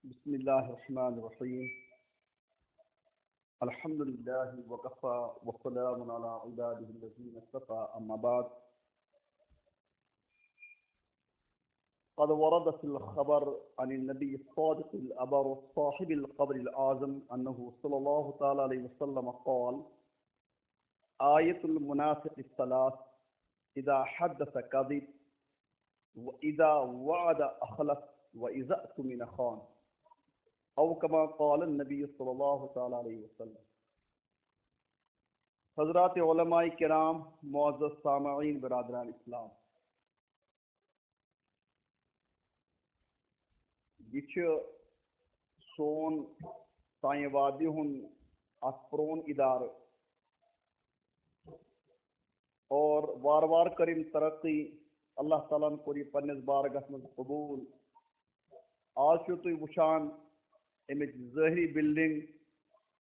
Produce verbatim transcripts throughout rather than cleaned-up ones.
بسم الله الرحمن الرحيم. الحمد لله وكفى وسلام على عباده الذين اصطفى، أما بعد. قد ورد في الخبر عن النبي الصادق الأبر صاحب القبر الأعظم أنه صلى الله تعالى عليه وسلم قال: آية المنافق ثلاث، إذا حدث كذب، وإذا وعد أخلف، وإذا اؤتمن خان، أو كما قال النبي صلى الله تعالى عليه وسلم. حضرات علماء کرام، معزز سامعین، برادران اسلام، یہِ چھُ سون سانہِ وادی ہُنٛد اکھ پرون ادارٕ، اور وار وار کٔر أمۍ ترقی۔ اللہ تعالیٰ ہن کوٚر یہِ پننِس بارگاہس منٛز قبول۔ آز چھِو تُہۍ وٕچھان اَمِچ ظٲہری بلڈنگ،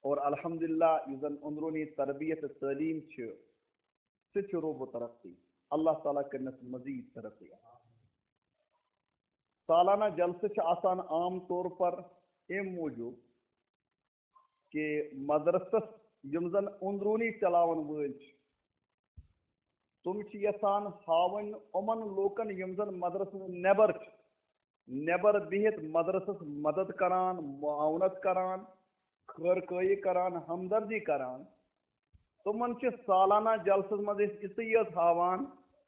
اور الحمدللہ یُس زن اندروٗنی تربیت تہٕ تعلیٖم چھِ، سُہ تہِ چھُ روٗدمُت ترقی۔ اللہ تعالیٰ کٔرِنَس مزید ترقی۔ سالانہ جلسہٕ چھِ آسان عام طور پر اَمہِ موٗجوٗب کہِ مدرسس یِم زن اندروٗنی چلاون وٲلۍ چھِ، تِم چھِ یژھان ہاوٕنۍ یِمن لوٗکن، یِم زن مدرسہٕ نٮ۪بر چھِ، نٮ۪بر بِہِتھ مدرسس مدد کران، معاونت کران، خٲر کٲیی کران، ہمدردی کران۔ تِمن چھِ سالانہ جلسس منٛز أسۍ یِژٕے یٲژ ہاوان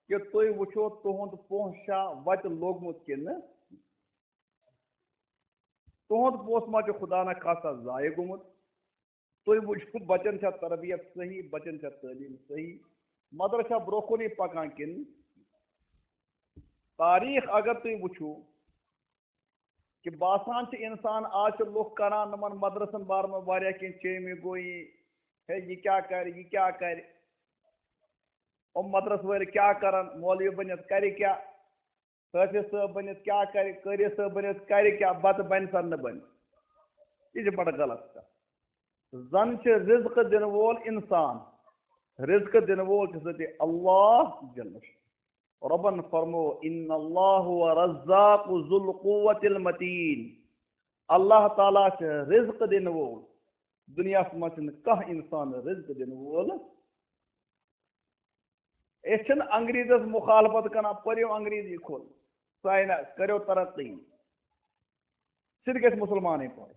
کہِ تُہۍ وٕچھِو تُہُنٛد پونٛسہٕ چھا وتہِ لوٚگمُت کِنہٕ نہٕ۔ تُہُنٛد پونٛسہٕ ما چھُ خدا نہ خاصہ ضایع گوٚمُت؟ تُہۍ وٕچھِو بچن چھا تربیت صحیح، بچن چھا تعلیٖم صحیح، مدرسہ برٛونٛہہ کُنٕے پکان کِنہٕ؟ تاریخ اگر تُہۍ وٕچھِو کہِ باسان چھِ انسان، آز چھِ لُکھ کران یِمن مدرسن بارس منٛز واریاہ کینٛہہ، چیٚمہِ گویی، ہے یہِ کیٛاہ کرِ، یہِ کیٛاہ کرِ، یِم مدرسہٕ وٲلۍ کیٛاہ کرن، مولوی بٔنِتھ کرِ کیٛاہ؟ حٲفظ صٲب بٔنِتھ کیٛاہ کرِ، قٲری صٲب بٔنِتھ کرِ کیٛاہ، بتہٕ بنہِ سا نہٕ بنہِ؟ یہِ چھِ بڑٕ غلط کتھ۔ زن چھِ رزق دِنہٕ وول انسان، رزق دِنہٕ وول چھُ سُہ تہِ اللہ جل شانہ۔ رۄبن فرمو، "ان اللہ هو الرزاق ذو القوة المتین"۔ اللہ تعالیٰ چھُ رزق دِنہٕ وول۔ دُنیاہس منٛز چھُنہٕ کانٛہہ انسان رزق دِنہٕ وول۔ أسۍ چھِنہٕ انگریزس مخالفت کران، پٔرِو انگریزی کھول، ساینس، کٔرِو ترقی، سُہ تہِ گژھِ مسلمانٕے پٲٹھۍ۔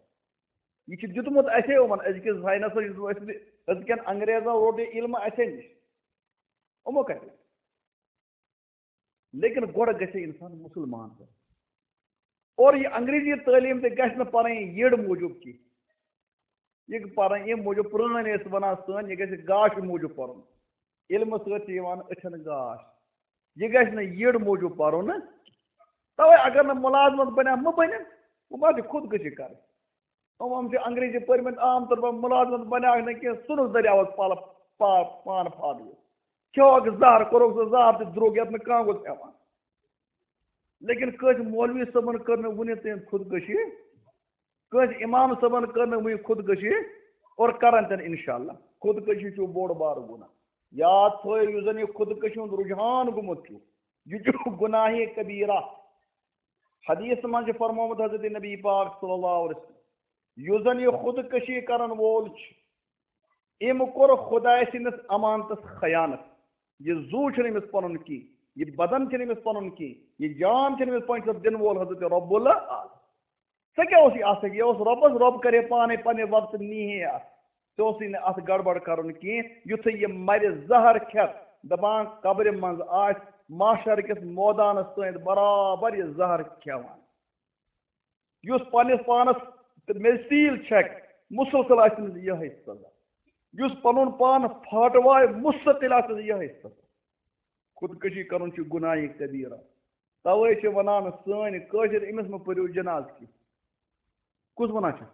یہِ چھُ دیُتمُت اَسے یِمن أزکِس ساینسس، یُس اَسہِ أزکٮ۪ن انگریزن روٚٹ یہِ علم اَسے نِش۔ یِمو کتہِ؟ لیکن گۄڈٕ گژھِ انسان مسلمان بنُن۔ اور یہِ انگریزی تعلیٖم تہِ گژھِ نہٕ پرٕنۍ یٔڈ موٗجوٗب کینٛہہ۔ یہِ پرٕنۍ ییٚمہِ موٗجوٗب، پرٛٲنۍ ٲسۍ ونان سٲنۍ، یہِ گژھِ گاش موٗجوٗب پرُن۔ علمہٕ سۭتۍ چھِ یِوان أچھن گاش۔ یہِ گژھِ نہٕ یٔڈ موٗجوٗب پرُن۔ توے اگر نہٕ مُلازمت بنیٛا، مہٕ بنن، وۄنۍ ما چھِ خودکشی کرٕنۍ۔ یِم، یِم چھِ انگریزی پٔرمٕتۍ، عام طور پر مُلازمت بنیٛاکھ نہٕ کینٛہہ، ژھٕنُکھ دٔریاوس پلہٕ پا-، پان پھاٹوِتھ۔ کھیوکھ زہر، کوٚرُکھ سُہ زہر تہِ درٛوگ، یتھ نہٕ کانٛہہ اوس ہٮ۪وان۔ لیکن کٲنٛسہِ مولوی صٲبن کٔر نہٕ وُنہِ تام خودکشی، کٲنٛسہِ امام صٲبن کٔر نہٕ وُنہِ خودکشی، اور کرن تہِ نہٕ انشاءاللہ۔ خودکشی چھُ بوٚڑ بارٕ گُناہ۔ یاد تھٲیِو، یُس زن یہِ خودکشی ہُنٛد رجحان گوٚمُت چھُ، یہِ چھُ گناہ کبیرہ۔ حدیث منٛز چھُ فرمومُت حضرت نبی پاک صلی اللہ علیہ وسلم، یُس زن یہِ خودکشی کرن وول چھُ، أمۍ کوٚر خدایہِ سٕنٛدِس امانتس خیانت۔ یہِ زُو چھُنہٕ أمِس پنُن کینٛہہ، یہِ بدن چھُنہٕ أمِس پنُن کینٛہہ، یہِ جان چھُنہٕ أمِس پنُن، چھُ دِنہٕ وول حضرت رب العالمین۔ ژےٚ کیٛاہ اوس یہِ اَتھ سۭتۍ؟ یہِ اوس رۄبَس، رۄب کَرِ ہے پانَے پنٛنہِ وقتہٕ نی ہے اَتھ۔ ژےٚ اوسُے نہٕ اَتھ گڑبڑ کَرُن کینٛہہ۔ یُتھُے یہِ مَرِ زہر کھٮ۪تھ، دَپان قبرِ منٛز آسہِ، محشر کِس مٲدانَس تانۍ برابر یہِ زہر کھٮ۪وان۔ یُس پنٛنِس پانَس تہٕ میٚژِ تیٖل چھَکہِ، مُسلسل آسہِ تٔمِس یِہوٚے سزا۔ یُس پَنُن پان پھاٹوایہِ، مُستقل آسہِ تٔمِس یِہوٚے سزا۔ خودکشی کَرُن چھُ گُناہہِ کبیرہ۔ توے چھِ وَنان سٲنۍ کٲشِر، أمِس مہ پٔرِو جنازٕ کینٛہہ۔ کُس وَنان چھُ؟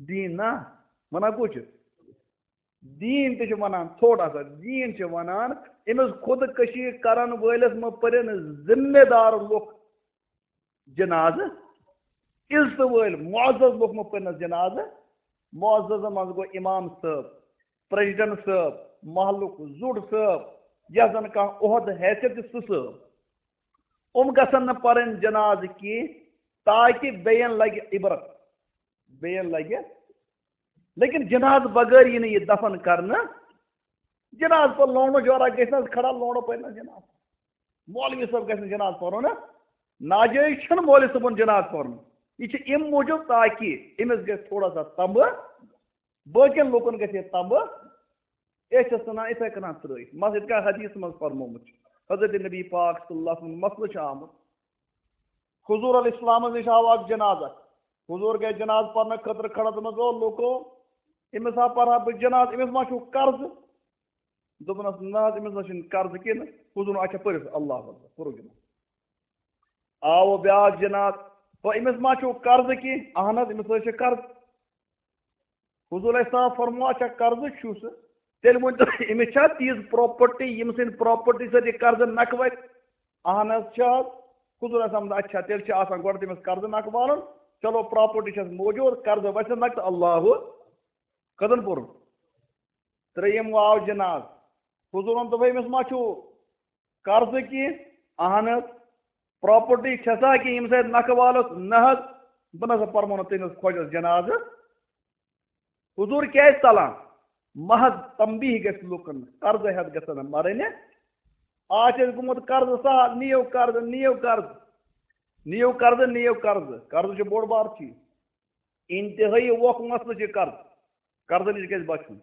دیٖن نا؟ وَنان کُس چھُ؟ دیٖن تہِ چھُ وَنان، تھوڑا سا دیٖن چھُ وَنان، أمِس خودکشی کَرَن وٲلِس مہ پٔرِن ذمہ دار لُکھ جنازٕ، عزتہٕ وٲلۍ معزز لُکھ مہ پٔرنَس جنازٕ۔ معززَن منٛز گوٚو امام صٲب، پریزیڈنٹ صٲب، محلُک زُٹھ صٲب، یَتھ زَن کانٛہہ عہدٕ حیثیت چھِ، سُہ صٲب۔ یِم گژھن نہٕ پرٕنۍ جنازٕ کینٛہہ، تاکہ بیٚین لگہِ عبرت، بیٚین لگہِ۔ لیکن جنازٕ بغٲر یی نہٕ یہِ دفن کرنہٕ۔ جنازٕ پتہٕ لونڈو جورا گژھِ نہ حظ کھڑا، لونڈو پرِ نہ جنازٕ۔ مولوی صٲب گژھِ نہٕ جنازٕ پرُن۔ ناجٲیز چھُنہٕ مولوی صٲبُن جنازٕ پرُن۔ یہِ چھُ اَمہِ موٗجوٗب تاکہِ أمِس گژھِ تھوڑا سا تمبہٕ، باقین لوٗکن گژھِ ہے تمبہٕ۔ أسۍ چھِ ژھٕنان یِتھے کٔنۍ ترٲوِتھ۔ مثلاً یِتھ کٔنۍ حدیثس منٛز فرمومُت چھُ، حضرت نبی پاک صلی اللہ علیہ وسلم مسلہٕ چھُ آمُت۔ حضور علیہ السلامس نِش آو اکھ جنازٕ۔ حضور گٔے جنازٕ پرنہٕ خٲطرٕ کھڑا، دوٚپنس، او لوٗکو، أمِس ہا پرہا بہٕ جنازٕ، أمِس ما چھُو قرضہٕ؟ دوٚپنس، نہ حظ، أمِس نہ چھُنہٕ قرضہٕ کینٛہہ۔ حضورن، اچھا، پٔرِو سا، اللہ اکبر، پوٚرُکھ جنازٕ۔ آو بیٛاکھ جنازٕ، تو أمِس ما چھُو قرضہٕ کینٛہہ؟ اہن حظ، أمِس حظ چھِ قرضہٕ۔ حضور علیہ السلام فرموو، اچھا، قرضہٕ چھُس، تیٚلہِ ؤنۍ تو، أمِس چھا تیٖژ پراپرٹی، ییٚمہِ سٕنٛدِ پراپرٹی سۭتۍ یہِ قرضہٕ نکھٕ وَتہِ؟ اہن حظ چھِ حظ۔ حضور علیہ السلام، اچھا، تیٚلہِ چھِ آسان گۄڈٕ تٔمِس قرضہٕ نکھٕ والُن۔ چلو، پراپرٹی چھَس موجود، قرضہٕ وَسہِ نکھٕ تہٕ اللہ کَتَن پوٚرُن؟ ترٛیٚیِم واو جناز۔ حضوٗرن دوٚپ، أمِس ما چھُو قرضہٕ کینٛہہ؟ اہن حظ۔ پراپرٹی چھسا کینٛہہ ییٚمہِ سۭتۍ نکھٕ والُس؟ نہ حظ۔ بہٕ نہ سا پرمو نہٕ تٔمِس خۄجس جنازٕ۔ حضوٗر کیازِ ژلان؟ محض تنبیہ گژھِ لُکن، قرضہٕ ہٮ۪تھ گژھن نہٕ مرٕنۍ۔ آز چھِ اَسہِ گوٚمُت قرضہٕ سہل، نِیِو قرضہٕ، نِیِو قرضہٕ، نِیِو قرضہٕ، نِیِو قرضہٕ۔ قرضہٕ چھُ بوٚڑ بار چیٖز۔ انتہٲیی ووکھ مسلہٕ چھُ قرض۔ قرضہٕ نِش گژھِ بچُن۔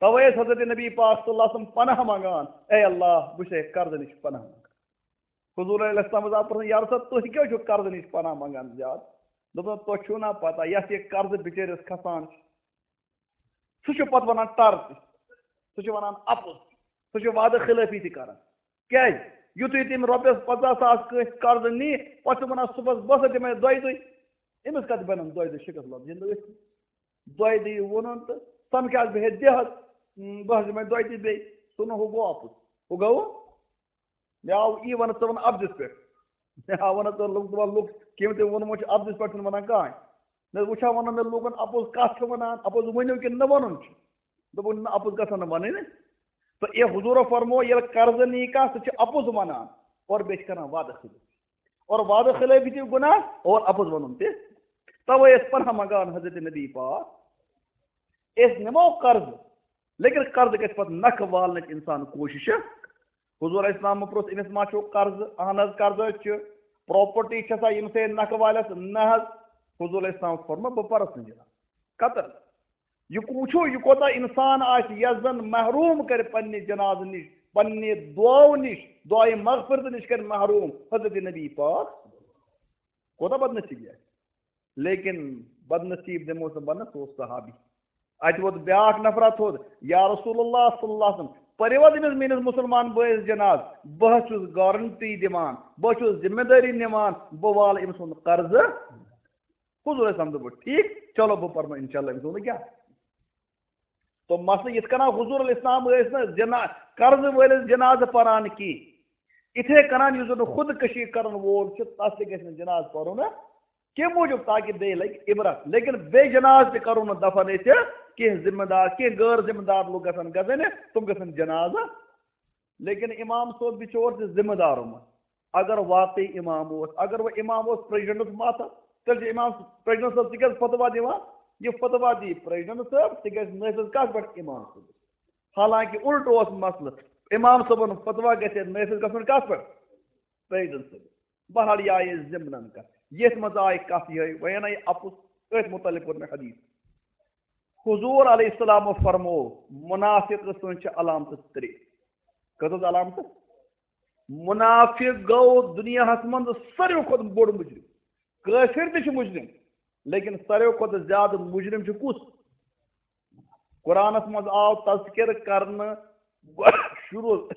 توے ٲسۍ حضرت نبی پاک صلی اللہ علیہ وسلم پناہ منگان، اے اللہ، بہٕ چھُسے قرضہٕ نِش پناہ منگان۔ حضور علیہ السلام حظ آو پرژھنہٕ، یا رسول، تُہۍ کیٛازِ چھِو قرضہٕ نِش پناہ منگان زیادٕ؟ دوٚپُن، تۄہہِ چھُو نا پتہ، یَتھ یہِ قرضہٕ بِچٲرِس کھسان چھُ، سُہ چھُ پتہٕ ونان ٹر تہِ، سُہ چھُ ونان اپُز، سُہ چھُ وعدٕ خلٲفی تہِ کران۔ کیازِ؟ یُتھُے تٔمۍ رۄپیَس پنٛژاہ ساس کٲنٛسہِ قرضہٕ نی، پتہٕ چھُ ونان صُبحَس، بہٕ ہسا دِمے دۄیہِ دۄہہِ۔ أمِس کتہِ بنن دۄیہِ دۄہہِ شِکس لفظ؟ ییٚلہِ نہٕ أسۍ دۄیہِ دۄہہِ ووٚنُن تہٕ سمکھِ حظ بہٕ ہے دِ حظ، اۭں، بہٕ حظ دِمے دۄیہِ دۄہہِ بیٚیہِ۔ سُہ نہٕ ہُہ گوٚو اَپُز۔ ہُہ گوٚو؟ مےٚ آو یی ونہٕ، ژٕ وَن اَپزِس پٮ۪ٹھ۔ مےٚ آو ونہٕ، ژٕ لُکھ، دَپان لُکھ، کٔمۍ تہِ ووٚنمُت چھُ اَپزِس پٮ۪ٹھ، چھُنہٕ وَنان کانٛہہ۔ مےٚ وٕچھا ونان، مےٚ لوٗکن اَپُز کَتھ چھِ وَنان، اَپُز ؤنِو کِنہٕ نہٕ وَنُن چھُ؟ دوٚپُن، نہ، اَپُز گژھن نہٕ وَنٕنۍ۔ تہٕ یہِ حضوٗرو فرموو، ییٚلہِ قرضہٕ نی کانٛہہ، سُہ چھُ اَپُز وَنان اور بیٚیہِ چھِ کَران وعدٕ خلٲفی۔ اور وعدٕ خلٲفی تہِ گُناہ اور اَپُز وَنُن تہِ۔ تَوَے ٲسۍ پناہ منٛگان حضرت نبی پاک، أسۍ نِمو قرضہٕ، لیکن قرضہٕ گژھِ پَتہٕ نَکھٕ والنٕچ اِنسان کوٗشِش۔ حضوٗر علیہ السلامو پرٛژھ، أمِس ما چھُو قرضہٕ؟ اہن حظ، قرضہٕ حظ چھُ۔ پراپرٹی چھےٚ سا ییٚمہِ سۭتۍ نَکھٕ والٮ۪س؟ نہ حظ۔ حضوٗر علیہ السلام فرموو، بہٕ پَرَس نہٕ جِناب۔ قطر۔ یہِ وٕچھو، یہِ کوٗتاہ اِنسان آسہِ، یَس زَن محروٗم کَرِ پنٛنہِ جنازٕ نِش، پنٛنہِ دُعاو نِش، دُعایہِ مغفرت نِش کَرِ محروٗم حضرت نبی پاک۔ کوٗتاہ بدنصیٖبی آسہِ۔ لیکن بدنصیٖب دِموس نہٕ بَنہٕ، سُہ اوس صحابی۔ اَتہِ ووت بیٛاکھ نفرا تھوٚد، یا رسول اللہ صلی اللہ علیہ وسلم، پٔرِو حظ أمِس میٛٲنِس مُسلمان بٲیِس جنازٕ، بہٕ حظ چھُس گارنٹی دِوان، بہٕ حظ چھُس ذمہٕ دٲری نِوان، بہٕ والہٕ أمۍ سُنٛد قرضہٕ۔ حضور علیہ السلام دوٚپُکھ، ٹھیٖک، چلو بہٕ پرمہٕ انشاءاللہ أمۍ سُنٛد کیٛاہ۔ تو مسلہٕ یِتھ کٔنۍ حضور علیہ السلام ٲسۍ نہٕ جنا-، قرضہٕ وٲلِس جنازٕ پران کینٛہہ، یِتھے کٔنۍ یُس زن خودکشی کرن وول چھُ، تس تہِ گژھِ نہٕ جنازٕ پرُن کینٛہہ موٗجوٗب، تاکہِ بیٚیہِ لگہِ عبرت۔ لیکن بے جنازٕ تہِ کرو نہٕ دفن أسۍ کینٛہہ، ذمہٕ دار، کینٛہہ غٲر ذمہٕ دار لوٗکھ گژھن گژھٕنۍ، تِم گژھن جنازٕ۔ لیکن امام صٲب بِچور چھُ ذمہٕ دار یِمن۔ اگر واقعی امام اوس، اگر وۄنۍ امام اوس پریزیڈنٹس ماتھا، تیٚلہِ چھُ امام پریزیڈنٹ صٲب تہِ گژھِ فتوا دِوان۔ یہِ فتوا دی پریزیڈنٹ صٲب، تہِ گژھِ نٲفذ کتھ پٮ۪ٹھ؟ امام صٲبس۔ حالانکہ الٹہٕ اوس مسلہٕ، امام صٲبن فتوا گژھِ نٲفذ گژھُن کتھ پٮ۪ٹھ؟ پریزیڈنٹ صٲبس۔ بہرحال، یہِ آیہِ ضمنن کتھ، یتھ منٛز آیہِ کتھ یِہے، وۄنۍ انے اپُز، أتھۍ متعلق کوٚر مےٚ حدیث۔ حضور علیہ السلام فرمو، منافق سٕنٛز چھِ علامتہٕ ترٛےٚ۔ کٔژ حظ علامتہٕ؟ منافق گوٚو دُنیاہَس منٛز ساروی کھۄتہٕ بوٚڑ مُجرِم۔ کٲفِر تہِ چھُ مُجرِم، لیکن ساروی کھۄتہٕ زیادٕ مُجرِم چھُ کُس؟ قرآنَس منٛز آو تذکر کرنہٕ شروع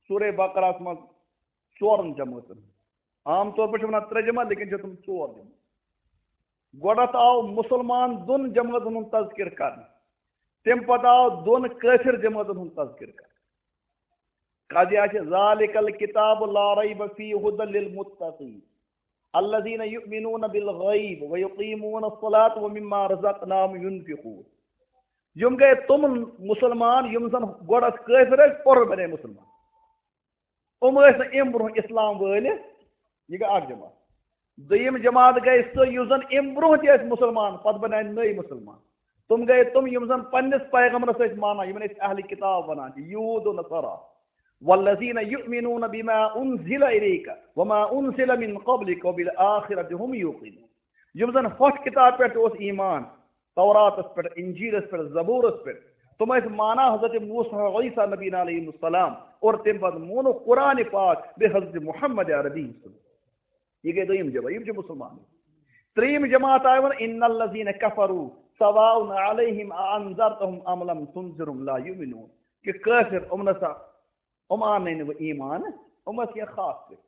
سورہ بقرہَس منٛز ژورَن جمٲژن۔ عام طور پٲٹھۍ چھِ وَنان ترٛےٚ جمٲژ، لیکن چھِ تِم ژور جمٲژ۔ گۄڈٕنٮ۪تھ آو مُسلمان دۄن جمٲژن ہُنٛد تذکر کرنہٕ، تَمہِ پتہٕ آو دۄن کٲفِر جمٲژن ہُنٛد تذکر کرنہٕ۔ قضیہ چھِ، ذالک الکتاب لا ریب فیہ ہدی للمتقین الذین یؤمنون بالغیب ویقیمون الصلاۃ ومما رزقناہم ینفقون۔ یِم گٔے تِم مُسلمان یِم زن گۄڈٕ ٲسۍ کٲفِر، ٲسۍ، پوٚرُن بنے مُسلمان۔ یِم ٲسۍ نہٕ اَمہِ برونٛہہ اِسلام وٲلۍ، یہِ گٔے اکھ جماعت۔ دوٚیِم جماعت گٔے سُہ، یُس زَن اَمہِ برٛونٛہہ تہِ ٲسۍ مُسلمان، پَتہٕ بَنیٛاے نٔے مُسلمان۔ تِم گٔے تِم، یِم زَن پنٛنِس پیغمبرَس ٲسۍ مانان، یِمَن أسۍ اہلِ کِتاب وَنان چھِ، یہوٗد و نصارا۔ والذین یؤمنون بما انزل الیک وما انزل من قبلک وبالآخرۃ هم یوقنون۔ یِم زَن ہۄتھ کِتاب پٮ۪ٹھ تہِ اوس ایمان، توراتَس پٮ۪ٹھ، انجیلَس پٮ۪ٹھ، زبورَس پٮ۪ٹھ، تِم ٲسۍ مانان حضرت موسیٰ، عیسیٰ نبینا علیہم السلام، اور تَمہِ پَتہٕ مونُکھ قرآن پاک بیٚیہِ حضرت محمد عربی صلی اللہ علیہ وسلم۔ یہِ گٔے دوٚیِم جماعت، یِم چھِ مُسلمان۔ ترٛیٚیِم جماعت آیہِ وَنہٕ، ان الذین کفروا سواء علیہم اانذرتہم ام لم تنذرہم لا یؤمنون۔ کہِ کٲفِر، یِم نہ سا، یِم اَننَے نہٕ وۄنۍ ایمان، یِم ٲسۍ کینٛہہ خاص پٲٹھۍ۔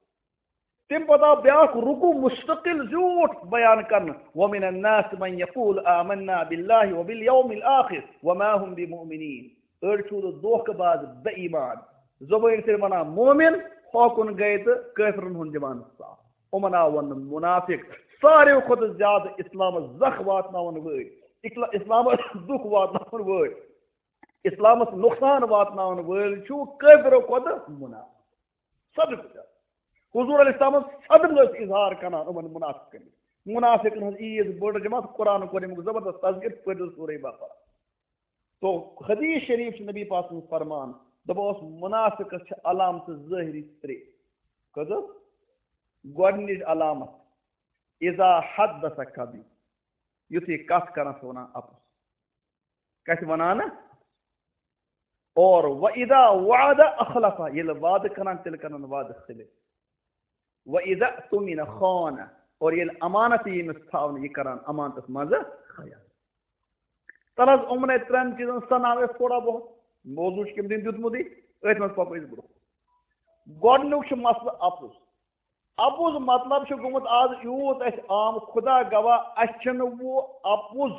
تَمہِ پَتہٕ آو بیٛاکھ رُکوٗع مُستقل زیوٗٹھ بیان کرنہٕ، ومن الناس من یقول آمنا باللہ وبالیوم الآخر وما هم بمؤمنین۔ أڑۍ چھُ دھوکہٕ باز، بے ایمان، زبٲنۍ سۭتۍ وَنان مومن، ہوکُن گٔے تہٕ کٲفرَن ہُنٛد دِوان ساتھ۔ یِمَن آو وَننہٕ مُنافِق۔ ساروٕے کھۄتہٕ زیادٕ اِسلامَس زَخ واتناوَن وٲلۍ، اِکلا-، اِسلامَس دُکھ واتناوَن وٲلۍ، اِسلامَس نۄقصان واتناوَن وٲلۍ چھُ کٲفرو کھۄتہٕ مُنافِق۔ صدق چھُ۔ حضور علیہ السلامَس صدق ٲسۍ اظہار کران یِمَن مُنافِقَن۔ مُنافِقَن ہٕنٛز عیٖد بٔڑ جماعت، قرآن کوٚر اَمیُک زبردست تذکر، پٔرِو سورہ بقرہ۔ تو حدیث شریف چھُ نبی پاک سُنٛد فرمان، دَپان اوس، مُنافِقَس چھِ علامتہٕ ظٲہری ترٛےٚ۔ کٔژ حظ؟ گۄڈٕنِچ علامت، اذا حدث کذب، یُتھُے کَتھ کران چھُ وَنان اَپُز۔ کَتہِ وَنان؟ اور وَإِذَا وَعَدَ أَخْلَفَ، ییٚلہِ وعدٕ کران، تیٚلہِ کران وعدٕ خلاف۔ وَإِذَا اؤْتُمِنَ خَانَ، اور ییٚلہِ امانت یی أمِس تھاونہٕ، یہِ کران امانتس منٛز خیانت۔ تَلہٕ حظ، یِمنٕے ترٛٮ۪ن چیٖزن سَناو أسۍ تھوڑا بہت، موضوع چھُ کٔمۍ تٔمۍ دیُتمُتٕے، أتھۍ منٛز پَکو أسۍ برٛونٛہہ۔ گۄڈٕنیُک چھُ مسلہٕ اَپُز۔ اَپُز مطلب چھُ گوٚمُت آز یوٗت اَسہِ عام، خدا گواہ، اَسہِ چھُنہٕ وۄنۍ اَپُز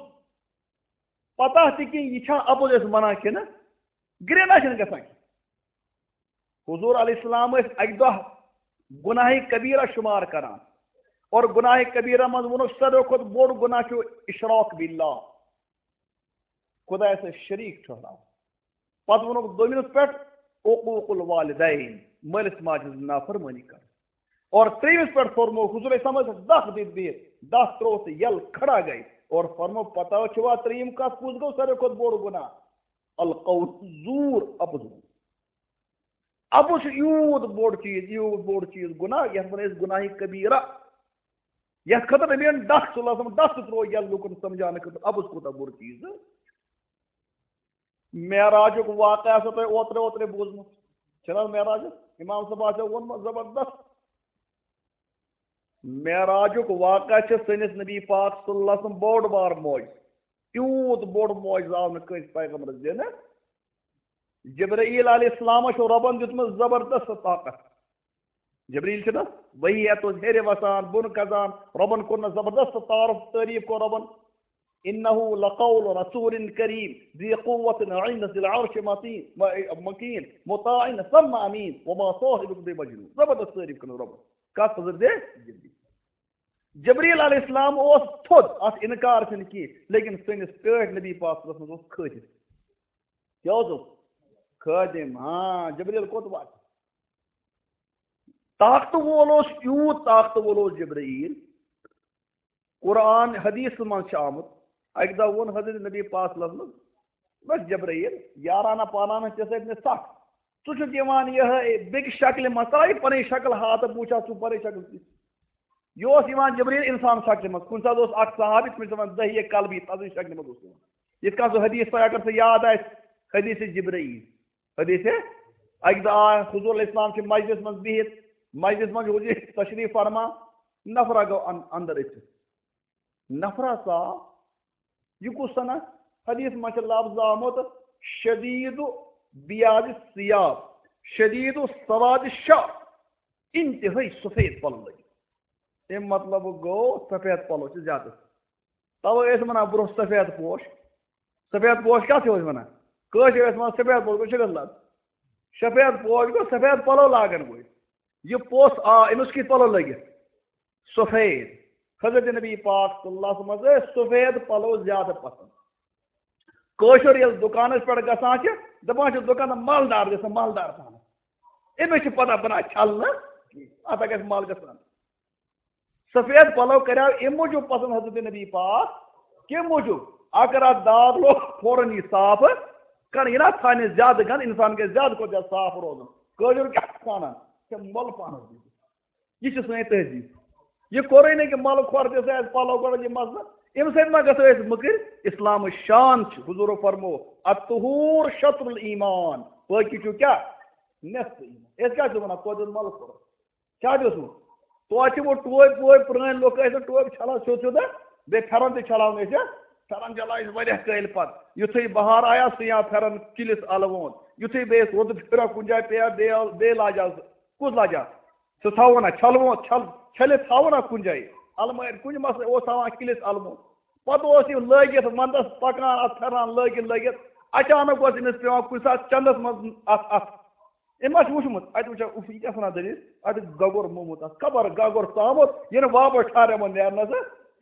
پتہ تہِ کینٛہہ، یہِ چھا اَپُز أسۍ وَنان کِنہٕ گرٛینہ چھِنہٕ گژھان کینٛہہ۔ حضور علیہ السلام ٲسۍ اَکہِ دۄہ گناہ کبیرہ شمار کران، اور گناہ کبیرہ منٛز ووٚنُکھ، ساروی کھۄتہٕ بوٚڑ گناہ چھُ اشراک باللہ، خدایَس سۭتۍ شریٖک ٹھہراوُن۔ پتہٕ ووٚنُکھ دوٚیمِس پٮ۪ٹھ عقوق الوالدین، مٲلِس ماجہِ ہٕنٛز نافرمٲنی کرٕنۍ۔ اور ترٛیٚیِمِس پٮ۪ٹھ فرموو حضور علیہ السلام ٲسۍ دَکھ دِتھ بِہِتھ، دَکھ ترٛوو تہٕ یَلہٕ کھڑا گٔے۔ اور فرموو، پتہ چھُوا ترٛیٚیِم کَتھ کُس گوٚو ساروی کھۄتہٕ بوٚڑ گُناہ؟ القول زوٗر، اَپُز وَنُن۔ اَپُز چھُ یوٗت بوٚڑ چیٖز، یوٗت بوٚڑ چیٖز گُناہ، یَتھ وَنان أسۍ گُناہہِ کبیٖرہ۔ یَتھ خٲطرٕ نبیَن دَکھ صلی اللہ علیہ وسلم، دَکھ تہٕ ترٛوو یَلہٕ لُکَن سَمجھاونہٕ خٲطرٕ، اَپُز کوٗتاہ بوٚڑ چیٖز۔ معراجُک واقعہ آسیو تۄہہِ اوترٕ اوترٕ بوٗزمُت۔ چھُنہٕ حظ معراجُک؟ امام صٲب آسیو ووٚنمُت زبردست۔ معراجُک واقعہ چھُ سٲنِس نبی پاک صلی اللہ علیہ وسلم بوٚڑ بار معجزٕ۔ تیوٗت بوٚڑ معجزٕ آو نہٕ کٲنٛسہِ پیغمبرس دِنہٕ۔ جبرائیل علیہ السلامس چھُ رۄبن دیُتمُت زبردست طاقت۔ جبریل چھُنہ وحی ہٮ۪تھ اوس ہیٚرِ وسان، بۄن کھسان، رۄبن کوٚرنس زبردست تعارف، تعریف کوٚر رۄبن۔ انہ لقول رسول کریم ذی قوت عند ذی العرش متین، م-، مکین، مطاع ثم امین، وما صاحبکم بمجنون۔ زبردست تعریف کٔرمٕژ رۄبن۔ کتھ حضرت جبریل؟ جبریل علیہ السلام اوس تھوٚد، اتھ انکار چھُنہٕ کینٛہہ، لیکن سٲنِس ٹٲٹھۍ نبی پاک صلی اللہ علیہ وسلم اوس کھٲجِتھ۔ کیٛاہ اوسُکھ؟ خٲدِم۔ ہاں، جبریل کوٚت واتہِ؟ طاقتہٕ وول اوس، یوٗت طاقتہٕ وول اوس جبرائیل۔ قرآن حدیثس منٛز چھُ آمُت، اَکہِ دۄہ ووٚن حضرت نبی پاک صلی اللہ علیہ وسلم، بس جبرائیل، یارانہ پانانہ ژےٚ سۭتۍ مےٚ سخ۔ ژٕ چھُکھ یِوان یِہے بیٚکہِ شکلہِ منٛز، ترٛاو یہِ پنٕنۍ شکل ہاتہٕ، بہٕ وٕچھِ ہا ژٕ پنٕنۍ شکل کِژھ۔ یہِ اوس یِوان جبرائیل انسان شکلہِ منٛز۔ کُنہِ ساتہٕ اوس اکھ صحابی، تٔمِس چھِ وَنان دہیے قلبی، تَتھ شکلہِ منٛز اوس یِوان۔ یِتھ کٔنۍ سُہ حدیث تۄہہِ اگر سُہ یاد آسہِ، حدیث جبرائیل۔ حدیث، اَکہِ دۄہ آو حضور علیہ السلام چھِ مجلس منٛز بِہِتھ، مجلس منٛز چھُ حضور تشریف فرما، نفرا گوٚو ان-، اندر أژِتھ۔ نفرا ژاو، یہِ کُس سنا؟ حدیث منٛز چھُ لفظ آمُت، شدید بیاض الثیاب، شدید سواد الشعر، انتہٲئی سفید پلو لٲگِتھ۔ اَمہِ مطلب گوٚو سفید پلو چھِ زیادٕ۔ توے ٲسۍ وَنان برٛونٛہہ سفید پوش۔ سفید پوش کَتھ چھِ أسۍ وَنان؟ کٲشِر ٲسۍ وَنان سفید پوش گوٚو شُرٮ۪ن لَد۔ سفید پوش گوٚو سفید پَلو لاگَن وٲلۍ۔ یہِ پوٚژھ آ، أمِس کِتھ پَلو لٲگِتھ؟ سفید۔ حضرت نبی پاک صلی اللہ علیہ وسلم ٲسۍ سفید پَلو زیادٕ پَسنٛد۔ کٲشُر ییٚلہِ دُکانَس پٮ۪ٹھ گژھان چھِ، دَپان چھِ دُکاندار مالدار گژھِ مالدار پَہَم۔ أمِس چھِ پَتہ بَنان چھَلنہٕ، اَتھ گژھِ مال گژھان۔ سفید پلو کریو امہِ موٗجوٗب پسند حضرت نبی پاک، کمہِ موٗجوٗب؟ اگر اتھ داغ لوٚگ، فوراً یی صاف کرنہٕ۔ یہِ نہ تھاونہِ زیادٕ گنٛدٕ، انسان گژھِ زیادٕ کھۄتہٕ زیادٕ صاف روزُن۔ کٲجُر کیٛاہ چھُ ونان؟ ژےٚ مۄل پانس دِتھ۔ یہِ چھِ سٲنۍ تہذیٖب۔ یہِ کوٚرُے نہٕ کہِ مۄلہٕ کھۄر دِژ اَسہِ پلو گۄڈٕ یہِ مسلہٕ۔ اَمہِ سۭتۍ ما گژھو أسۍ مٔکٕرۍ؟ اسلامٕچ شان چھِ، حضوٗرو فرموو، "الطہور شطر الایمان"، پٲکی چھُ کیٛاہ؟ نصف ایمان۔ أسۍ کیٛاہ چھِ ونان؟ توتہِ اوس مۄلہٕ کھۄر۔ کیٛاہ چھُ اوسمُت؟ توتہِ چھِ وۄنۍ ٹوپۍ ووپۍ، پرٛٲنۍ لُکھ ٲسۍ نہٕ ٹوپۍ چھلان سیوٚد سیوٚد، بیٚیہِ پھٮ۪رن تہِ چھلان ٲسۍ۔ پھٮ۪رن چھلان ٲسۍ واریاہ کٲلۍ پتہٕ۔ یُتھُے بہار آیا، سُہ یا پھٮ۪رن کِلِس الوُنٛد۔ یُتھُے بیٚیہِ روٗدٕ پھِرا کُنہِ جایہِ پیٚیا، بیٚیہِ بیٚیہِ لاجہِ آز کُس لاجہِ آز؟ سُہ تھاوو نا، چھلوو، چھل-، چھٔلِتھ تھاوو نا کُنہِ جایہِ۔ المارِ کُنہِ منٛز اوس تھاوان کِلِس الوُنٛد۔ پتہٕ اوس یہِ لٲگِتھ ونٛدس پکان، اتھ پھٮ۪رن لٲگِتھ لٲگِتھ۔ اچانک اوس أمِس پٮ۪وان کُنہِ ساتہٕ چندس منٛز اتھ، اتھ۔ أمۍ ما چھُ وٕچھمُت؟ اَتہِ وٕچھان، اُف، یہِ کیٛاہ چھِ وَنان دٔلیٖل؟ اَتہِ گَگُر مومُت اَتھ، خبر گَگُر ژامُت، یہِ نہٕ واپس ٹھہرٮ۪مُت نیرنَس۔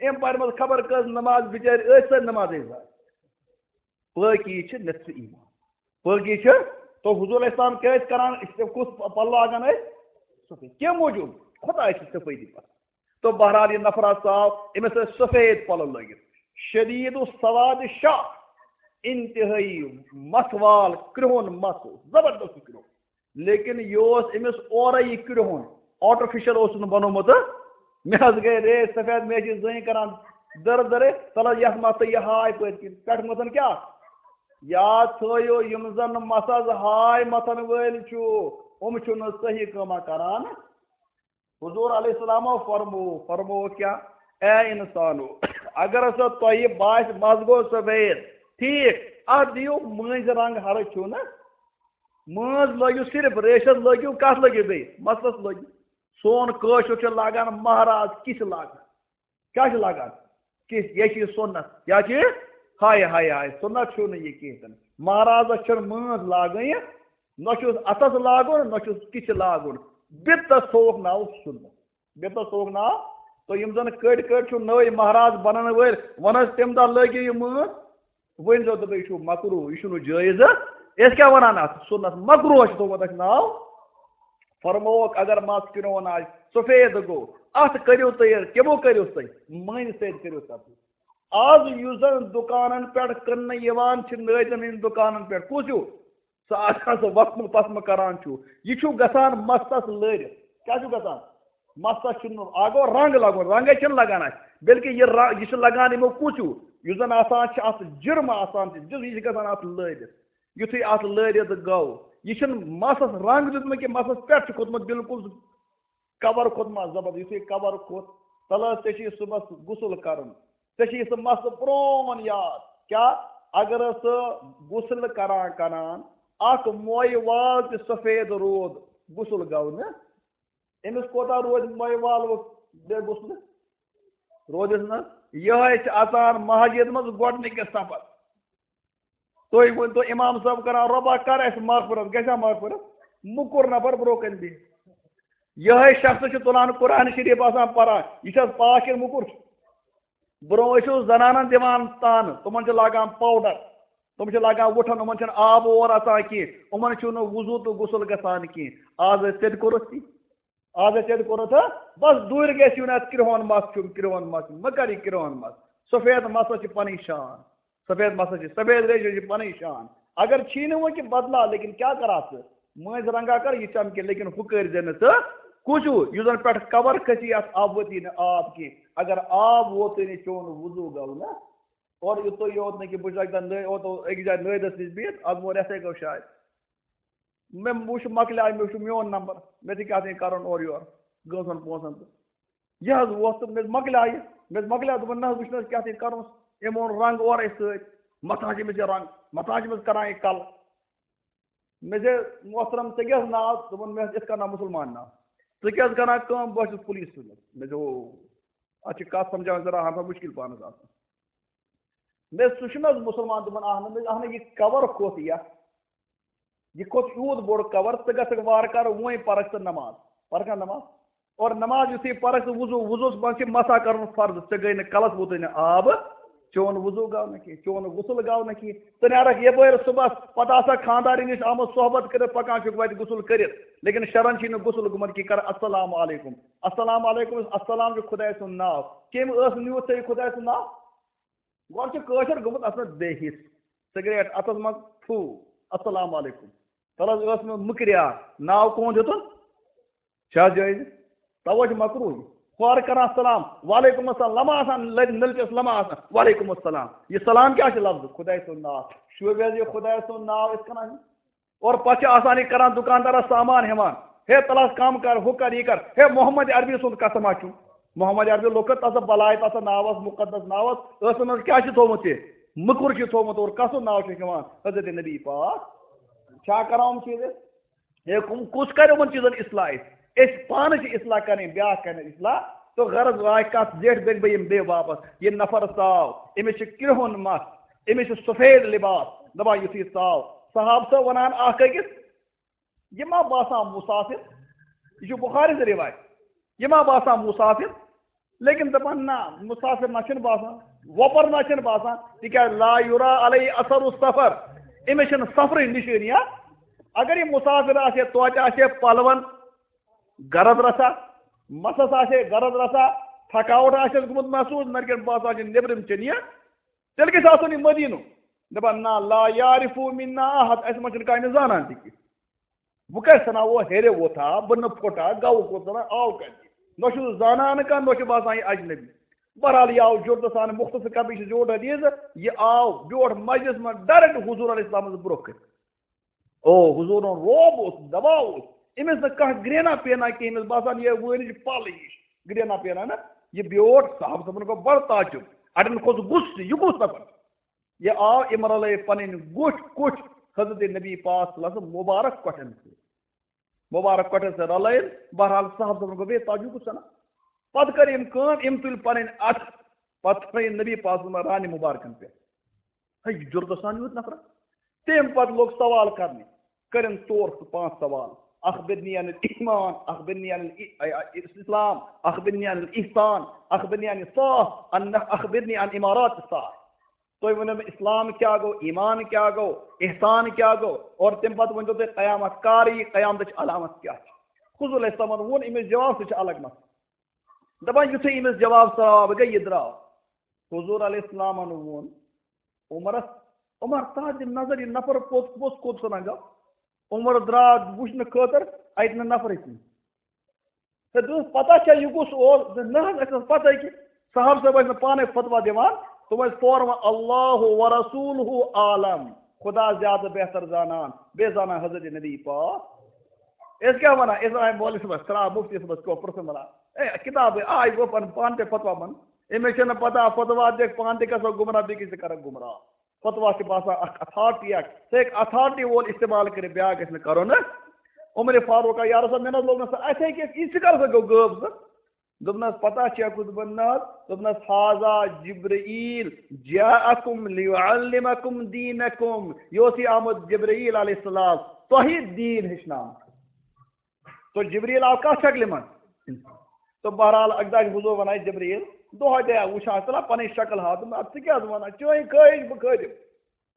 أمۍ پَرِ منٛز خبر کٔژ نماز، بِچٲرۍ ٲسۍ سٲرۍ نمازٕے ضایع۔ پٲکی چھِ نصف ایمان۔ پٲکی چھِ، تو حضور علیہ السلام کیٛاہ ٲسۍ کران؟ أسۍ کُس پَلو لاگان ٲسۍ؟ سفید۔ کَمہِ موٗجوٗب؟ خۄداے چھِ صفٲیی پَسنٛد۔ تو بہرحال یہِ نفر ہسا آو، أمِس ٲسۍ سفید پلو لٲگِتھ، شدید السواد شعر، انتہٲئی مس وال کرٛہُن مس اوس، زبردست کرٛہُن۔ لیکن یہِ اوس أمِس اورے یہِ کرٛہُن، آرٹیفیشل اوس نہٕ بنومُت۔ مےٚ حظ گٔے ریش سفید، مےٚ چھِ زٔنۍ کران دٔرٕ دٔرٕ، تلہٕ یتھ متھ تہٕ یہِ ہاے پٔتۍ کِنۍ، پٮ۪ٹھٕ متھن کیٛاہ؟ یاد تھٲیِو، یِم زن مسس ہاے متھن وٲلۍ چھِو، یِم چھِنہٕ صحیح کٲمہ کران۔ حضور علیہ السلامو فرمو، فرمو کیا؟ اے انسانو، اگر ہسا تۄہہِ باسہِ مس گوٚو سفید، ٹھیٖک، اتھ دِیِو مٔنٛزۍ رنٛگ، ہرٕ چھُو نہ، مٲنٛز لٲگِو صرف، ریشس لٲگِو، کتھ لٲگِو بیٚیہِ؟ مسلس لٲگِو۔ سون کٲشُر چھُ لاگان مہراز، کِس لاگان؟ کیٛاہ چھِ لاگان؟ کِس، یہِ چھِ یہِ سُنت۔ کیٛاہ چھِ یہِ؟ ہاے، ہاے، ہاے، سُنت چھُو نہٕ یہِ کِہیٖنۍ تہِ نہٕ۔ مہرازس چھَنہٕ مٲنٛز لاگٕنۍ، نہ چھُس اَتھس لاگُن، نہ چھُس کِس لاگُن۔ بدعت تھووُکھ ناو سُنت۔ بدعت تھووُکھ ناو۔ تہٕ یِم زَن کٔڑۍ کٔڑۍ چھِو نٔوۍ مہراز بنن وٲلۍ، وَن حظ تَمہِ دۄہ لٲگِو یہِ مٲنٛز۔ ؤنۍ زیو تہٕ تُہۍ چھِو مکروہ، یہِ چھُنہٕ جٲیز۔ أسۍ کیٛاہ وَنان اَتھ؟ سُنت۔ مکروہ چھُ تھوٚومُت اَسہِ ناو۔ فرمووُکھ، اگر مَس کرٛہُن آسہِ، سفید گوٚو، اَتھ کٔرِو تُہۍ، کِمو کٔرِو تُہۍ؟ مٔنٛزۍ سۭتۍ کٔرِو تَتھ۔ آز یُس زَن دُکانَن پٮ۪ٹھ کٕننہٕ یِوان چھِ، نٲدٮ۪ن ہٕنٛدۍ دُکانَن پٮ۪ٹھ، کُس ہیوٗ؟ سُہ آسان سُہ وَسمہٕ پَسمہٕ کران چھُ، یہِ چھُ گژھان مَستَس لٔرِتھ۔ کیٛاہ چھُ گژھان؟ مَستَس چھُنہٕ، اَکھ گوٚو رنٛگ لَگُن، رنٛگَے چھِنہٕ لَگان اَسہِ، بلکہِ یہِ رَ-، یہِ چھِ لَگان یِمو کُس ہیوٗ؟ یُس زَن آسان چھِ اَتھ جِرم آسان چھِ، یہِ چھِ گژھان اَتھ لٲرِتھ۔ یُتھُے اَتھ لٲرِتھ گوٚو، یہِ چھُنہٕ مَسَس رنٛگ دیُتمُت کینٛہہ، مَسَس پٮ۪ٹھ چھُ کھوٚتمُت بِلکُل کَوَر کھوٚتمُت زبردست۔ یُتھُے کَوَر کھوٚت، تَلہٕ حظ ژےٚ چھُے صُبحَس غسل کَرُن۔ ژےٚ چھُے سُہ مَسلہٕ پرٛون یاد۔ کیٛاہ؟ اگر حظ ژٕ غسل کَران کَران اَکھ مویہِ وال تہِ سفید روٗد، غسل گوٚو نہٕ؟ أمِس کوتاہ روزِ مویہِ وال وۄنۍ بے غسلہٕ؟ روزٮ۪س نہٕ۔ یِہوٚے چھِ اَژان مسجد منٛز گۄڈٕنِکِس صفس۔ تُہۍ ؤنۍ تو، امام صٲب کران، "رۄبا، کر اَسہِ مغفرت، گژھِ ہا مغفرت؟" موٚکُر نفر برونٛہہ کَنہِ بِہِتھ۔ یِہوٚے شخص چھُ تُلان قرآن شریٖف آسان پران، یہِ چھِ حظ پاک کِنہٕ موٚکُر چھُ؟ برونٛہہ ٲسِو زنانن دِوان تانہٕ، تِمن چھِ لاگان پاوڈر، تِم چھِ لاگان وُٹھن، یِمن چھُنہٕ آب اور اژان کینٛہہ، یِمن چھُنہٕ وضوٗ تہٕ غسل گژھان کینٛہہ۔ آز ٲسۍ تیٚلہِ کوٚرُکھ تی۔ آز ٲسۍ تیٚلہِ کوٚرُکھ تہٕ بس دوٗرِ گژھِ یُن، اَتھ کرٛہُن مَس چھُم، کرٛہُن مَس چھُم، مہ کر یہِ کرٛہُن مَس۔ سفید مَس حظ چھِ پَنٕنۍ شان، سفید مَس حظ چھِ، سفید ریشہِ حظ چھِ پَنٕنۍ شان۔ اگر چھی نہٕ وۄنۍ کہِ بدلاو، لیکن کیٛاہ کَرٕ اَتھ ژٕ؟ مٲنٛزِ رنٛگا کر یہِ چمکہِ، لیکن ہُہ کٔرۍ زِ نہٕ ژٕ کُچوٗ، یُس زَن پٮ۪ٹھ کَور کھٔسی، اَتھ آب وٲتی نہٕ آب کینٛہہ۔ اگر آب ووتُے نہٕ، چون وضوٗ گوٚو نہٕ۔ اورٕ یُتُے یوت نہٕ کہِ بہٕ چھُس اَکہِ دۄہ نٲ-، اوتو أکِس جایہِ نٲدِس نِش بِہِتھ، اَز گوٚو رٮ۪تھَے گوٚو شاید۔ مےٚ وٕچھ مۄکلیٛاے، مےٚ وٕچھ میون نمبر، مےٚ تہِ کیٛاہ تام کَرُن اورٕ یورٕ، گٲنٛسَن پونٛسَن تہٕ۔ یہِ حظ ووت تہٕ مےٚ مۄکلیٛاے یہِ، مےٚ مۄکلیٛاے، دوٚپُن، "نہ حظ، وٕچھ نہٕ حظ کیٛاہ تام کَرُن۔" أمۍ اوٚن رنٛگ اورَے سۭتۍ، مَتھان چھِ أمِس یہِ رنٛگ، مَتھان چھِ أمِس کَران یہِ کَلہٕ۔ مےٚ چھِ محترم، ژےٚ کیٛاہ حظ ناو؟ دوٚپُن، "مےٚ حظ یِتھ کٔنۍ ناو مُسلمان ناو۔" "ژٕ کیٛاہ حظ کَران کٲم؟" "بہٕ حظ چھُس پُلیٖس سۭتۍ۔" مےٚ چھِ، او، اَتھ چھِ کَتھ سَمجھاوٕنۍ ذرا اَہَن سا مُشکِل پانَس آسان۔ مےٚ، "ژٕ چھُکھ نہ حظ مُسلمان؟" دوٚپُن، "اَہَن حظ۔" مےٚ، "اَہَن حظ، یہِ کَوَر کھوٚت یَتھ، یہِ کھوٚت یوٗت بوٚڑ کَوَر، ژٕ گژھکھ وارٕ کارٕ وۄنۍ پَرَکھ ژٕ نماز، پَرَکھ نہ نماز؟" اور نماز یُتھُے پَرَکھ ژٕ وضوٗ، وضوٗوَس منٛز چھِ مسح کَرُن فرض، ژےٚ گٔے نہٕ کَلَس ووتُے نہٕ آب، چون وضو گوٚو نہٕ کینٛہہ، چون غسل گوٚو نہٕ کینٛہہ۔ ژٕ نیرکھ یپٲرۍ صُبحس، پتہٕ آسکھ خانٛدارِنۍ نِش آمُت صحبت کٔرِتھ، پکان چھُکھ وتہِ غسل کٔرِتھ، لیکن شرعن چھُے نہٕ غسل گوٚمُت کینٛہہ۔ کر السلام علیکم، السلام علیکم، السلام چھُ خۄداے سُنٛد ناو۔ کٔمۍ ٲس نیوٗتھ ژےٚ یہِ خۄداے سُنٛد ناو؟ گۄڈٕ چھُ کٲشُر گوٚمُت اَتھ منٛز بے حِس۔ سگریٹ اَتھَس منٛز، تھوٗ، السلام علیکم۔ تَلہٕ حظ ٲس منٛز مُکریار، ناو کٕہُنٛد ہیوٚتُن؟ چھا جٲیِز؟ تَوَے چھُ مکروٗہ۔ ہورٕ کَران سلام، وعلیکم السلام، لَمہٕ آسان لَرِ نٔلچَس لَمہٕ آسان، وعلیکم السلام۔ یہِ سلام کیٛاہ چھُ لفظ؟ خۄداے سُنٛد ناو۔ شوٗبہِ حظ یہِ خۄداے سُنٛد ناو یِتھ کٔنۍ؟ اور پتہٕ چھِ آسان یہِ کران دُکاندارس سامان ہٮ۪وان، ہے تَلہٕ حظ کم کر، ہُہ کر، یہِ کر، ہے محمد عربی سُنٛد قسم ہا چھُ۔ محمد عربی لوٚگ تَتھ بلاے، تَتھ ناوس، مُقدس ناوس، ٲسَن منٛز کیٛاہ چھُ تھوٚومُت یہِ؟ مُکُر چھُ تھوٚومُت، اور کَسُن ناو چھُ ہٮ۪وان؟ حضرت نبی پاک۔ چھا کران یِم چیٖز أسۍ؟ ہے، کُم، کُس کرِ یِمن چیٖزن اصلاح أسۍ؟ أسۍ پانہٕ چھِ اصلاح کرٕنۍ، بیٛاکھ کرِ نہٕ اصلاح۔ تو غرض واتہِ کتھ زیٹھ بیٚکہِ بہٕ یِمہٕ بیٚیہِ واپس۔ یہِ نفر ژاو، أمِس چھِ کرٛہُن مَس، أمِس چھُ سفید لباس، دپان یُتھُے ژاو۔ صحابہٕ چھِ ونان اکھ أکِس، "یہِ ما باسان مسافر؟" یہِ چھُ بخاری سٕنٛز روایت۔ "یہِ ما باسان مسافر؟" لیکن دپان، "نہ، مسافر نہ چھُنہٕ باسان، وۄپر نہ چھُنہٕ باسان، تِکیازِ لا یرا علیہ اثر السفر، أمِس چھِنہٕ سفرٕچ نشٲنی۔ اگر یہِ مسافر آسہِ ہے، توتہِ آسہِ ہے پلون گرد رژھا، مسس آسہِ ہے گرد رژھا، تھکاوٹ آسٮ۪س گوٚمُت محسوس، نتہٕ کیٛاہ باسان چھِ نیٚبرِم چِنیہ، تیٚلہِ گژھِ آسُن یہِ مدیٖنُک۔" دپان، "نہ، لا یعرف منا احد، اَسہِ منٛز چھُنہٕ کانٛہہ أمِس زانان تہِ کینٛہہ۔ بہٕ کَتہِ سَنا، او ہیٚرِ ووٚتھا، بہٕ نہٕ پھوٚٹا، گوٚو کوٚت زَنا، آو کَتہِ؟ نہ چھُ زانان کانٛہہ، نہ چھُ باسان یہِ اجنبی۔" بہرحال، یہِ آو جرتہٕ سان، مختصر کَتھ، یہِ چھُ زیوٗٹھ حدیث، یہِ آو بیوٗٹھ مجلس منٛز direct حضور علیہ السلام سٕنٛز برونٛہہ کَنہِ۔ او، حضوٗرن رعب اوس، دباو اوس۔ أمِس نہٕ کانٛہہ گرٛینا پینا کینٛہہ، أمِس باسان یہِ وٲنِج پَل ہِش۔ گرٛینا پینا نہ، یہِ بیوٹھ، صحابہٕ صٲبن گوٚو بڑٕ تعجب۔ اَڑٮ۪ن کھوٚت غُصہٕ، یہِ کُس نفر؟ یہِ آو، أمۍ رلٲے پنٕنۍ گُٹھۍ کُٹھۍ حضرت نبی پاک صلی اللہ علیہ وسلم مبارک کۄٹھٮ۪ن سۭتۍ۔ مبارک کۄٹھٮ۪ن سۭتۍ رلٲیِن۔ بہرحال، صحابہٕ صٲبن گوٚو بیٚیہِ تعجب، کُس سنا؟ پتہٕ کٔر أمۍ کٲم، أمۍ تُلۍ پنٕنۍ اَتھٕ، پتہٕ تھٲیِن نبی پاک صلی اللہ علیہ وسلم رانہِ مبارکن پٮ۪ٹھ۔ ہے، یہِ جُرتہٕ سان یوٗت نفرا۔ تٔمۍ پتہٕ لوٚگ سوال کرنہِ، کٔرِن ژور تہٕ پانٛژھ سوال۔ اخبرنی عن الایمان، اخبرنی عن ال-، اے، اے، اسلام، اخبرنی عن الاحسان، اخبرنی عن الساعة، ان، اخبرنی عن امارات الساعة۔ تُہۍ ؤنِو مےٚ، اسلام کیٛاہ گوٚو، ایمان کیٛاہ گوٚو، احسان کیٛاہ گوٚو، اور تَمہِ پتہٕ ؤنۍتو تُہۍ قیامت کر یی، قیامتٕچ علامت کیٛاہ چھِ؟ حضور علیہ السلامن ووٚن أمِس جواب، سُہ چھُ الگ مسلہٕ۔ دپان یُتھُے أمِس جواب ژاو، گٔے یہِ درٛاو۔ حضور علیہ السلامن ووٚن عمرس، "عمر، ژٕ دِ نظر، یہِ نفر پوٚت پوٚت کوٚت سنا گوٚو؟" عمر درٛاو وٕچھنہٕ خٲطرٕ، اَتہِ نہٕ نفرٕے کُنہِ۔ ہے، دوٚپُس، "پتہ چھا یہِ کُس اوس؟" دوٚپُس، "نہ حظ، اَسہِ ٲس پتہ کہِ صاحب صٲب ٲسۍ نہٕ پانے فتوا دِوان، تِم ٲسۍ فوراً وَنان، 'اللہ و رسولہ عالم'، خدا زیادٕ بہتر زانان، بیٚیہِ زانان حضرت نبی پاک۔" أسۍ کیٛاہ وَنان؟ أسۍ وَنان مولوی صٲبَس، ترٛاو مُفتی صٲبَس کیٛاہ پرٛژھُن وَنان؟ اے، کِتابٕے آے وۄنۍ پَنُن پانہٕ تہِ فتوا وَن۔ أمِس چھَنہٕ پَتہ فتوا دِکھ، پانہٕ تہِ گژھو گُمراہ، بیٚیہِ کِس تہِ کَرَکھ گُمراہ۔ فتوا چھِ باسان اَکھ authority اَکھ، سُہ ہیٚکہِ authority وول استعمال کٔرِتھ، بیٛاکھ گژھِ نہٕ کَرُن نہ۔ عمر فاروق آ، یا رسول، مےٚ نہ حظ لوٚگ نہٕ سُہ اَتھے کینٛہہ، یہِ تہِ کر سا گوٚو غٲب سُہ؟ دوٚپنَس، "پتہ چھےٚ کُس بنٛد نہ حظ؟" دوٚپنَس، "ہذا جبرائیل جاءکم لیعلمکم دینکم"، یہِ اوس یہِ آمُت جبرائیل علیہ السلام تۄہہِ دیٖن ہیٚچھناونہٕ۔ تو جبرائیل آو کَتھ شکلہِ منٛز؟ تو بہرحال اَکہِ دۄہ چھُ حضور وَنان جبرائیل، دۄہَے دۄہَے وٕچھان، ژٕ لا پَنٕنۍ شکل ہاو، دوٚپُن، "اَدٕ ژٕ کیٛاہ حظ وَنان؟ چٲنۍ خٲہِش بہٕ خٲدِم۔"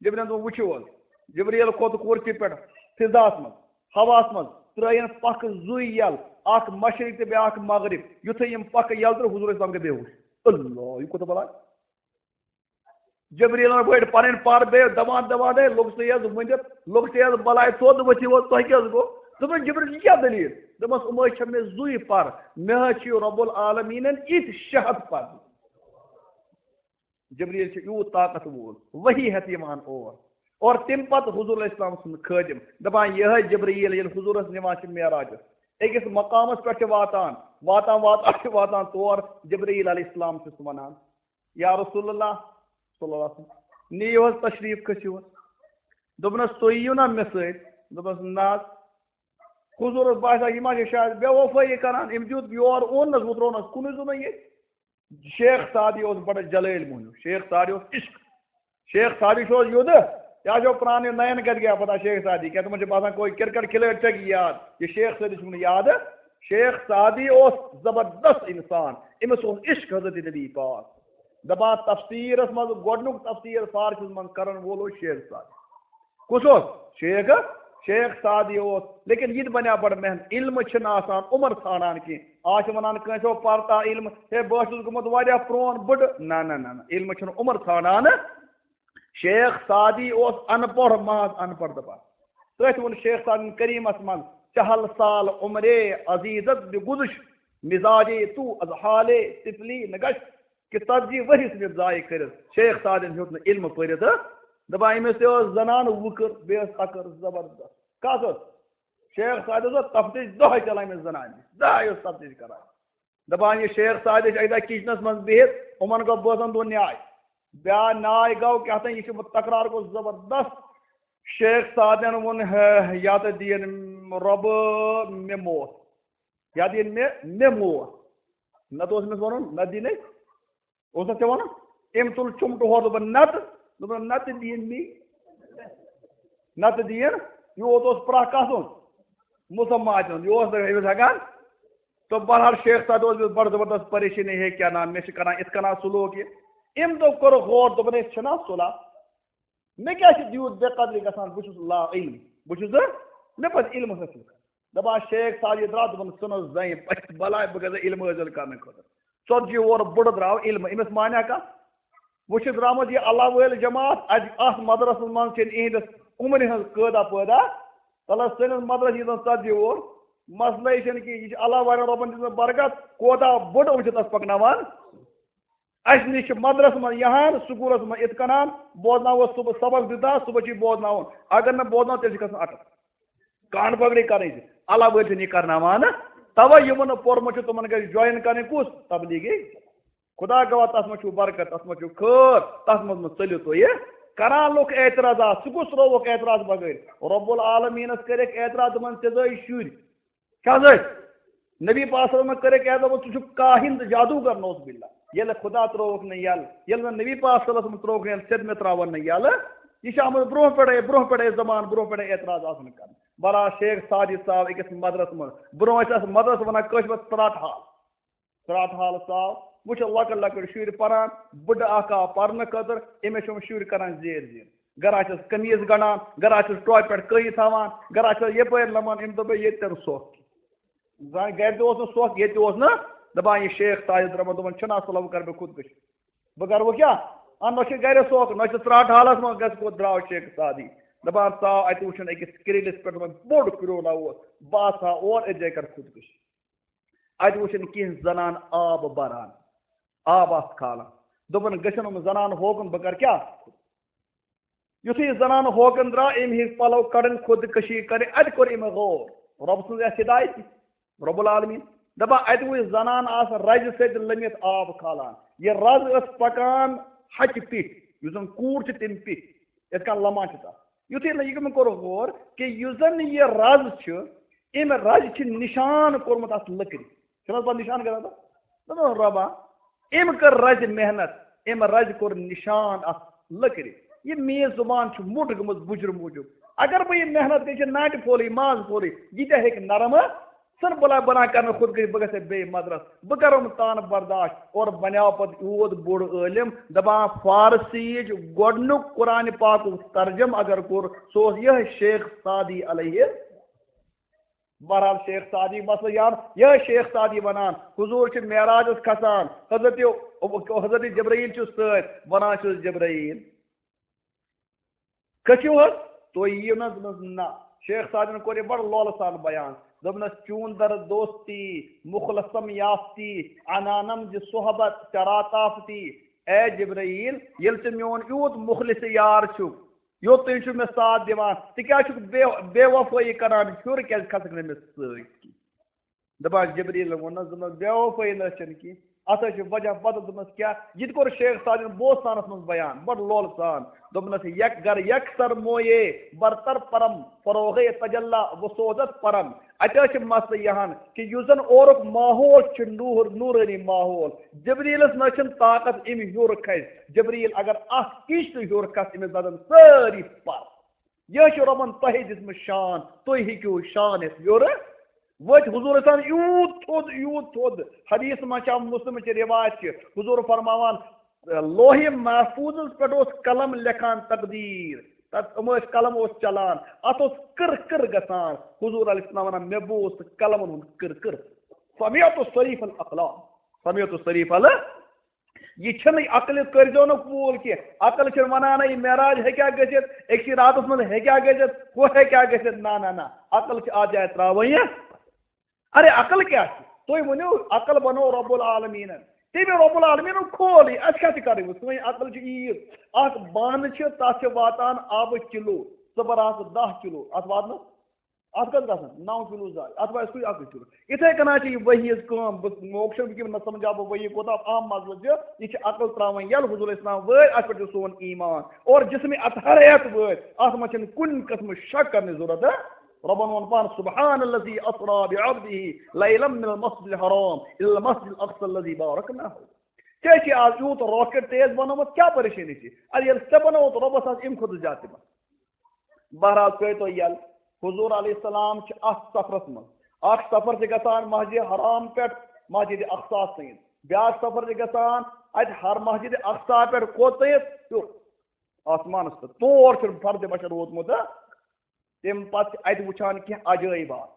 جبرائیل دوٚپُن، "وٕچھِو حظ۔" جبرائیل کھوٚت کُرسی پٮ۪ٹھ، فضاہَس منٛز، ہواہَس منٛز، ترٛٲیِن پَکھٕ زُے یَل، اَکھ مشرق تہٕ بیٛاکھ مغرب۔ یُتھُے یِم پَکھٕ یَل ترٛٲے، حضور اسلام گٔے بے ہوش۔ اللہ، یہِ کوٗتاہ بلاے۔ جبریلن بٔڑۍ پنٕنۍ پر بیٚیہِ دَوان دَوان، "ہے، لوٚگ ژےٚ حظ ؤنِتھ، لوٚگ ژےٚ حظ بلاے، توتہِ ؤتھِو حظ، تۄہہِ کیٛاہ حظ گوٚو؟" دوٚپُن، "جبریل، یہِ کیٛاہ دٔلیٖل؟" دوٚپمَس، "یِم حظ چھِ مےٚ زُے پر، مےٚ حظ چھِ رب العالمیٖنَن یِتھۍ شےٚ ہَتھ پر۔" جبریل چھُ یوٗت طاقت وول، وحی ہٮ۪تھ یِوان اور۔ اور تَمہِ پتہٕ حضور علیہ السلام سُنٛد خٲدِم دَپان، یِہوٚے جبریل ییٚلہِ حضوٗرَس نِوان چھِ معراجَس، أکِس مقامَس پٮ۪ٹھ چھِ واتان، واتان واتان چھِ واتان تور، جبریل علیہ السلام چھُس وَنان، یا رسول اللہ صلی اللہ علیہ وسلم، نِیِو حظ تشریٖف، کھٔسِو حظ۔ دوٚپنَس، "تُہۍ یِیِو نا مےٚ سۭتۍ؟" دوٚپنَس، "نہ حظ۔" حضوٗرَس باسیٛو، یہِ ما چھِ شاید بے وفٲیی کران، أمۍ دیُت یور اوٚن نَس، وۄنۍ ترٛوونَس کُنُے زوٚنُے ییٚتہِ۔ شیخ سعدی اوس بڑٕ جلٲلۍ موہنیو، شیخ سعدی اوس عشق۔ شیخ سعدی چھُ حظ یوٚدٕ، یہِ حظ چھُ پرٛانہِ نَیَن کَتہِ گٔیہ پتہ شیخ سعدی، کیٛاہ تِمَن چھِ باسان کوئی کرکٹ کھلٲڑۍ ژےٚ گٔے یاد، یہِ شیخ سعدی چھُم نہٕ یادٕ۔ شیخ سعدی اوس زبردست انسان، أمِس اوس عشق حضرت نبی پاک۔ دپان تفسیرس منٛز گۄڈنیُک تفسیر فارسی منٛز کرن وول اوس شیخ سعدی۔ کُس اوس؟ شیخ، شیخ سعدی اوس۔ لیکن یہِ تہِ بنیٛاو بڑٕ محنت، علم چھِنہٕ آسان عمر ژھانڈان کینٛہہ۔ آز چھِ ونان کٲنٛسہِ ہو پرتا علم، ہے بہٕ چھُس گوٚمُت واریاہ پرون بٕڈٕ۔ نہ نہ نہ نہ، علم چھُنہٕ عمر ژھانڈان۔ شیخ سعدی اوس ان پڑھ، محض ان پڑھ دپان۔ تٔتھۍ ووٚن شیخ سعدی کریمس منٛز، چہل سال عمرے عزیزت بگذشت، مزاجے تو از حالے طفلی نگشت۔ کہ ژتجی ؤرِش مےٚ ضایع کٔرِتھ، شیخ سعدن ہیوٚت نہٕ علم پٔرِتھ۔ دپان أمِس تہِ ٲس زنان وٕکٕر، بیٚیہِ ٲس تکٕر زبردست۔ کس ٲس؟ شیخ سعدس ٲس تفتیش دۄہے چلان أمِس زنانہِ، دۄہے اوس تفتیش کران۔ دپان یہِ شیخ سعدی چھِ اکہِ دۄہ کچنس منٛز بِہِتھ، یِمن گوٚو بوزان دۄن نیاے۔ بیٛاکھ نیاے گوٚو کیٛاہ تام، یہِ چھُ تکرار گوٚو زبردست۔ شیخ سعدن ووٚن، ہے، یا تہٕ دِیِن رۄبہٕ مےٚ موت، یا دِیِن مےٚ، مےٚ موت۔ نتہٕ اوس أمِس وَنُن، نتہٕ دِیِن أسۍ، اوس نہ ژےٚ وَنُن؟ أمۍ تُل چُمٹہٕ ہورٕ، دوٚپُن، نتہٕ، دوٚپُن، نتہٕ دِیِن مےٚ، نتہٕ دِیِن۔ یوٗت اوس پرٛاہ کَسُن؟ مسلمان دیُن۔ یہِ اوس نہٕ أمِس ہٮ۪کان۔ تہٕ بہرحال شیخ سعد اوس أمِس بڑٕ زبردست پریشٲنی، ہے کیٛاہ نام، مےٚ چھِ کران یِتھ کٔنۍ صلح کہِ۔ أمۍ دوٚپ، کوٚرُکھ غور، دوٚپُن، ہے چھُنہ صلح؟ مےٚ کیٛاہ چھِ تیوٗت بے قدری گژھان؟ بہٕ چھُس لا علم، بہٕ چھُس نہٕ، مےٚ پَزِ علم حٲصِل کَرُن۔ دَپان شیخ سعد یہِ درٛاو، دوٚپُن، ژٕ نہٕ زَنہِ پَتہٕ بَلاے، بہٕ گژھٕ علم حٲصِل کَرنہٕ خٲطرٕ۔ ژَتجی وُہُر بُڈٕ درٛاو علم، أمِس مانیٛا کانٛہہ؟ وۄنۍ چھِ درٛامٕژ یہِ اللہ وٲلۍ جماعت، اَتہِ اَتھ مدرسَس منٛز چھِنہٕ یِہِنٛدِس عُمرِ ہٕنٛز قٲدا پٲدا۔ تَلہٕ سٲنِس مدرسَس ییٖژَن ژَتجی وُہُر، مسلہٕ یہِ چھَنہٕ کینٛہہ، یہِ چھِ اللہ والٮ۪ن رۄبَن دِژمٕژ برکت، کوتاہ بوٚڑ یِم چھِ تَس پَکناوان۔ اَسہِ نِش چھِ مدرسہٕ منٛز یِہان، سکوٗلَس منٛز یِتھ کَنان، بوزناوَس صُبح سبق دیُتنَس، صُبحَس چھُ یہِ بوزناوُن۔ اگر نہٕ بوزناو، تیٚلہِ چھِ گژھُن اَٹَک۔ کان پکڑی کرٕنۍ چھِ۔ اللہ وٲلۍ چھِنہٕ یہِ کرناوان۔ توے یِمن نہٕ پوٚرمُت چھُ، تِمن گژھِ join کرٕنۍ کُس؟ تبلیغی۔ خدا گواہ، تتھ منٛز چھُ برکت، تتھ منٛز چھُ خٲر، تتھ منٛز مہ ژٔلِو تُہۍ۔ کران لُکھ اعتراضات، ژٕ کُس ترٛووُکھ اعتراض بغٲر؟ رب العالمینس کٔرِکھ اعتراض، دوٚپُن، ژےٚ زٲے شُرۍ۔ کیٛاہ زٲے؟ نبی پاک صلی اللہ علیہ وسلمن کٔرِکھ اعتراض، دوٚپُن، ژٕ چھُکھ کاہن تہٕ جادوگر، نعوذ باللہ۔ ییٚلہِ خدا ترٛووُکھ نہٕ یلہٕ، ییٚلہِ نہٕ نبی پاک صلی اللہ علیہ وسلمن ترٛووُکھ نہٕ یلہٕ، ژےٚ تہِ مےٚ ترٛاوَن نہٕ یلہٕ۔ یہِ چھِ آمٕژ برونٛہہ پٮ۪ٹھَے، برونٛہہ پٮ۪ٹھَے زمان، برونٛہہ پٮ۪ٹھَے اعتراض آسان کرنہٕ۔ برا شیخ سعدی صاحب أکِس مدرسہٕ منٛز۔ برونٛہہ ٲسۍ اَتھ مدرسہٕ وَنان کٲشِر پٲٹھۍ ژرٛاٹہٕ حال۔ ژرٛاٹہٕ حال صاحب۔ وۄنۍ چھِ لۄکٕٹۍ لۄکٕٹۍ شُرۍ پَران، بٕڈٕ اَکھ آو پَرنہٕ خٲطرٕ، أمِس چھِ یِم شُرۍ کَران زیٖر زیٖر۔ گَرا چھِس قمیٖض گَنٛڈان، گَرا چھِس ٹوپہِ پٮ۪ٹھ کٔنۍ تھاوان، گَرا چھِس یَپٲرۍ لَمان، أمۍ دوٚپ ییٚتہِ تہِ نہٕ سۄکھ۔ زَن گَرِ تہِ اوس نہٕ سۄکھ، ییٚتہِ تہِ اوس نہٕ۔ دَپان یہِ شیخ سعدی درٛامُت، دَپان چھُنہٕ اَصٕل، وۄنۍ کَرٕ بہٕ خودکُشی۔ بہٕ کَرٕ وۄنۍ کیٛاہ؟ اَنہٕ نہ چھِ گَرِ سۄکھ، نہ چھِ ژرٛاٹہٕ حالَس منٛز گژھِ کوٚت درٛاو شیخ سعدی۔ دَپان ژاو اَتہِ وٕچھُن أکِس کرٛیٖلِس پٮ۪ٹھ وۄنۍ بوٚڑ کرٛولا اوس، بہٕ ہسا اور أتھۍ جایہِ کَرٕ خودکُشی۔ اَتہِ وٕچھِن کینٛہہ زنان آب بَران، آب آسہٕ کھالان۔ دوٚپُن، گٔژھِن یِم زنان ہوکُن، بہٕ کَرٕ کیٛاہ؟ یُتھُے یہِ زنان ہوکُن درٛاو، أمۍ ہیٚتۍ پَلو کَڑٕنۍ، خودکُشی کَرٕنۍ۔ اَتہِ کوٚر أمۍ غور۔ رۄب سٕنٛز یَتھ ہدایت، رب العالمین۔ دَپان، اَتہِ وٕچھ زنان آسہٕ رَزِ سۭتۍ لٔمِتھ آب کھالان۔ یہِ رَز ٲس پَکان ہَچہِ پیٚٹھۍ، یُس زَن کوٗر چھِ، تَمہِ پیٚٹھۍ، یِتھ کٔنۍ لَمان چھِ تَتھ۔ یُتھُے نہٕ یہِ کوٚر غور کہِ یُس زَن یہِ رَز چھُ، أمۍ رَزِ چھِ نِشان کوٚرمُت اَتھ لٔکرِ۔ چھُنہٕ حظ پَتہٕ نِشان کران تَتھ؟ دوٚپُن، رۄبا، أمۍ کٔر رَزِ محنت، أمۍ رَزِ کوٚر نِشان اَتھ لٔکرِ۔ یہِ میٛٲنۍ زُبان چھِ موٚٹ گٔمٕژ بُجرٕ موٗجوٗب۔ اگر بہٕ یہِ محنت کٔرِتھ چھِ ناٹہِ پھولٕے، ماز پھولٕے، یہِ تہِ ہیٚکہِ نرم ژھٕن بلاے بنان کرنہٕ خود گٔے، بہٕ گژھٕ بیٚیہِ مدرس، بہٕ کرٕ یِم تانہٕ برداشت۔ اور بنیو پتہٕ یوٗت بوٚڑ عٲلم، دپان فارسی یِچ گۄڈنیُک قرآن پاکُک ترجمہٕ اگر کوٚر، سُہ اوس یِہوٚے شیخ سعدی علیہ۔ بہرحال شیخ سعدی مسلہٕ یان، یِہوٚے شیخ سعدی ونان، حضور چھِ معراجس کھسان، حضرت، حضرت جبرائیل چھُ سۭتۍ، ونان چھُس، جبرائیل، کھٔسِو حظ، تُہۍ یِیِو نہ؟ دوٚپنَس، نہ۔ شیخ سعدن کوٚر یہِ بڑٕ لولہٕ سان بیان۔ دوٚپنَس، چون در دوستی مخلصم یافتی، عنانم ز صحبت چرا تافتی۔ اے جبرائیل، ییٚلہِ ژٕ میون یوٗت مخلص یار چھُکھ، یوٚت تُہۍ چھِو مےٚ ساتھ دِوان، ژٕ کیٛازِ چھُکھ بے، بے وفٲیی کران؟ ہیوٚر کیٛازِ کھسکھ نہٕ مےٚ سۭتۍ؟ دپان جبریٖلن ووٚننس، دوٚپنس، بے وفٲیی نہ حظ چھنہٕ کینٛہہ، اتھ حظ چھِ وجہ پتہٕ۔ دوٚپنس، کیٛاہ؟ یہِ تہِ کوٚر شیخ سعدن بوستانس منٛز بیان، بڑٕ لولہٕ سان۔ دوٚپنس، یک گر یکسر مویے برتر پرم، فروغے تجلا وسوزت پرم۔ اتہِ حظ چھِ مسلہٕ یہِ ہن کہِ یُس زن اورُک ماحول چھُ نوٗر، نوٗرٲنی ماحول، جبریٖلس نہ حظ چھُنہٕ طاقت أمۍ ہیوٚر کھسہِ۔ جبریٖل اگر اکھ اِنچ تہِ ہیوٚر کھس، أمِس دزن سٲری پر۔ یہِ چھُ رۄبن تۄہہِ دِژمٕژ شان، تُہۍ ہیٚکِو شان ہٮ۪تھ یورٕ وٲتِتھ۔ حضور ٲسۍ یوٗت تھوٚد، یوٗت تھوٚد۔ حدیث منٛز چھِ آمُت، مسلم چہِ روایت چھِ، حضور فرماوان، لوح محفوظس پٮ۪ٹھ اوس قلم لیکھان تقدیٖر۔ تتھ یِم ٲسۍ، قلم اوس چلان، اتھ اوس کٕر کٕر گژھان۔ حضور علیہ السلام ونان، مےٚ بوٗز تہٕ قلمن ہُنٛد کٕر کٕر۔ سمعت صریف الاقلام، سمعت صریف ال-، یہِ چھنہٕ عقلہِ، کٔرۍزیو نہٕ قبوٗل کینٛہہ۔ عقل چھنہٕ ونان، یہِ معراج ہیٚکیٛاہ گٔژھِتھ، أکسٕے راتس منٛز ہیٚکیٛاہ گٔژھِتھ، ہُہ ہیٚکیٛاہ گٔژھِتھ۔ نہ، نہ، نہ، عقل چھِ اتھ جایہِ ترٛاوٕنۍ۔ ارے، عقل کیٛاہ چھِ؟ تُہۍ ؤنِو، عقل بنوو رب العالمیٖنن۔ تٔمۍ رب العالمیٖنن کھول یہِ، اَسہِ کیٛاہ چھِ کَرٕنۍ وۄنۍ؟ سٲنۍ عقل چھِ عیٖد۔ اَکھ بانہٕ چھِ، تَتھ چھِ واتان آبہٕ کِلوٗ، ژٕ بَر آسہٕ دَہ کِلوٗ، اَتھ واتنَس، اَتھ کَتھ گژھان؟ نَو کِلوٗ زایہِ، اَتھ واتہِ سُے اَکُے کِلوٗ۔ یِتھَے کٔنۍ چھِ یہِ ؤحی ہِنٛز کٲم۔ بہٕ موقع چھُنہٕ وٕنکیٚن نہ سَمجھاو بہٕ ؤحی کوٗتاہ اَہَم مسلہٕ چھُ۔ یہِ چھِ عقل ترٛاوٕنۍ یَلہٕ، حضور اسلام وٲتۍ، اَتھ پٮ۪ٹھ چھُ سون ایٖمان۔ اور جسمِ اطہریت وٲتۍ، اَتھ منٛز چھَنہٕ کُنہِ قٕسمٕچ شک کَرنٕچ ضروٗرت۔ ربن ووٚن پانہٕ، سبحان الذی اسرا بعبدہ لیلا من المسجد الحرام الی المسجد الاقصی الذی بارکنا حوله۔ ژےٚ چھِ آز یوٗت راکٹ تیز بنومُت، کیٛاہ پریشٲنی چھِ؟ اَدٕ ییٚلہِ ژےٚ بنووُتھ، رۄبَس آسہِ اَمہِ کھۄتہٕ زیادٕ تہِ بنوومُت۔ بہرحال، کٔرۍ تو یَلہٕ۔ حضور علیہ السلام چھِ اَتھ سفرَس منٛز۔ اَکھ سفر چھِ گژھان مسجد حرام پٮ۪ٹھ مسجد اقصیٰ تام۔ بیٛاکھ سفر چھِ گژھان اَتہِ ہر مسجد اقصیٰ پٮ۪ٹھ کوٚت تام؟ ہیوٚر آسمانَس پٮ۪ٹھ۔ تور چھُنہٕ فردِ بشر ووتمُت، ہا؟ تَمہِ پتہٕ چھِ اَتہِ وٕچھان کینٛہہ عجٲیبات۔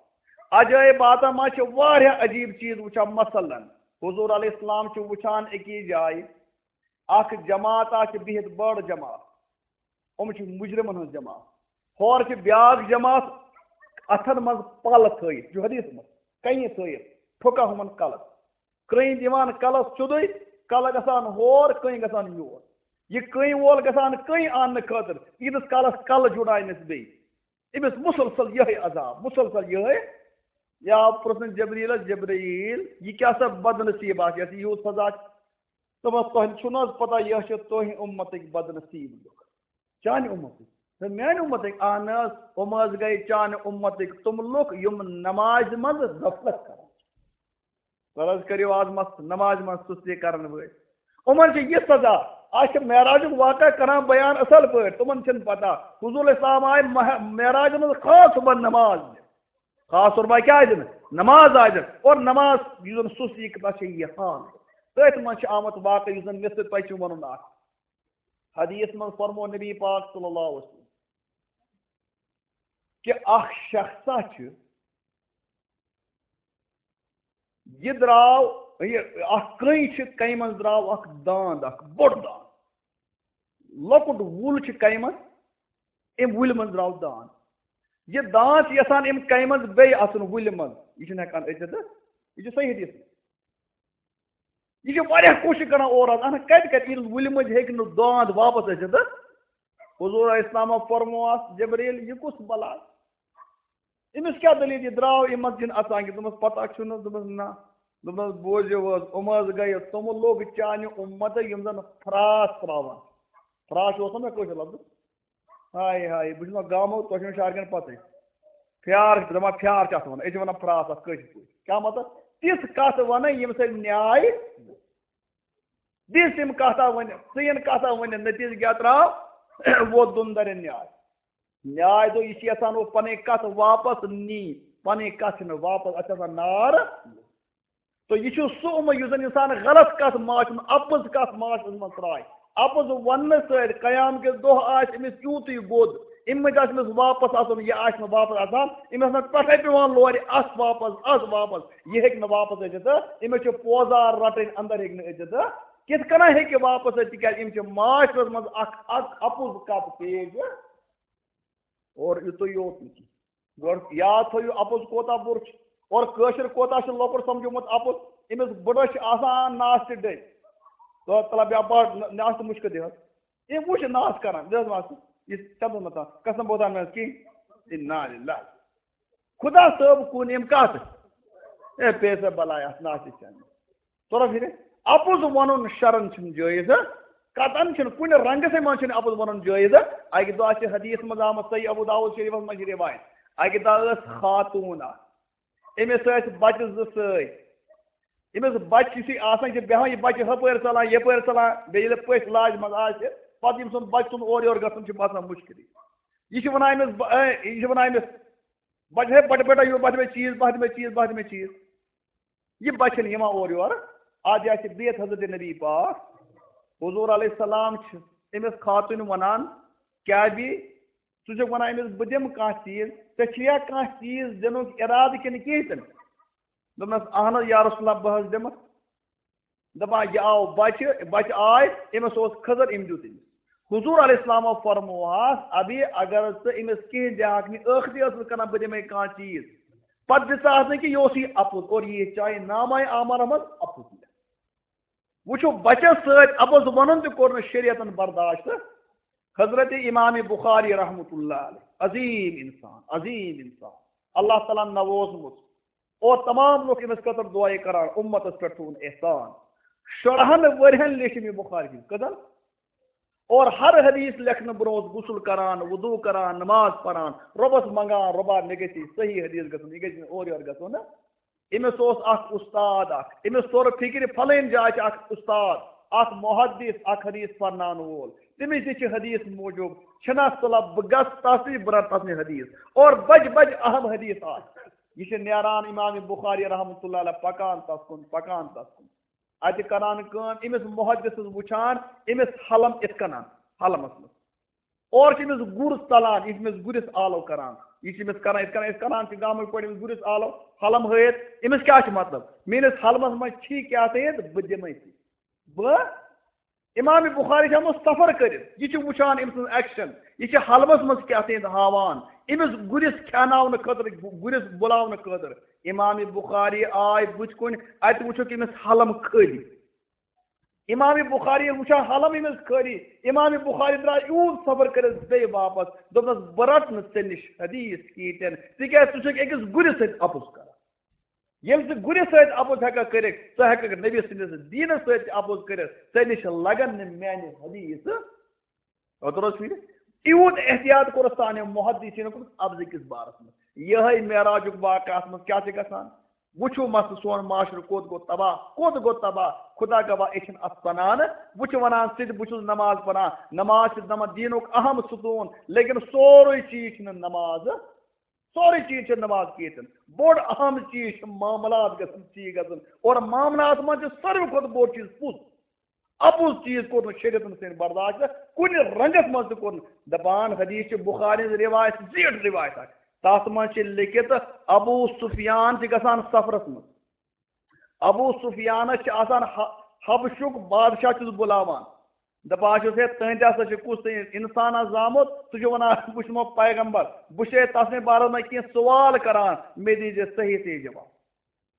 عجٲیباتن منٛز چھِ واریاہ عجیٖب چیٖز وٕچھان۔ مثلاً، حضور علیہ السلام چھُ وٕچھان أکِس جایہِ اکھ جماعت، اکھ چھِ بِہِتھ بٔڑ جماعت، یِم چھِ مُجرِمن ہٕنٛز جماعت۔ ہورٕ چھِ بیٛاکھ جماعت، اَتھن منٛز پَل تھٲیِتھ، یہِ چھُ حدیث منٛز، کَنہِ تھٲیِتھ، پھُکان ہُمن کَلس۔ کٔنۍ دِوان کَلَس سیوٚدُے، کَلہٕ گژھان ہور، کٔنۍ گژھان یور۔ یہِ کٔنۍ وول گژھان کٔنۍ اَننہٕ خٲطرٕ، ییٖتِس کالَس کَلہٕ جُڑایہِ نہٕ بیٚیہِ۔ أمِس مُسلسل یِہوٚے عذاب، مُسلسل یِہوٚے۔ یا پرٛژھُن جبریٖلَس، جبریٖل، یہِ کیٛاہ سا بدنصیٖب آسہِ، یَتھ یہِ یوٗت سزا چھُ؟ دوٚپمَس، تۄہہِ چھُو نہٕ حظ پَتہ، یہِ حظ چھِ تُہہِ اُمتٕکۍ بدنصیٖب لُکھ۔ چانہِ اُمتٕکۍ؟ تہٕ میانہِ اُمتٕکۍ؟ اہن حظ، یِم حظ گٔے چانہِ اُمتٕکۍ تِم لُکھ یِم نمازِ منٛز غفلت کران چھِ۔ تۄہہِ حظ کٔرِو آز مس نمازِ منٛز سُستی کرن وٲلۍ۔ یِمن چھِ یہِ سزا۔ آز چھِ معراجُک واقعہ کران بیان اصل پٲٹھۍ، تِمن چھِنہٕ پتہ۔ حضور اسلام آے مہ-، معراجہِ منٛز خاص صبحن نماز دِنہِ۔ خاص طور پٲٹھۍ کیٛاہ دِنہٕ؟ نماز آے دِنہٕ۔ اور نماز یُس زن سُستی، تتھ چھِ یہِ حال۔ تٔتھۍ منٛز چھِ آمُت واقعہ یُس زن مےٚ سۭتۍ تۄہہِ چھُ ونُن اکھ۔ حدیث منٛز فرمو نبی پاک صلی اللہ علیہ وسلم کہِ اکھ شخصا چھُ، یہِ درٛاو، یہِ اکھ کٔنۍ چھِ، کَنہِ منٛز درٛاو اکھ داند، اکھ بوٚڑ داند، لۄکُٹ وُل چھِ کَنہِ منٛز، اَمہِ وُلہِ منٛز درٛاو داند۔ یہِ داند چھُ یژھان اَمہِ کَنہِ منٛز بیٚیہِ اَژُن وُلہِ منٛز، یہِ چھُنہٕ ہٮ۪کان أژِتھ۔ یہِ چھُ صحیح حدیث۔ یہِ چھِ واریاہ کوٗشِش کران اورٕ حظ، اہن کتہِ کتہِ ییٚلہِ وُلہِ مٔنٛزۍ ہیٚکہِ نہٕ داند واپس ٲسِتھ۔ حضور علیہ السلام فرمووس، جبریل، یہِ کُس بلا؟ أمِس کیٛاہ دٔلیٖل؟ یہِ درٛاو، أمۍ منٛز چھِنہٕ اژان کینٛہہ۔ دوٚپمَس، پتہ چھُنہٕ؟ دوٚپمَس، نہ۔ دوٚپمَس، بوٗزِو حظ، یِم حظ گٔیہِ تِم لوٗکھ چانہِ اُمتہٕ یِم زن فراش ترٛاوان۔ فراش اوس نہ مےٚ کٲشُر لفظ؟ ہاے ہاے، بہٕ چھُس وَنان گامُک، تۄہہِ چھُنہٕ شہرکٮ۪ن پَتہٕ۔ فیار چھِ دَپان، فیار چھِ اَتھ وَنان، أسۍ چھِ وَنان فراس اَتھ کٲشِر پٲٹھۍ۔ کیٛاہ مطلب؟ تِژھ کَتھ وَنٕنۍ، ییٚمہِ سۭتۍ نیاے دِژ تٔمۍ کَتھا ؤنِتھ، ژٕ یِن کَتھا ؤنِتھ، نٔتیٖجہٕ کیٛاہ درٛاو؟ ووت دُن دَرٮ۪ن نیاے۔ نیاے دوٚپ، یہِ چھِ یَژھان وۄنۍ پَنٕنۍ کَتھ واپَس نی، پَنٕنۍ کَتھ چھِنہٕ واپَس، اَتھ چھِ آسان نار۔ تہٕ یہِ چھُ سُہ عمر یُس زن اِنسان غلط کتھ معاشرس منٛز، اپُز کتھ معاشرس منٛز ترٛایہِ۔ اپُز وننہٕ سۭتۍ قیام کِس دۄہ آسہِ أمِس یوٗتٕے گوٚد، اَمہِ مٔنٛزۍ آسہِ أمِس واپس اژُن، یہِ آسہِ نہٕ واپس اژان، أمِس آسہِ پٮ۪ٹھے پٮ۪وان لورِ، اَژھ واپس، اَژھ واپس، یہِ ہیٚکہِ نہٕ واپس أژِتھ تہٕ أمِس چھِ پوزار رٹٕنۍ، اندر ہیٚکہِ نہٕ أژِتھ تہٕ کِتھ کٔنۍ ہیٚکہِ واپس أژِتھ؟ تِکیازِ أمِس چھِ معاشرس منٛز اکھ، اکھ اپُز کتھ پیش۔ اور یُتُے یوت نہٕ کینٛہہ۔ گۄڈٕ یاد تھٲیِو، اَپُز کوتاہ بُرٕ چھُ اور کٲشُر کوتاہ چھُ لۄکُٹ سَمجھومُت اَپُز۔ أمِس بٕڈَس چھِ آسان ناس تہِ ڈٔلۍ۔ تہٕ تَلہ بیٚہہ بَڑ نہ-، ناس تہٕ مُشکہٕ دِوان۔ أمۍ وٕچھ ناس کَران، دِژ ناس تہٕ یہِ چھِ تَتھ منٛز مَتان۔ قسم بہتان مےٚ کِنۍ۔ اِنا لِلّٰہِ۔ خۄدا صٲب کُن أمۍ کَتھ؟ اے، پیسہٕ بَلاے اَتھ ناس تہِ چَنہٕ۔ تورا پھرِ، اَپُز وَنُن شرن چھُنہٕ جٲیِز، ہا؟ قطعاً چھُنہٕ، کُنہِ رنٛگسٕے منٛز چھُنہٕ اَپُز وَنُن جٲیِز، ہا؟ اَکہِ دۄہ چھِ حدیث منٛز آمُت، صحیح ابو داؤد شریفس منٛز چھِ رِوایت، اَکہِ دۄہ ٲس خاتوٗن اَکھ، أمِس ٲسۍ بَچہٕ زٕ سۭتۍ۔ أمِس بَچہٕ یُتھُے آسان چھِ بیٚہوان، یہِ بَچہٕ ہُپٲرۍ ژَلان، یَپٲرۍ ژَلان، بیٚیہِ ییٚلہِ پٔژھۍ لاجہِ منٛز آسہِ، پَتہٕ ییٚمہِ سُنٛد بَچہٕ سُنٛد اورٕ یورٕ گژھُن چھُ باسان مُشکِلٕے۔ یہِ چھِ وَنان أمِس بَ-، اے، یہِ چھِ وَنان أمِس، بَچہٕ، ہے، بَٹہٕ بیٹا، یور بَتھ مےٚ چیٖز، بَتھ مےٚ چیٖز، بَتھ مےٚ چیٖز۔ یہِ بَچہٕ چھَنہٕ یِوان اورٕ یورٕ۔ اَتھ جایہِ چھِ بِہِتھ حضرت نبی پاک۔ حضور علیہ السلام چھِ أمِس خاتوٗنہِ وَنان، "کیٛاہ بی، ژٕ چھُکھ وَنان أمِس بہٕ دِمہٕ کانٛہہ چیٖز، ژےٚ چھُیا کانٛہہ چیٖز دِنُک اِرادٕ کِنہٕ کِہیٖنۍ تہِ نہٕ؟" دوٚپنَس، "اَہَن حظ یا رسول اللہ، بہٕ حظ دِمہٕ۔" دَپان، یہِ آو بَچہِ، بَچہِ آے، أمِس اوس خٔزٕر، أمۍ دیُت أمِس۔ حضور علیہ السلامو فرمووہَس، "ابھی اگر ژٕ أمِس کِہیٖنۍ دِہَکھ نہٕ، ٲختی ٲسٕس کَران بہٕ دِمَے کانٛہہ چیٖز، پَتہٕ دِژاہَس نہٕ کہِ یہِ اوسُے اَپُز، اور یہِ چاہے نامہ اعمالَس منٛز اَپُز لیکھِ۔" وٕچھِو، بَچَس سۭتۍ اَپُز وَنُن تہِ کوٚر نہٕ شریعتَن برداشت۔ حضرت امام بخاری رحمۃ اللہ علیہ، عظیم انسان، عظیم انسان، اللہ تعالیٰ ہن نووزمُت، اور تمام لوٗکھ أمِس خٲطرٕ دُعایہِ کران، اُمتس پٮ۪ٹھ تھوٚوُن احسان۔ شُرہن ؤرین لیٚچھ أمۍ یہِ بخاری شریف۔ کٔژن؟ اور ہر حدیث لیکھنہٕ برونٛہہ اوس غسل کران، وضو کران، نماز پران، رۄبس منگان، "رۄبا، مےٚ گژھِ یہِ صحیح حدیث گژھُن، یہِ گژھِ نہٕ اورٕ یورٕ گژھُن نہ۔" أمِس اوس اکھ اُستاد اکھ، أمِس توٚر فِکرِ، فلٲنۍ جایہِ چھِ اکھ اُستاد، اکھ محدث، اکھ حدیث پرناونہٕ وول، تٔمِس نِش چھِ حدیث موٗجوٗد، چھِنہ سُہ لب-، بہٕ گژھٕ تَس نِش، بہٕ رَٹہٕ تَس نِش حدیث۔ اور بَجہِ بَجہِ اہم حدیث آسہِ۔ یہِ چھِ نیران امام بخاری رحمتہ اللہ علیہ پکان تَس کُن، پکان تَس کُن۔ اَتہِ کران کٲم، أمِس محدثس وٕچھان، أمِس حلم یِتھ کٔنۍ، حلمس منٛز۔ اور چھِ أمِس گُر ژلان، یہِ چھِ أمِس گُرِس آلو کران۔ یہِ چھِ أمِس کران، یِتھ کٔنۍ أسۍ کران چھِ گامٕکۍ پٲٹھۍ أمِس گُرِس آلو، حلم ہٲیِتھ۔ أمِس کیٛاہ چھُ مطلب؟ میٛٲنِس حلمس منٛز چھی کیٛاہ تھٲیِتھ، بہٕ دِمَے ژےٚ۔ بہٕ، امام بخاری چھِ آمُت سفر کٔرِتھ، یہِ چھُ وٕچھان أمۍ سٕنٛز action، یہِ چھِ حلمس منٛز کیٛاہ تھٲیِتھ ہاوان۔ أمِس گُرِس کھیٛاناونہٕ خٲطرٕ، گُرِس بُلاونہٕ خٲطرٕ امام بخاری آے بٕتھِ کُن، اَتہِ وٕچھُکھ أمِس حلم خٲلی۔ امام بخاری ییٚلہِ وٕچھان حلم أمِس خٲلی، امام بخاری درٛاو یوٗت سفر کٔرِتھ بیٚیہِ واپس، دوٚپنَس، "بہٕ رَٹہٕ نہٕ ژےٚ نِش حدیث کِہیٖنۍ تہِ نہٕ، تِکیٛازِ ژٕ چھُکھ أکِس گُرِس سۭتۍ اَپُز کران۔ ییٚلہِ ژٕ گُرِس سۭتۍ اَپُز ہٮ۪کَکھ کٔرِتھ، ژٕ ہٮ۪کَکھ نبی سٕنٛدِس دیٖنَس سۭتۍ تہِ اَپُز کٔرِتھ، ژےٚ نِش لَگَن نہٕ میٛانہِ حدیث۔" اوترٕ اوس فِرِ یوٗت احتیاط کوٚرُس سانیو محدثیٖنو کوٚرمُت اَپزٕ کِس بارَس منٛز۔ یِہوٚے معراجُک واقعہٕ اَتھ منٛز کیٛاہ چھِ گژھان؟ وٕچھِو مسلہٕ، سون معاشرٕ کوٚت گوٚو تباہ، کوٚت گوٚو تباہ؟ خدا گواہ، أسۍ چھِنہٕ اَتھ سَنان۔ وۄنۍ چھِ وَنان ژٕ تہِ، بہٕ چھُس نماز پَران، نماز چھِ دَپان دیٖنُک اہم ستوٗن، لیکن سورُے چیٖز چھِنہٕ نماز، سورُے چیٖز چھِ نماز کیتن۔ بوٚڑ اہم چیٖز چھِ معاملات گژھن ٹھیٖک گژھُن، اور معاملات منٛز چھِ ساروی کھۄتہٕ بوٚڑ چیٖز پوٚز۔ اَپُز چیٖز کوٚر نہٕ شریعتن سۭتۍ برداشت، کُنہِ رنگس منٛز تہِ کوٚر نہٕ۔ دپان حدیث چھِ بخاری ہٕنٛز روایت، زیٖٹھ روایت اکھ۔ تتھ منٛز چھِ لیکھِتھ، ابو سفیان چھِ گژھان سفرس منٛز۔ ابو سفیانس چھِ آسان ح-، حبشُک بادشاہ چھُس بُلاوان۔ دپان چھُس، "ہے، تُہنٛدِ ہسا چھُ کُس تام انسان آز زامُت، سُہ چھُ ونان، بہٕ چھُس پیغمبر، بہٕ چھُسے تس نٕے بارس منٛز کینٛہہ سوال کران، مےٚ دیٖزِ صحیح صحیح جواب۔"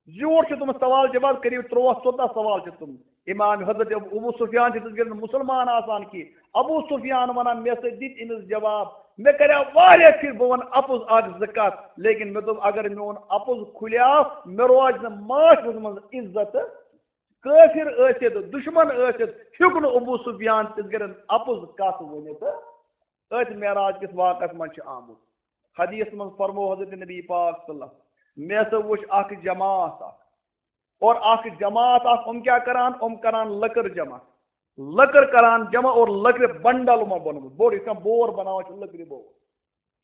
زیوٗٹھ چھِ تِم سوال جواب، قریب تُرٛواہ ژۄداہ سوال چھِ تِم۔ امام حضرت ابو سفیان چھِ تِژھ گرِ مسلمان آسان کہِ ابو سفیان ونان، مےٚ سۭتۍ دِتۍ أمِس جواب، مےٚ کریو واریاہ پھِرِ بہٕ ونہٕ اپُز اکھ زٕ کتھ، لیکن مےٚ دوٚپ اگر میون اپُز کھُلیو، مےٚ روزِ نہٕ معاشرس منٛز عزت۔ کٲفر ٲسِتھ، دشمن ٲسِتھ، ہیوٚک نہٕ ابو سفیان تِژھ گرِ اپُز کتھ ؤنِتھ۔ أتھۍ معراج کِس واقعس منٛز چھُ آمُت۔ حدیث منٛز فرموو حضرت نبی پاک صلی اللہ علیہ وسلم، مےٚ ہسا وُچھ اکھ جماعت اکھ، اور اکھ جماعت اکھ، یِم کیٛاہ کران؟ یِم کران لٔکٕر جمع، لٔکٕر کران جمع اور لٔکرِ بنڈل یِمو بنومُت، بوٚڑ یِتھ کٔنۍ بور بناوان چھِ لٔکرِ بور۔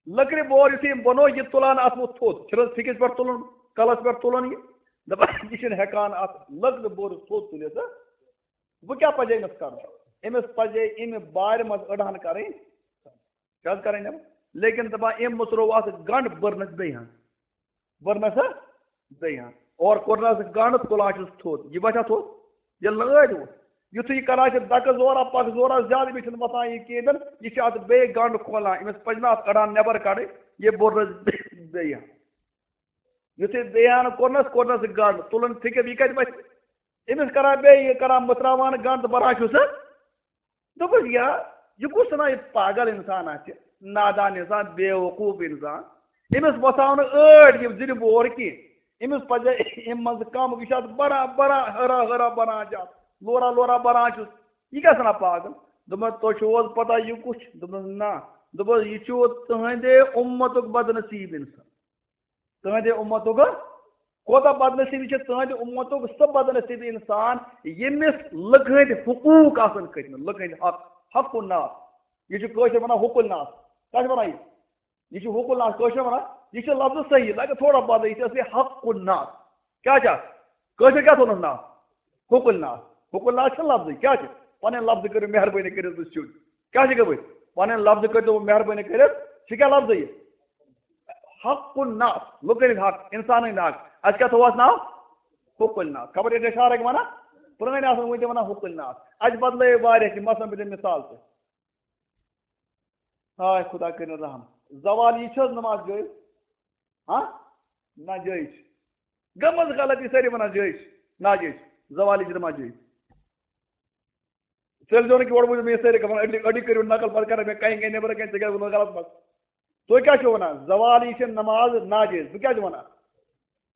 لٔکرِ بور یُتھُے یِم بنوو، یہِ تُلان اَتھ منٛز تھوٚد، چھِنہٕ حظ پھِکِس پٮ۪ٹھ تُلُن، کلس پٮ۪ٹھ تُلُن یہِ، دَپان، یہِ چھِنہٕ ہٮ۪کان اَتھ لٔکرِ بورِس تھوٚد تُلِتھ۔ وۄنۍ کیٛاہ پَزِ أمِس کَرُن؟ أمِس پَزِ اَمہِ بارِ منٛز أڑہَن کَرٕنۍ، کیٛاہ حظ کَرٕنۍ یِم؟ لیکن دَپان، أمۍ مٔژروو اَتھ گنٛڈ، بٔرنَس بیٚیہِ ہَن۔ بٔرنَس ہا بیٚیہِ ہَن۔ اورٕ کوٚرنَس گنٛڈ، تُلان چھُس تھوٚد۔ یہِ باسیٛا تھوٚد؟ ییٚلہِ نہٕ ٲدۍ ووٚتھ۔ یُتھُے یہِ کَران چھِ دَکہٕ زورا، پَکھ زورا زیادٕ، أمِس چھُنہٕ وۄتھان یہِ کِہیٖنۍ، یہِ چھُ اَتھ بیٚیہِ گنٛڈ کھولان۔ أمِس پَزِ نہٕ اَتھ أڑہَن نٮ۪بَر کَڑٕنۍ، یہِ بٔرنَس بیٚیہِ ہَن۔ یُتھُے بیان کوٚرنَس، کوٚرنَس گنٛڈ، تُلُن فِکِر، یہِ کَتہِ وَتھِ؟ أمِس کَران بیٚیہِ یہِ، کَران مٔژراوان گنٛڈ تہٕ بَران چھُس۔ دوٚپُس، یا، یہِ کُس نا یہِ پاگل اِنسان آسہِ، نادان اِنسان، بے وقوٗف اِنسان۔ أمِس وَساو نہٕ ٲٹۍ یِم زِنہِ بور کینٛہہ۔ أمِس پَزِ اَمہِ منٛزٕ کَم، یہِ چھُ اَتھ بَران، بَران، ہُرا، ہُرا بَران چھُ اَتھ، لورا، لورا بَران چھُس۔ یہِ کیٛاہ سَنا پاگل؟ دوٚپمَس، تۄہہِ چھُو حظ پَتہ یہِ کُس چھُ؟ دوٚپمَس، نہ۔ دوٚپمَس، یہِ چھُ تُہٕنٛدے اُمتُک بدنصیٖب اِنسان۔ تُہٕنٛدِ اُمتُک کوتاہ بدنصیٖبی چھِ؟ تُہٕنٛدِ اُمتُک سُہ بدنصیٖبی اِنسان، ییٚمِس لُکہٕ ہٕنٛدۍ حقوٗق آسَن کھٔتۍمٕتۍ، لُکہٕ ہٕنٛدۍ حق، حق الناس۔ یہِ چھُ کٲشِر وَنان حقوق الناس۔ کیٛاہ چھِ وَنان یہِ؟ یہِ چھُ حقوق الناس، کٲشِر وَنان، یہِ چھُ لفظ صحیح، لَگہِ تھوڑا بدل، یہِ چھُ اصلی حق الناس۔ کیٛاہ چھِ اَتھ؟ کٲشِر کیٛاہ تھوٚونَس ناو؟ حقوق الناس۔ حقوق الناس چھُنہٕ لفظٕے، کیٛاہ چھُ؟ پنٕنۍ لفظ کٔرِو مہربٲنی کٔرِتھ بہٕ چھُس سیوٚد۔ کیٛاہ چھِ گٔمٕتۍ؟ پنٕنۍ لفظ کٔرۍتو مہربٲنی کٔرِتھ۔ چھِ کیٛاہ لفظ یہِ؟ حق الناس، لُکن ہٕنٛدۍ حق، انسانن ہٕنٛدۍ حق۔ اَسہِ کیٛاہ تھوٚو اَتھ ناو؟ حقوق الناس۔ خبر ییٚتہِ اشارٕ ہٮ۪کہِ وَنان؟ پرٛٲنۍ آسن وٕنہِ تہِ وَنان حقوق الناس۔ اَسہِ بدلٲے واریاہ کینٛہہ، مثلاً بہٕ دِمہٕ مثال تہِ۔ ہاے خدا کٔرِنۍ رحم۔ زوال یہِ چھِ حظ نماز جٲیِز؟ ہاں؟ نہ جٲیِز چھِ۔ گٔمٕژ غلطی سٲری وَنان جٲیِز چھِ، ناجٲیِز چھِ۔ زوال یہِ چھِ نماز جٲیِز۔ تیٚلہِ زیوٗن کہِ گۄڈٕ ؤنِو مےٚ سٲری کَران، أڈی، أڈی کٔرِو نقل، پَتہٕ کَران مےٚ کَنہِ کَنہِ نٮ۪برٕ کَنہِ، ژےٚ کیٛازِ ووٚنُتھ غلط منٛز؟ تُہۍ کیٛاہ چھِو وَنان؟ زوال یہِ چھِ نماز ناجٲیِز۔ بہٕ کیٛازِ وَنان؟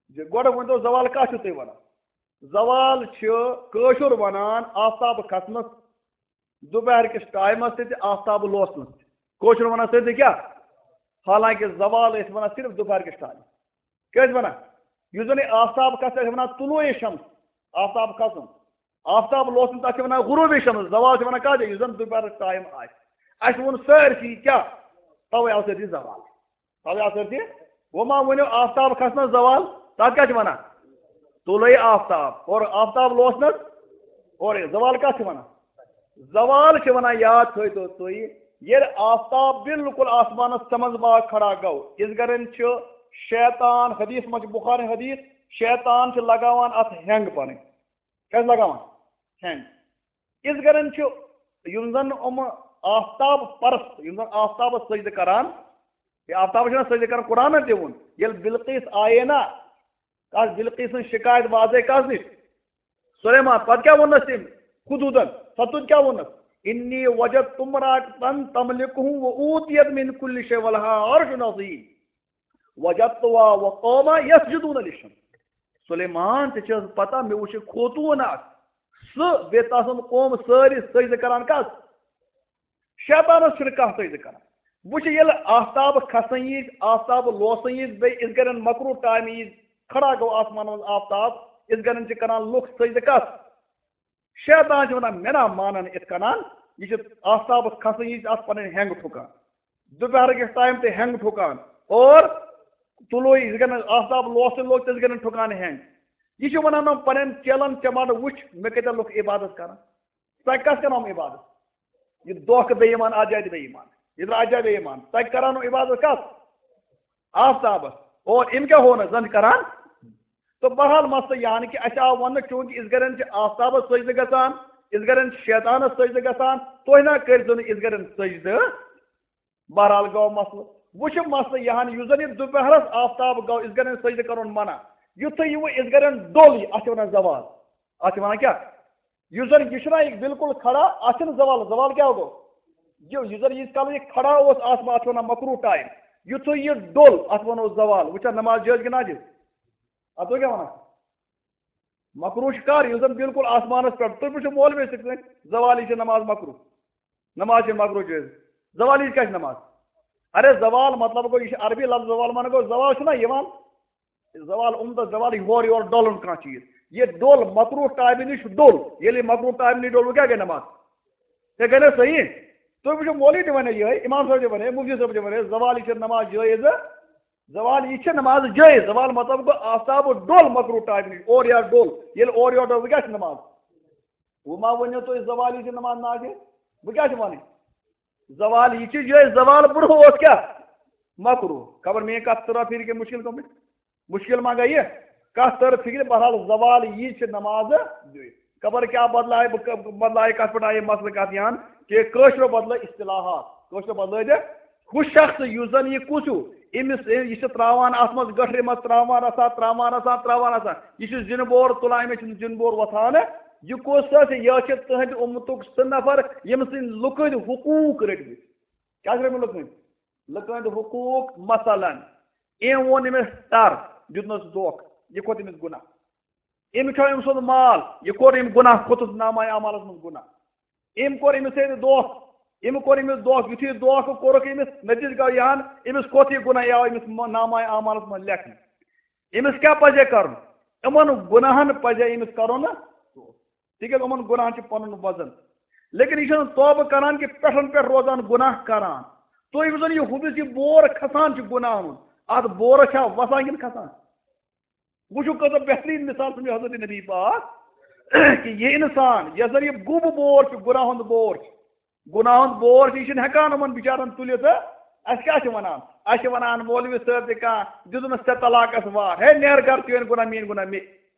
زِ گۄڈٕ ؤنۍتو، زوال کَتھ چھِو تُہۍ وَنان؟ زوال چھِ کٲشُر وَنان آفتاب کھسنَس، دُپہر کِس ٹایمَس تہِ تہٕ آفتاب لوسنَس تہِ۔ کٲشُر وَنان سٲرسٕے کیٛاہ؟ حالانکہ زوال ٲسۍ وَنان صرف دُپہر کِس ٹایمَس۔ کیٛازِ وَنان؟ یُس زَن یہِ آفتاب کھسہِ، تَتھ چھِ وَنان طلوع شمس، آفتاب کھسُن۔ آفتاب لوسُن، تَتھ چھِ وَنان غروب شمس۔ زوال چھِ وَنان کَتھ جایہِ؟ یُس زَن دُپہرُک ٹایم آسہِ۔ اَسہِ ووٚن سٲرسٕے کیٛاہ؟ تَوَے آو سٲرسٕے زوال۔ تَوَے آو سٲرسٕے۔ وۄنۍ ما ؤنِو آفتاب کھسنَس زوال، تَتھ کیٛاہ چھِ وَنان؟ طلوع آفتاب۔ اور آفتاب لوسنَس، اور زوال کَتھ چھِ وَنان؟ زوال چھِ وَنان، یاد تھٲیتو تُہۍ، ییٚلہِ آفتاب بالکل آسمانَس سَمَنٛز باغ کھڑا گوٚو، یِژھ گرٮ۪ن چھُ شیطان، حدیث منٛز چھُ بُخاری حدیث، شیطان چھُ لگاوان اَتھ ہینگ پَنٕنۍ۔ کیٛاہ چھُ لگاوان؟ ہینگ۔ یِژھ گرٮ۪ن چھُ، یِم زَن یِم آفتاب پرست، یِم زَن آفتابَس سجدٕ کران، یہِ آفتابَس چھِنہ سجدٕ کران، قرآنَن تہِ ووٚن، ییٚلہِ بلقیس آیے نا، کَس بلقیس سٕنٛز شِکایت واژے کَس نِش؟ سلیمان۔ پَتہٕ کیٛاہ ووٚننَس تٔمۍ؟ خدوٗدَن۔ ستوٗد کیٛاہ ووٚننَس؟ "انی وجدت امرأة تملکهم وأوتیت من کل شیء ولها عرش عظیم۔ وجدتها وقومها یسجدون للشمس۔" سلیمان، ژےٚ چھِ حظ پتہ، مےٚ وٕچھ یہِ خوتوٗن اَکھ، سُہ بیٚیہِ تَسُنٛد قوم سٲری سجدٕ کران کَس؟ شیطانَس چھُنہٕ کانٛہہ سجدٕ کران۔ وٕچھ، ییٚلہِ آفتاب کھسان یی، آفتاب لوسان یی، بیٚیہِ یِژھ گرٮ۪ن مکروہ ٹایمہِ یی، کھڑا گوٚو آسمانَس منٛز آفتاب، یِژھ گرٮ۪ن چھِ کران لُکھ سجدٕ کَس؟ شیطان چھِ وَنان، مےٚ نا مانَن یِتھ کَنَن، یہِ چھِ آفتابَس کھسان یی، اَتھ پَنٕنۍ ہینٛگ ٹھُکان۔ دُپہرٕکِس ٹایم تہِ ہینٛگ ٹھُکان، اور طلوع یِژھ گرٮ۪ن آفتاب لوسٕے لوگ، تِژھ گرٮ۪ن ٹھُکان ہینٛگ۔ یہِ چھِ وَنان، یِم پَنٕنٮ۪ن چیلَن ژےٚ مَنٛڈٕ وٕچھ، مےٚ کۭتیٛاہ لُکھ عبادت کران۔ تۄہہِ کَس کران یِم عبادت؟ یہِ دھوکہٕ بے ایمان، اَتھ جایہِ تہِ بے ایمان، یہِ درٛاو اَتھ جایہِ بے ایمان۔ تۄہہِ کران یِم عبادت کَس؟ آفتابَس۔ اور یِم کیٛاہ ہوو نہٕ زَن کران؟ تہٕ بہرحال مسلہٕ یہِ ہن کہِ اَسہِ آو وَننہٕ، چوٗنٛکہِ یِژھ گرٮ۪ن چھِ آفتابَس سجدٕ گژھان، یِژھ گرٮ۪ن چھِ شیطانَس سجدٕ گژھان، تُہۍ نہ کٔرۍزیو نہٕ یِژھ گرٮ۪ن سجدٕ۔ بہرحال گوٚو مسلہٕ۔ وۄنۍ چھُ مسلہٕ یہِ ہن، یُس زَن یہِ دُپہرَس آفتاب گوٚو، یِژھ گرٮ۪ن سجدٕ کَرُن منع۔ یُتھُے یہِ وۄنۍ یِژھ گرٮ۪ن ڈوٚل یہِ، اَتھ چھِ وَنان زوال۔ اَتھ چھِ وَنان کیٛاہ؟ یُس زَن یہِ چھُنہ یہِ بالکل کھڑا، اَتھ چھُنہٕ زوال، زوال کیٛاہ گوٚو؟ یہِ، یُس زَن ییٖتِس کالَس یہِ کھڑا اوس آسمان، اَتھ چھِ وَنان مکروہ ٹایم۔ یُتھُے یہِ ڈوٚل، اَتھ وَنو زوال۔ وٕچھا نماز جٲیِز کِنہٕ ناجٲیِز؟ اَتھ گوٚو کیٛاہ وَنان؟ مکروہ چھُ کر؟ یُس زَن بالکل آسمانَس پٮ۪ٹھ، تُہۍ وٕچھِو مولوی سۭتۍ سۭتۍ، زوال یہِ چھِ نماز مکروہ۔ نماز چھِ مکروہ جٲیِز۔ زوال یہِ کیٛاہ چھِ نماز؟ اَرے زوال مطلب گوٚو، یہِ چھُ عربی لفظ زوال، معنی گوٚو زوال چھُنہ یِوان زوال عمدہ، زوال یہِ ہورٕ یورٕ ڈولُن کانٛہہ چیٖز۔ یہِ ڈوٚل مکروہ ٹایمہِ نِش ڈوٚل۔ ییٚلہِ یہِ مکروہ ٹایمہِ نِش ڈوٚل، وۄنۍ کیٛاہ گٔے نماز؟ ژےٚ گٔے نہ صحیح؟ تُہۍ وٕچھِو، مولوی تہِ وَنہِ یِہوٚے، اِمام صٲب تہِ وَنہِ، مُفتی صٲب تہِ وَنہِ، زوال یہِ چھِ نماز جٲیِز۔ زوال یہِ چھِ نماز جٲیِز۔ زوال مطلب گوٚو آفتاب ڈوٚل مکروہ ٹایمہِ نِش، اورٕ یورٕ ڈوٚل۔ ییٚلہِ اورٕ یورٕ ڈوٚل، وۄنۍ کیٛاہ چھِ نماز؟ وۄنۍ ما ؤنِو تُہۍ زوال یہِ چھِ نماز ناجٲیِز؟ بہٕ کیٛاہ چھِ وَنٕنۍ؟ زوال یہِ چھِ جٲیِز، زوال برونٛہہ اوس کیٛاہ؟ مکروہ۔ خبر میٛٲنۍ کَتھ تٔرا فِکرِ کِنہٕ مُشکِل گٔمٕتۍ؟ مُشکِل ما گٔیہِ؟ کَتھ تٔر فِکرِ؟ بہرحال زوال یی چھِ نمازٕ جٲیِز۔ خبر کیٛاہ بدلایہِ، بہٕ ک-، بدلایہِ کَتھ پٮ۪ٹھ آیہِ مسلہٕ کَتھ یِہَن کہِ کٲشرو بدلٲے اصطلاحات، کٲشرو بدلٲے دِ ہُہ شخص یُس زَن یہِ کُس ہیوٗ، أمِس، یہِ چھِ ترٛاوان اَتھ منٛز گٔٹھرِ منٛز، ترٛاوان رَژھا، ترٛاوان رَژھا، ترٛاوان رَژھا۔ یہِ چھُ زِنہٕ بور تُلان، أمِس چھُنہٕ زِنہٕ بور وۄتھان۔ یہِ کُس حظ چھُ؟ یہِ حظ چھِ تُہٕنٛدِ اُمتُک سُہ نفر، ییٚمہِ سٕنٛدۍ لُکہٕ ہٕنٛدۍ حقوٗق رٔٹۍ مٕتۍ۔ کیٛاہ چھِ رٔٹۍ مٕتۍ لُکہٕ ہٕنٛدۍ؟ لُکہٕ ہٕنٛدۍ حقوٗق، مثلاً، أمۍ ووٚن أمِس ٹَر، دیُتنَس دھوکہٕ، یہِ کھوٚت أمِس گُناہ۔ أمۍ کھیوٚو أمۍ سُنٛد مال، یہِ کوٚر أمۍ گُناہ، کھوٚتُس نامہ اعمالَس منٛز گُناہ۔ أمۍ کوٚر أمِس سۭتۍ دھوکہٕ، أمۍ کوٚر أمِس دھوکہٕ، یُتھُے یہِ دھوکہٕ کوٚرُکھ أمِس، نٔتیٖجہٕ گوٚو یہِ ہن، أمِس کھوٚت یہِ گُناہ، یہِ آو أمِس م-، نامہ اعمالَس منٛز لیکھنہٕ۔ أمِس کیٛاہ پَزِ کَرُن؟ یِمَن گُناہَن پَزِ أمِس کَرُن نہ، تِکیٛازِ یِمَن گُناہَن چھُ پَنُن وزن۔ لیکن یہِ چھُنہٕ توبہٕ کَران کہِ پٮ۪ٹھَن پٮ۪ٹھ روزان گُناہ کَران۔ تُہۍ یُس زَن یہِ ہُمِس یہِ بور کھسان چھُ گُناہَن ہُنٛد، اَتھ بورَس چھا وَسان کِنہٕ کھسان؟ وٕچھِو، کۭژاہ بہتریٖن مثال سمجھو حضرت نبی پاک۔ کہ یہِ اِنسان، یۄس زَن یہِ گوٚب بور چھُ، گُناہ ہُنٛد بور چھُ، گُناہ ہُنٛد بور چھُ، یہِ چھُنہٕ ہٮ۪کان یِمَن بِچارَن تُلِتھ۔ اَسہِ کیٛاہ چھِ وَنان؟ اَسہِ چھِ وَنان، مولوی صٲب تہِ کانٛہہ، دیُتمَس ژےٚ طلاقَس وار، ہے، نیر گَرٕ، چٲنۍ گُناہ، میٛٲنۍ گُناہ، مےٚ۔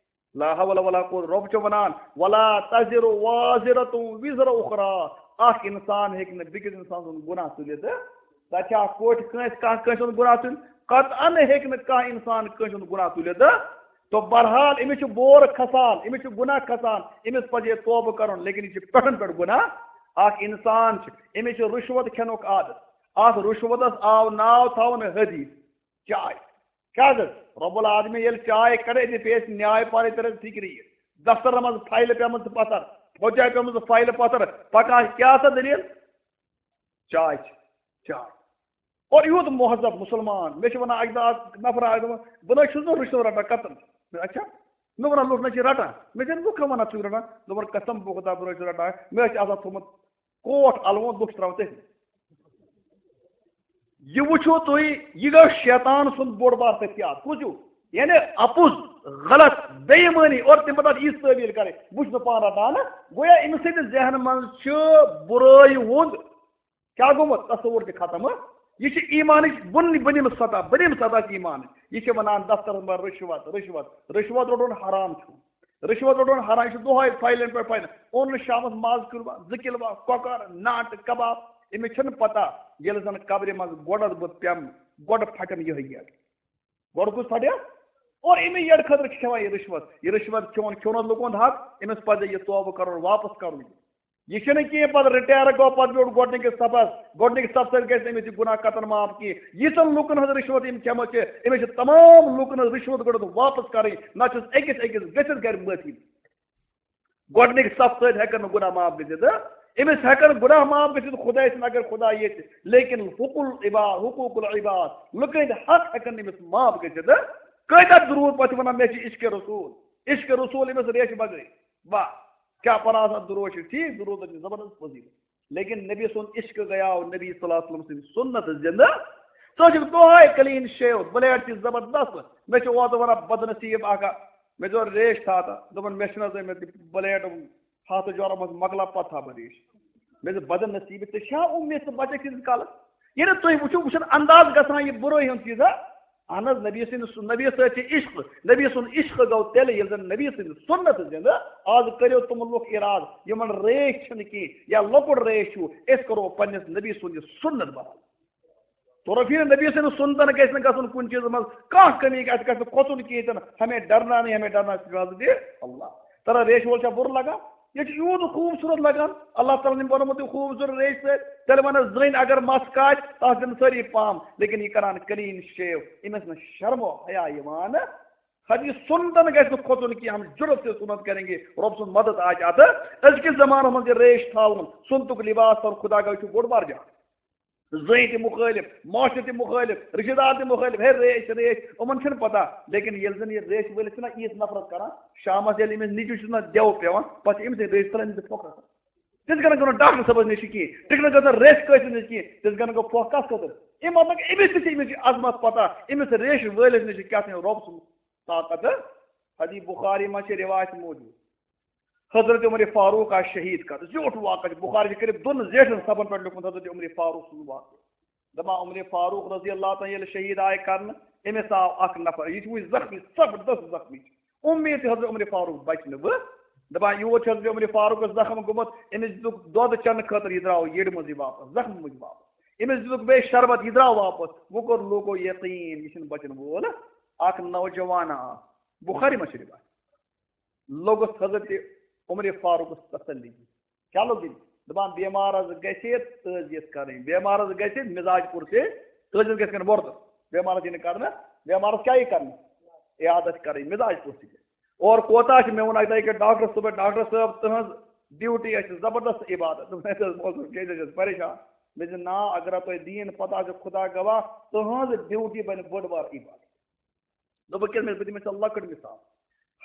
لا حول ولا قوت۔ رۄب چھُ وَنان، "ولا تزر وازرة وزر أخرى"، اکھ اِنسان ہیٚکہِ نہٕ بیٚکِس اِنسان سُنٛد گُناہ تُلِتھ۔ تَتہِ چھا اکھ کوٚٹھ کٲنٛسہِ، کانٛہہ کٲنٛسہِ ہُنٛد گُناہ تُلہِ؟ قطعاً ہیٚکہِ نہٕ کانٛہہ اِنسان کٲنٛسہِ ہُنٛد گُناہ تُلِتھ۔ تو بہرحال، أمِس چھُ بور کھسان، أمِس چھُ گُناہ کھسان، أمِس پَزِ ہے توبہٕ کَرُن، لیکن یہِ چھُ پٮ۪ٹھَن پٮ۪ٹھ گُناہ۔ اکھ اِنسان چھُ، أمِس چھُ رُشوت کھٮ۪نُک عادت۔ اَتھ رُشوتَس آو ناو تھاونہٕ حدیث چاے۔ کیٛاہ گٔے؟ رب العالمین ییٚلہِ چاے کڑے، أتی پیٚیہِ اَسہِ نیاے پارے ترِ فِکرِ یہِ۔ دفترن منٛز فایلہٕ پیمٕژ پتھر، فوجہِ آیہِ پیمٕژ فایلہٕ پتھر، پکان کیٛاہ سا دٔلیٖل؟ چاے چھِ، چاے۔ اور یوٗت مہذب مسلمان، مےٚ چھِ ونان اَکہِ دۄہ اکھ نفرا، اَکہِ دۄہ، بہٕ نہ حظ چھُس نہٕ رُشوت رٹان قطعاً۔ مےٚ، اچھا، مےٚ ونان لُکھ نہ چھِ رٹان، مےٚ چھَنہٕ لُکھ وَنان ژٕ چھُکھ رٹان، دوٚپُن قسم بہٕ خۄدا بہٕ نہ حظ چھُس رٹان، مےٚ حظ چھِ آسان تھوٚمُت کوٹ الوُن، لُکھ چھِ ترٛاوان تٔتھۍ منٛز۔ یہِ وٕچھِو تُہۍ، یہِ گوٚو شیطان سُنٛد بوٚڑ بار ہتھیار۔ کُس ہیوٗ؟ یعنی اَپُز، غلط، بے ایمٲنی اور تَمہِ پتہٕ اَتھ یِژھ تعویٖل کَرٕنۍ، بہٕ چھُس نہٕ پانہٕ رٹان۔ گویا أمِس سٕنٛدِس ذہنہٕ منٛز چھُ بُرٲے ہُنٛد، کیٛاہ گوٚمُت، تصوُر تہِ ختم۔ یہِ چھِ ایمانٕچ بُن-، بُنِم سطح، بُنِم سطح چھِ ایمانٕچ۔ یہِ چھِ وَنان دفترَس منٛز رُشوت، رُشوت، رُشوت روٚٹُن حرام چھُ۔ رُشوت روٚٹُن حرام، یہِ چھُ دۄہَے فایلَن پٮ۪ٹھ فایلَن۔ اوٚن نہٕ شامَس ماز کِلوہ، زٕ کِلوہ، کۄکَر، ناٹہٕ، کباب۔ أمِس چھَنہٕ پَتہ، ییٚلہِ زَن قبرِ منٛز گۄڈَس بہٕ پٮ۪مہٕ، گۄڈٕ پھَٹَن یِہوٚے گیٹ۔ گۄڈٕ کُس پھَٹہِ؟ اور أمِس یٔڈ خٲطرٕ چھِ کھٮ۪وان یہِ رُشوت۔ یہِ رُشوت کھیوٚن، کھیوٚن اوس لُکَن حق، أمِس پَزِ یہِ توبہٕ کَرُن، واپَس کَرُن۔ یہِ چھُنہٕ کینٛہہ، پَتہٕ رِٹایَر گوٚو، پَتہٕ بیوٗٹھ گۄڈٕنِکِس صفَس۔ گۄڈٕنِکِس صفہٕ سۭتۍ گژھِ نہٕ أمِس یہِ گُناہ قطعاً معاف کینٛہہ۔ ییٖژَن لُکَن ہٕنٛز رُشوت أمۍ کھٮ۪مٕژ چھِ، أمِس چھِ تمام لُکَن ہٕنٛز رُشوت گۄڈٕ واپَس کَرٕنۍ، نَتہٕ چھُس أکِس أکِس گٔژھِتھ گَرِ معٲفی۔ گۄڈٕنِکۍ صف سۭتۍ ہٮ۪کن نہٕ گُناہ معاف گٔژھِتھ۔ أمِس ہٮ۪کن گُناہ معاف گٔژھِتھ خۄداے سٕنٛدِ اگر خۄداے ییٚتہِ، لیکن حقوق العباد، حقوق العباد، لُکہٕ ہٕنٛدۍ حق ہٮ۪کن نہٕ أمِس معاف گٔژھِتھ۔ کۭتیٛاہ درود پتہٕ چھِ ونان، "مےٚ چھِ عشق رسول، عشق رسول أمِس ریشہِ بغٲرٕے۔" واہ، کیٛاہ پران آسان درود چھِ، ٹھیٖک، درودن چھِ زبردست فضیلت۔ لیکن نبی سُنٛد عشق گٔیاو نبی صلی اللہ علیہ وسلم سٕنٛدِ سُنت زِنٛدٕ۔ ژٕ چھُکھ دۄہے clean shave، blade تہِ زبردست۔ مےٚ چھُ اوترٕ ونان بدنصیب اکھ، مےٚ دوٚپ ریش تھاو تہٕ دوٚپُن، "مےٚ چھُنہٕ حظ أمۍ blade ہتھ جورا منٛز مۄکلاو، پتہٕ تھاو بہٕ ریش۔" مےٚ دوٚپ، "بدنصیب، ژےٚ چھا اُمید ژٕ بچکھ تیٖتِس کالس؟" ییٚلہِ تُہۍ وٕچھِو، وٕچھُن انداز گژھان یہِ بُرٲے ہُنٛد چیٖزا۔ اہن حظ، نبی سٕنٛدِ سُ-، نبی سۭتۍ چھِ عشق۔ نبی سُنٛد عشق گوٚو تیٚلہِ، ییٚلہِ زن نبی سٕنٛدِ سُنت زِنٛدٕ۔ آز کٔرِو تِم لُکھ اِرادٕ، یِمن ریش چھِنہٕ کینٛہہ یا لۄکُٹ ریش چھُ، أسۍ کرو پننِس نبی سُنٛد یہِ سُنت بحال۔ تو رفیع نبی سٕنٛدِ سُنتن گژھِ نہٕ گژھُن کُنہِ چیٖزس منٛز کانٛہہ کمی، اَسہِ گژھِ نہٕ کھۄژُن کینٛہہ تہِ نہٕ۔ ہمیں ڈرنا نہیں، ہمیں ڈرنا صرف حضرت اللہ۔ ترا ریش وول چھا بُرٕ لگان؟ یہِ چھُ یوٗت خوٗبصوٗرت لگان، اللہ تعالیٰ ہن بنومُت یہِ خوٗبصوٗرت ریش سۭتۍ۔ تیٚلہِ وَنس زٔنۍ اگر مَس کاٹہِ، تَتھ دِنہٕ سٲری پام، لیکن یہِ کران clean shave، أمِس نہٕ شرم و حیا یِوان۔ حدیث سُنتن گژھِ نہٕ کھۄژُن کینٛہہ، ہم جُرت سے سُنت کریں گے، رۄب سُنٛد مدد آسہِ اَتھ۔ أزکِس زمانس منٛز یہِ ریش تھاوُن، سُنتُک لباس تھاوُن، خدا گوٚو یہِ چھُ بوٚڑ بار جان۔ زٔنۍ تہِ مُخٲلِف، معاشرٕ تہِ مُخٲلِف، رِشتہٕ دار تہِ مُخٲلِف، ہے ریش، ریش، یِمن چھُنہٕ پتہ۔ لیکن ییٚلہِ زن یہِ ریش وٲلِس چھِنہ ییٖژ نفرت کران، شامس ییٚلہِ أمِس نیٚچوِس چھُنہ دٮ۪و پٮ۪وان، پتہٕ چھِ أمِس سۭتۍ ریش ژلان، أمِس چھِ پھۄکھ آسان۔ تِتھ کٔنۍ گوٚو نہٕ ڈاکٹر صٲبس نِش کِہیٖنۍ، تِتھ کٔنۍ گوٚو نہٕ ریش کٲنٛسہِ نِش کِہیٖنۍ، تِتھ کٔنۍ گوٚو پھۄکھ کس خٲطرٕ؟ اَمہِ مطلب أمِس تہِ چھِ، أمِس چھِ عظمت پتہ، أمِس ریش وٲلِس نِش چھِ کیٛاہ تام رۄب سُنٛد طاقت۔ حدیث بخاری منٛز چھِ رِوایت موجود۔ حضرت عمر فاروق آے شہید کرنہٕ۔ زیوٗٹھ واقعہ چھُ۔ بخاری چھُ کٔرِتھ دۄن زیٹھن صفن پٮ۪ٹھ لیوٗکھمُت حضرت عمر فاروق سُنٛد واقعہٕ۔ دپان عمر فاروق رضی اللہ تعالیٰ ییٚلہِ شہید آے کرنہٕ، أمِس آو اکھ نفر، یہِ چھُ وُنہِ زخمی، زبردست زخمی چھُ۔ اُمید چھِ حضرت عمر فاروق بچہِ نہٕ وۄنۍ۔ دپان یور چھُ حضرت عمر فاروقس زخم گوٚمُت، أمِس دِتُکھ دۄد چٮ۪نہٕ خٲطرٕ، یہِ درٛاو یٔڈ منٛزٕے واپس، زخمہِ منٛزٕے واپس۔ أمِس دِتُکھ بیٚیہِ شربت، یہِ درٛاو واپس۔ وۄنۍ کوٚر لوٗکو یقین، یہِ چھُنہٕ بچن وول۔ اکھ نوجوان آو، بخاری منٛز چھِ رِوایت۔ لوٚگُس حضرت عمر فاروقس تسلی دِنۍ۔ کیٛاہ لوٚگ دِنۍ؟ دپان، بیمارس گژھِ تعزیت کرٕنۍ، بیمارس گژھِ مزاج پُرسے، تعزیت گژھِ کرٕنۍ وۄرد۔ بیمارس یی نہٕ کرنہٕ، بیمارس کیٛاہ یی کرنہٕ؟ عیادت کرٕنۍ، مزاج پُرسے۔ اور کوتاہ چھِ، مےٚ ووٚن اکہِ دۄہ أکِس ڈاکٹرس، دوٚپمَس، "ڈاکٹر صٲب، تُہنٛز ڈیوٹی آسہِ زبردست عبادت۔" دوٚپمَس، "ہے، تُہۍ حظ موضوٗع کیٛازِ حظ چھِس پریشان؟" مےٚ دوٚپ، "نا، اگر تۄہہِ دیٖن پتہ آسہِ، خدا گواہ، تُہنٛز ڈیوٹی بنہِ بٔڑ بار عبادت۔" دوٚپُکھ، "کیٛاہ؟" مےٚ، بہٕ دِمے ژےٚ لۄکٕٹ مثال۔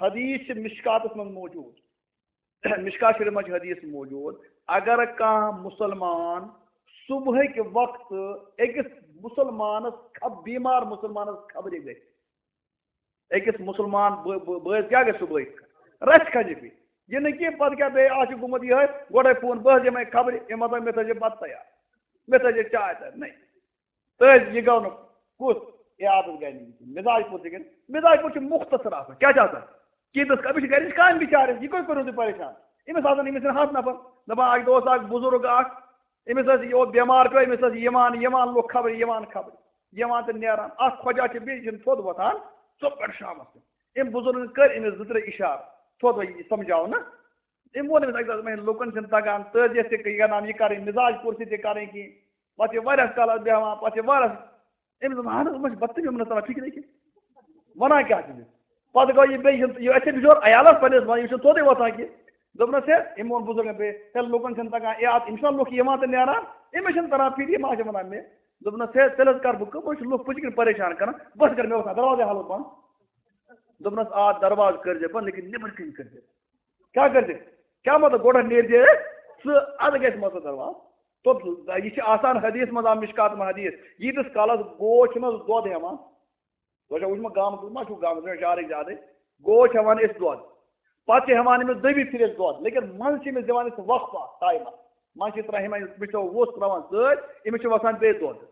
حدیث چھِ مشکاتس منٛز موجود۔ مشکات شریف منٛز چھِ حدیث موجود۔ اگر کانٛہہ مسلمان صبحٕکہِ وقتہٕ أکِس مسلمانس خب-، بیمار مسلمانس خبرِ گژھِ، أکِس مسلمان بٲ-، بٲ-، بٲژ کیٛاہ گژھِ صبحٲے؟ رژھِ کھنٛجہِ پیٚیہِ۔ یہِ نہٕ کینٛہہ، پَتہٕ کیٛاہ بیٚیہِ آز چھُ گوٚمُت یِہوٚے، گۄڈَے فون، بہٕ حظ یِمَے خبرِ، أمۍ ہَسا مےٚ تھٲیزِ بَتہٕ تیار، مےٚ تھٲیزِ چاے تیار، نہ۔ تہٕ یہِ گوٚو نہٕ کُس؟ اے عادت گٔے نہٕ یہِ کِہیٖنۍ۔ مِزاج پوٚت چھِ گٔے، مِزاج پوٚت چھُ مُختصر آسان۔ کیٛاہ چھِ آسان؟ کہِ أمِس، أمِس چھِ گَرِچ کامہِ بِچارَس، یہِ کٔہۍ کوٚروٕ تُہۍ پریشان؟ أمِس آسان، أمِس چھِنہٕ ہَتھ نفر۔ دَپان، اَکہِ دۄہ اوس اَکھ بُزرگ اَکھ، أمِس ٲس، یہِ اوس بٮ۪مار پیوٚو، أمِس ٲس یِوان، یِوان لُکھ خبرِ، یِوان خبرِ، یِوان تہٕ نیران۔ اَکھ خۄجا چھِ بیٚیہِ چھِنہٕ تھوٚد وۄتھان، ژوٚپ پٮ۪ٹھ شامَس تہِ۔ أمۍ بُزرگَن کٔرۍ أمِس زٕ ترٛےٚ اِشارٕ، تھوٚد وۄتھ یہِ سَمجھاونہٕ۔ أمۍ ووٚن أمِس اَکہِ دۄہ، دوٚپُن، ہے، لُکَن چھِنہٕ تَگان تٲبیَت تہِ یہِ کَرٕنۍ، مِزاج پوٗرٕ تہِ کَرٕنۍ کِہیٖنۍ۔ پَتہٕ چھِ واریاہَس کالَس بیٚہوان، پَتہٕ چھِ واریاہَس، أمِس دوٚپ، اَہَن حظ، یِمَن چھِ بدتمیٖزی، یِمَن نہٕ تَران فِکرِ کینٛہہ۔ وَنان کیٛاہ چھِ یہِ؟ پَتہٕ گوٚو یہِ بیٚیہِ، یہِ چھُنہٕ، یہِ، أسۍ چھِ بِچور عیالَس پَنٕنِس وَنان، یہِ چھُنہٕ توٚتُے واتان کینٛہہ۔ دوٚپنَس، ہے، أمۍ ووٚن بُزرگَن بیٚیہِ، ہے، لُکَن چھِنہٕ تَگان، اے، اَتھ، یِم چھِنہ لُکھ یِوان تہٕ نیران، أمِس چھِنہٕ تَران فِکرِ، یہِ ما چھِ وَنان مےٚ۔ دوٚپنَس، ہے، تیٚلہِ حظ کَرٕ بہٕ کٲم، بہٕ چھُس لُکھ پٔتۍ کِنۍ پریشان کَران، بہٕ حظ کَرٕ مےٚ وَسان دروازَے حالُک بنٛد۔ دوٚپنَس، آ، دروازٕ کٔرۍزِ بنٛد، لیکن نیٚبٕرۍ کِنۍ کٔرۍزِ۔ کیٛاہ کٔرۍزِ؟ کیٛاہ مطلب، گۄڈٕ نیرِ دے ژٕ، اَدٕ گژھِ مطلب دروازٕ۔ تو یہِ چھِ آسان حدیث منٛز، آ، مشکات منٛز حدیث، ییٖتِس کالَس گوو چھُنہٕ حظ دۄد ہٮ۪وان۔ تۄہہِ چھا وٕچھمُت گامَس منٛز ما چھُو گامَس منٛز شہرٕکۍ زیادَے؟ گوو چھِ ہٮ۪وان أسۍ دۄد، پَتہٕ چھِ ہٮ۪وان أمِس دٔیمہِ پھِرِ أسۍ دۄد، لیکن منٛز چھِ أمِس دِوان أسۍ وقفہ ٹایمَس۔ منٛز چھِ ترٛاوان، یِمَن أسۍ وٕچھو وُژھ ترٛاوان سۭتۍ، أمِس چھِ وَسان بیٚیہِ دۄد۔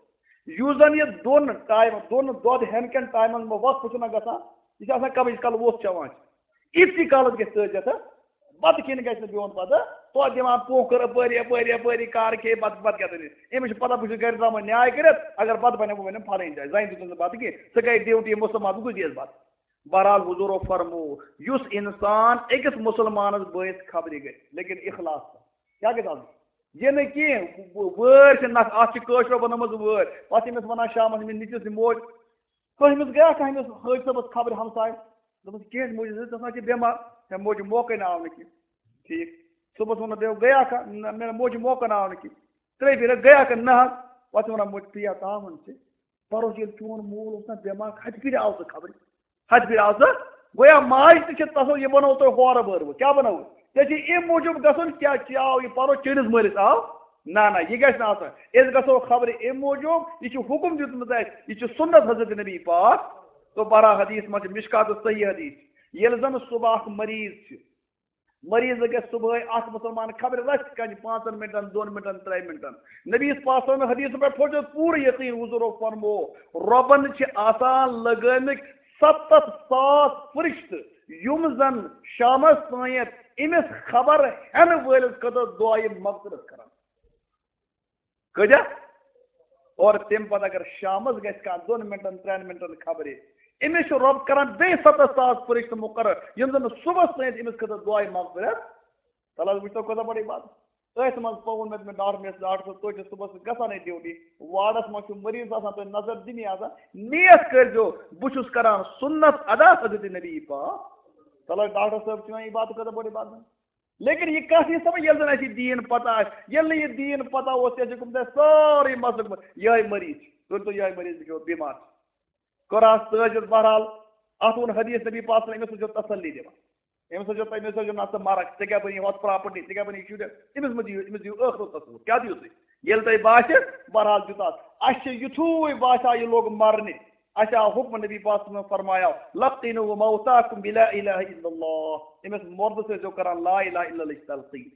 یُس زَن یہِ دۄن ٹایمَن، دۄن دۄد ہٮ۪نہٕ کٮ۪ن ٹایمَن منٛز وقفہٕ چھُنہ گژھان، یہِ چھِ آسان کَمٕے کالہٕ وُژھ چٮ۪وان چھِ۔ یِتھٕے کالَس گژھِ تٲجِیَتھ بَتہٕ کھیٚنہِ گژھِ نہٕ بِہُن پَتہٕ، توتہِ دِوان پونٛکھٕ اَپٲری، اَپٲری، اَپٲری، کار کھیٚیہِ، بَتہٕ، بَتہٕ کیٛاہ دٔلیٖل؟ أمِس چھُ پَتہ، بہٕ چھُس گَرِ درٛامُت نیاے کٔرِتھ، اگر بَتہٕ بَنہِ، بہٕ وَنہٕ فَلٲنۍ جایہِ، زَنہِ دیُتُن نہٕ بَتہٕ کینٛہہ، ژٕ گٔے ڈیوٹی مُسلمان، بہٕ کُس دِیَس بَتہٕ؟ بہرحال، حضوٗرو فرموو، یُس اِنسان أکِس مُسلمانَس بٲیِس خبرِ گژھِ، لیکن اخلاص سان۔ کیٛاہ گژھِ آسُن؟ یہِ نہٕ کینٛہہ، وٲرۍ چھِ نَکھ، اَتھ چھِ کٲشرو بَنٲومٕژ وٲرۍ، پَتہٕ چھِ أمِس وَنان شامَس أمِس نیٚچوِس یہِ موج، کٔمِس گٔیاکھ، أمِس حٲج صٲبَس خبرِ ہمساے؟ دوٚپمَس، کینٛہہ موجی، ژٕ آسان چھِ بٮ۪مار، ہے موجی، موقعے نہٕ آو نہٕ کینٛہہ۔ ٹھیٖک۔ صُبحَس ووٚنُن، بیٚیہِ گٔیاکھا؟ نہ، مےٚ موجی، موقعے نہٕ آو نہٕ کینٛہہ۔ ترٛیٚیہِ پھِرِ گٔیاکھا؟ نہ حظ۔ پَتہٕ چھِ وَنان، موجی، ژٕ یا تاوَن ژٕ، پَرُس ییٚلہِ چون مول اوس نہ بٮ۪مار، ہَتہِ پھِرِ آو سُہ خبرِ۔ ہَتہِ پھِرِ آو سُہ۔ گویا ماجہِ تہِ چھِ تصوُر، یہِ بَنوو تۄہہِ ہورٕ بٲروٕ۔ کیٛاہ بَنوو؟ ژےٚ چھِ اَمہِ موٗجوٗب گژھُن، کیٛاہ، کیٛاہ آو یہِ پَرُس چٲنِس مٲلِس آو؟ نہ، نہ، یہِ گژھِ نہٕ آسُن۔ أسۍ گژھو خبرِ اَمہِ موٗجوٗب، یہِ چھُ حُکُم دیُتمُت اَسہِ، یہِ چھُ سُنت حضرت نبی پاک۔ تو بہرحال حدیث منٛز چھِ، مشکاتَس صحیح حدیث چھِ۔ ییٚلہِ زَن صُبح اَکھ مریض چھِ، مریض گژھِ صُبحٲے اَکھ مُسلمان خبرِ رَژھِ کَنہِ پانٛژَن مِنٹَن، دۄن مِنٹَن، ترٛٮ۪ن مِنٹَن۔ نبی یَس پاک صلی اللہ علیہ وسلم حدیث پٮ۪ٹھ تھوٚو چھُ پوٗرٕ یقیٖن، حضوٗرو فرموو، رۄبَن چھِ آسان لَگٲمٕتۍ سَتَتھ ساس فرشتہٕ، یِم زَن شامَس تانٮ۪تھ أمِس خبر ہٮ۪نہٕ وٲلِس خٲطرٕ دُعایہِ مغفرت کران۔ کۭتیاہ؟ اور تَمہِ پتہٕ اگر شامس گژھِ کانٛہہ دۄن مِنٹن، ترٛٮ۪ن مِنٹن خبرِ، أمِس چھُ رۄب کران بیٚیہِ سَتَتھ ساس فرشتہٕ مُقرر، یِم زن نہٕ صُبحس تانۍ أمِس خٲطرٕ دُعایہِ مغفرت۔ تَلہٕ حظ وٕچھتو کۭژاہ بٔڑ عبادت۔ أتھۍ منٛز پوٚوُن مےٚ، مےٚ ڈاکٹر، مےٚ ٲس ڈاکٹر صٲب، تُہۍ چھِو صُبحس گژھان ہے ڈیوٹی، وارڈس منٛز چھُ مریض آسان، تُہۍ نظر دِنی آسان، نیت کٔرۍزیو، بہٕ چھُس کران سُنت ادا حضرت نبی پاک۔ تَلہٕ حظ ڈاکٹر صٲب چھُ وۄنۍ عبادت کۭژاہ بٔڑ عبادت۔ لیکن یہِ کَتھ یی سمجھ، ییٚلہِ زَن اَسہِ یہِ دیٖن پَتہ آسہِ، ییٚلہِ نہٕ یہِ دیٖن پَتہ اوس، تیٚلہِ چھِ گوٚمُت اَسہِ سٲرٕے مسلہٕ گوٚمُت یِہوٚے مریض چھِ۔ تُہۍ ؤنۍتو، یِہوٚے مریض چھُ بٮ۪مار۔ کٔر آز تٲجِز، بہرحال، اَتھ ووٚن حدیث نبی پاک صلی اللہ علیہ وسلم، أمِس اوس تسلی دِوان۔ أمِس ٲسۍ زیو، أمِس ٲسۍ زیو نہ ژٕ مرکھ، ژےٚ کیٛاہ بَنی ہۄتھ پراپرٹی، ژےٚ کیٛاہ بَنی شُرٮ۪ن؟ أمِس مہ دِیِو، أمِس دِیِو ٲخرُک تصوُر۔ کیٛاہ دِیِو تُہۍ؟ ییٚلہِ تۄہہِ باسہِ، بہرحال دیُت اَتھ۔ اَسہِ چھِ یُتھُے باسیٛو یہِ لوٚگ مَرنہِ، اَسہِ آو حُکم نبی پاک صلی اللہ علیہ وسلم فرمایو، "لقنوا موتاکم بلا الہ الا اللہ"، أمِس مردس ٲسۍزیو کران لا الہ الا اللہ ہٕچ تلقین۔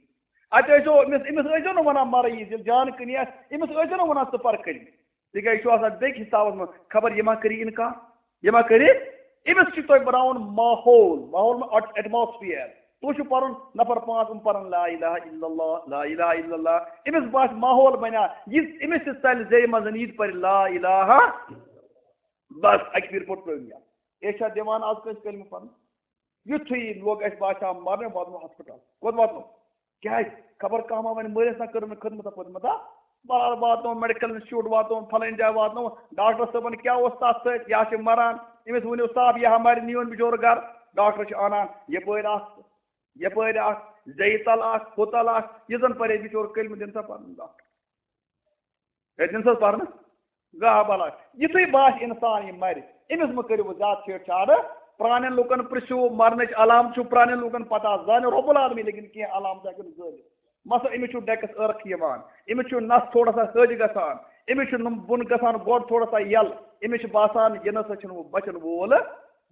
اَتہِ ٲسۍزیو أمِس، أمِس ٲسۍزیو نہٕ وَنان مَرٕ ییٖزِ، ییٚلہِ جان کٕنی آسہِ، أمِس ٲسۍزیو نہٕ وَنان ژٕ پَر کلمہٕ۔ تِکیٛازِ یہِ چھُ آسان بیٚکہِ حسابَس منٛز، خبر یہِ ما کَرِ اِنکار، یہِ ما کَرِ۔ أمِس چھُ تۄہہِ بَناوُن ماحول، ماحول ما اَٹ-، ایٹماسفیئر۔ تُہۍ چھِو پَرُن، نفر پانٛژھ یِم پَرَن لا الہ الا اللہ، لا الہ الا اللہ۔ أمِس باسہِ ماحول بَنیٛا، یہِ أمِس تہِ ژَلہِ زیٚیہِ منٛز، یہِ تہِ پَرِ لا الہ۔ بس، اَکہِ پھِرِ پوٚر پرٛٲنۍ یاد۔ أسۍ چھا دِوان آز کٲنٛسہِ کلمہٕ پَرُن؟ یُتھُے لوٚگ اَسہِ باسیٛو مَرنہِ، واتنو ہسپتال۔ کوٚت واتنو؟ کیٛازِ؟ خبر کانٛہہ ما وَنہِ مٲلِس نا کٔرٕن نہٕ خدمت پٔتمہِ دۄہ۔ بہرحال واتنو میڈیکل انسٹیٹیوٹ، واتنو فلٲنۍ جایہِ، واتنو ڈاکٹر صٲبن کیٛاہ اوس تَتھ سۭتۍ، یا چھِ مَران۔ أمِس ؤنِو صاف، یہِ ہا مَرِ، نیٖوُن بِچور گَرٕ۔ ڈاکٹر چھِ اَنان یَپٲرۍ اَکھ، یَپٲرۍ اَکھ، زیٚیہِ تَل اَکھ، ہُہ تَل اَکھ، یہِ زَن پَرے بِچور کلمہٕ دِن سا پَرُن ڈاکٹر۔ ہے، دِن سا پَرنہٕ۔ گاہ بلاے۔ یُتھُے باسہِ اِنسان یہِ مَرِ، أمِس مہٕ کٔرِو وۄنۍ زیادٕ چھیڑ چھاڑ۔ پرٛانٮ۪ن لُکَن پِرٛژھِو، مَرنٕچ علامت چھُ پرٛانٮ۪ن لُکَن پَتہ، زانہِ رۄب العالمین، لیکن کینٛہہ علامت ہٮ۪کن زٲنِتھ۔ مثلاً، أمِس چھُ ڈٮ۪کَس ٲرَکھ یِوان، أمِس چھُ نَس تھوڑا سا ہیٚج گژھان، أمِس چھُ نُم-، بۄن گژھان گۄڈٕ تھوڑا سا یَلہٕ، أمِس چھُ باسان، یہِ نہ سا چھُنہٕ وۄنۍ بَچَن وول۔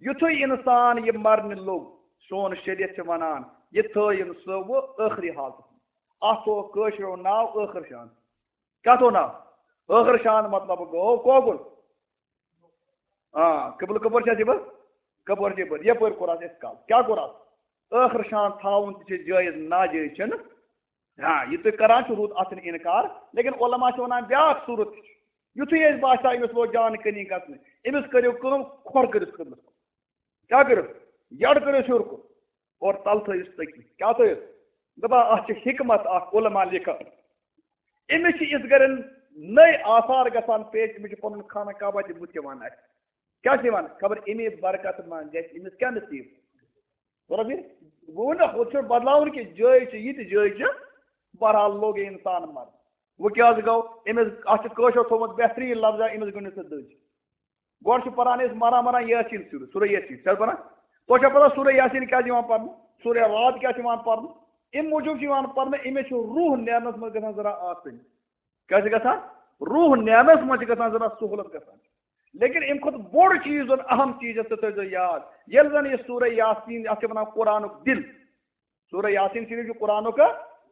یُتھُے اِنسان یہِ مَرنہِ لوٚگ، سون شریعت چھِ وَنان، یہِ تھٲیِن سُہ وۄنۍ ٲخری حالتس منٛز۔ اتھ تھوٚوُکھ کٲشرٮ۪و ناو ٲخر شان۔ کیٛاہ تھوٚو ناو؟ ٲخر شان مطلب گوٚو کوکُن۔ آ، قبلہٕ کپٲرۍ چھِ اَسہِ یِوان؟ کپٲرۍ چھِ یِوان؟ یپٲرۍ کوٚر اَتھ اِنکار۔ کیٛاہ کوٚر اَتھ؟ ٲخر شان تھاوُن تہِ چھِ جٲیز، ناجٲیز چھِنہٕ۔ ہاں، یہِ تُہۍ کران چھِو، روٗد اَتھ چھُنہٕ اِنکار، لیکن علماء چھِ وَنان بیٛاکھ صوٗرت تہِ چھِ۔ یُتھُے اَسہِ باسیٛو أمِس ووت جان کٔنی گژھنہٕ، أمِس کٔرِو کٲم، کھۄر کٔرِس قبلَس کُن۔ کیٛاہ کٔرِو؟ یَڈ کٔرِس ہیوٚر کُن اور تَلہٕ تھٲیِس تٔتی۔ کیٛاہ تھٲیِس؟ دَپان اَتھ چھِ حکمت اَکھ، علماء لیکھان۔ أمِس چھِ یِتھ گَرٮ۪ن نٔے آثار گژھان پیش، أمِس چھِ پَنُن خانہ کعبہ تہِ بُتھِ یِوان اَسہِ۔ کیٛاہ چھِ یِوان؟ خبر اَمے برکت ما گژھِ أمِس کیٛاہ نصیٖب؟ بوٗزتھا فِر؟ بہٕ وَنہٕ نہ، ہُتھ چھُنہٕ بدلاوُن کینٛہہ، جٲے چھِ، یہِ تہِ جٲے چھِ۔ بہرحال لوٚگ یہِ اِنسان مَرنہِ۔ وۄنۍ کیٛاہ حظ گوٚو؟ أمِس، اَتھ چھُ کٲشُر تھوٚومُت بہتریٖن لفظا، أمِس گٔنِو سا دٔج۔ گۄڈٕ چھُ پَران أسۍ مَران مَران یاسیٖن سورہ، سورہ یاسیٖن۔ چھِ حظ پَران؟ تۄہہِ چھا پَتہ سورہ یاسیٖن کیٛازِ یِوان پَرنہٕ؟ سورہ رعد کیٛازِ چھِ یِوان پَرنہٕ؟ اَمہِ موٗجوٗب چھِ یِوان پَرنہٕ، أمِس چھُ روح نیرنَس منٛز گژھان ذرا آسٲنی۔ کیٛاہ چھِ گژھان؟ روح نیرنَس منٛز چھِ گژھان ذرا سہوٗلت گژھان۔ لیکن اَمہِ کھۄتہٕ بوٚڑ چیٖز زَن، اہم چیٖز یَتھ ژٕ تھٲیزیو یاد، ییٚلہِ زَن یہِ سورہ یاسیٖن، اَتھ چھِ وَنان قرآنُک دِل۔ سورہ یاسیٖن شریٖف چھُ قرآنُک،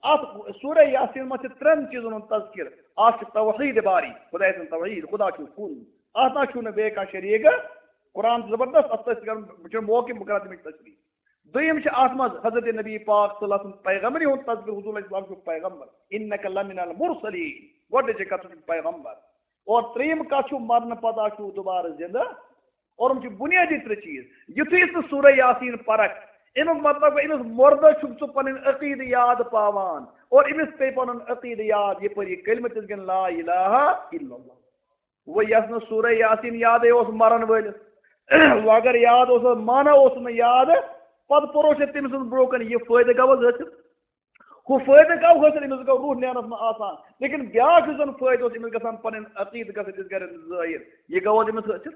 اَتھ سورہ یاسیٖن منٛز چھِ ترٛٮ۪ن چیٖزَن ہُنٛد تذکر۔ اَکھ چھِ توحیٖد باری، خداے سُنٛد توحیٖد، خدا چھُ کُن۔ اَتھ نہ چھُنہٕ بیٚیہِ کانٛہہ شریٖک۔ قرآن چھُ زبردست، اَتھ تَتھ چھِ کَرُن، بہٕ چھُس موقع، بہٕ کَرٕ تَمِچ تشریح۔ دوٚیِم چھِ اَتھ منٛز حضرت نبی پاک صلی اللہ علیہ وسلم پیغمبری ہُنٛد تذکر، حضور علیہ السلام چھُ پیغمبر، انک لمن المرسلین، گۄڈٕنِچ کَتھ چھُ پیغمبر۔ اور ترٛیٚیِم کَتھ چھُ، مرنہٕ پَتہٕ چھُ دوبارٕ زِندٕ۔ اور یِم چھِ بُنیٲدی ترٛےٚ چیٖز۔ یُتھُے ژٕ سورہ یاسیٖن پَرَکھ، اَمیُک مطلب گوٚو، أمِس مُردَس چھُکھ ژٕ پَنٕنۍ عقیٖدٕ یاد پاوان۔ اور أمِس پیٚیہِ پَنُن عقیٖدٕ یاد، یہِ پَرِ یہِ کلمہٕ تِژھ گٔے لا الہ الا اللہ۔ وۄنۍ یَس نہٕ سورہ یاسیٖن یادٕے اوس مَرَن وٲلِس، وۄنۍ اگر یاد اوس، معنہ اوس نہٕ یاد، پَتہٕ پوٚرُس ژےٚ تٔمۍ سٕنٛز برونٛہہ کَنہِ، یہِ فٲیدٕ گوٚو حظ حٲصِل؟ ہُہ فٲیدٕ گوٚو حٲصِل، أمِس گوٚو روح نیرنَس منٛز آسان۔ لیکن بیٛاکھ یُس زَن فٲیدٕ اوس، أمِس گژھان پَنٕنۍ عقیٖدٕ گژھِ أمِس گَرِ ظٲہِر، یہِ گوٚو حظ أمِس حٲصِل؟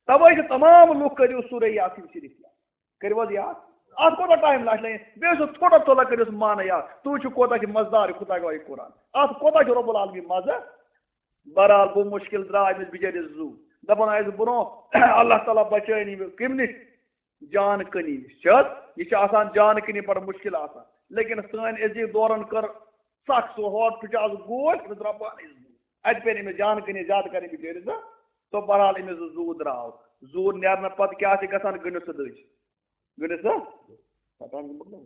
تَوَے چھِ تمام لُکھ، کٔرِو سورہ یاسیٖن شریٖف یاد۔ کٔرِو حظ یاد؟ اَتھ کوٗتاہ ٹایم لَگہِ؟ بیٚیہِ اوس تھوڑا تھوڑا کٔرِو معنہ یاد۔ تُہۍ وٕچھِو کوٗتاہ چھِ مَزٕدار یہِ خۄداے گوٚو یہِ قرآن۔ اَتھ کوٗتاہ چھُ رۄب العالمین مَزٕ؟ بہرحال، بہٕ مُشکِل درٛاو أمِس بِچٲرِس زُو۔ دَپان ٲسۍ برونٛہہ، اللہ تعالیٰ بَچٲیِن یہِ کَمہِ نِش؟ جان کٔنی نِش۔ چھِ حظ؟ یہِ چھِ آسان جان کٔنی بَڑٕ مُشکِل آسان۔ لیکن سٲنۍ عزیٖز دورَن کٔر سَخ سُہ ہورٕ پھٕٹہِ آز گوش، أمِس درٛاو پانَے زُو۔ اَتہِ پیٚیہِ نہٕ أمِس جان کٔنی زیادٕ کَرٕنۍ بِچٲرِس زَن۔ تو بہرحال أمِس زُو درٛاو۔ زُو نیرنہٕ پَتہٕ کیٛاہ چھِ گژھان؟ گٔنِو سا دٔج۔ گٔنِو سا؟ پَتہٕ ہَن گوٚو۔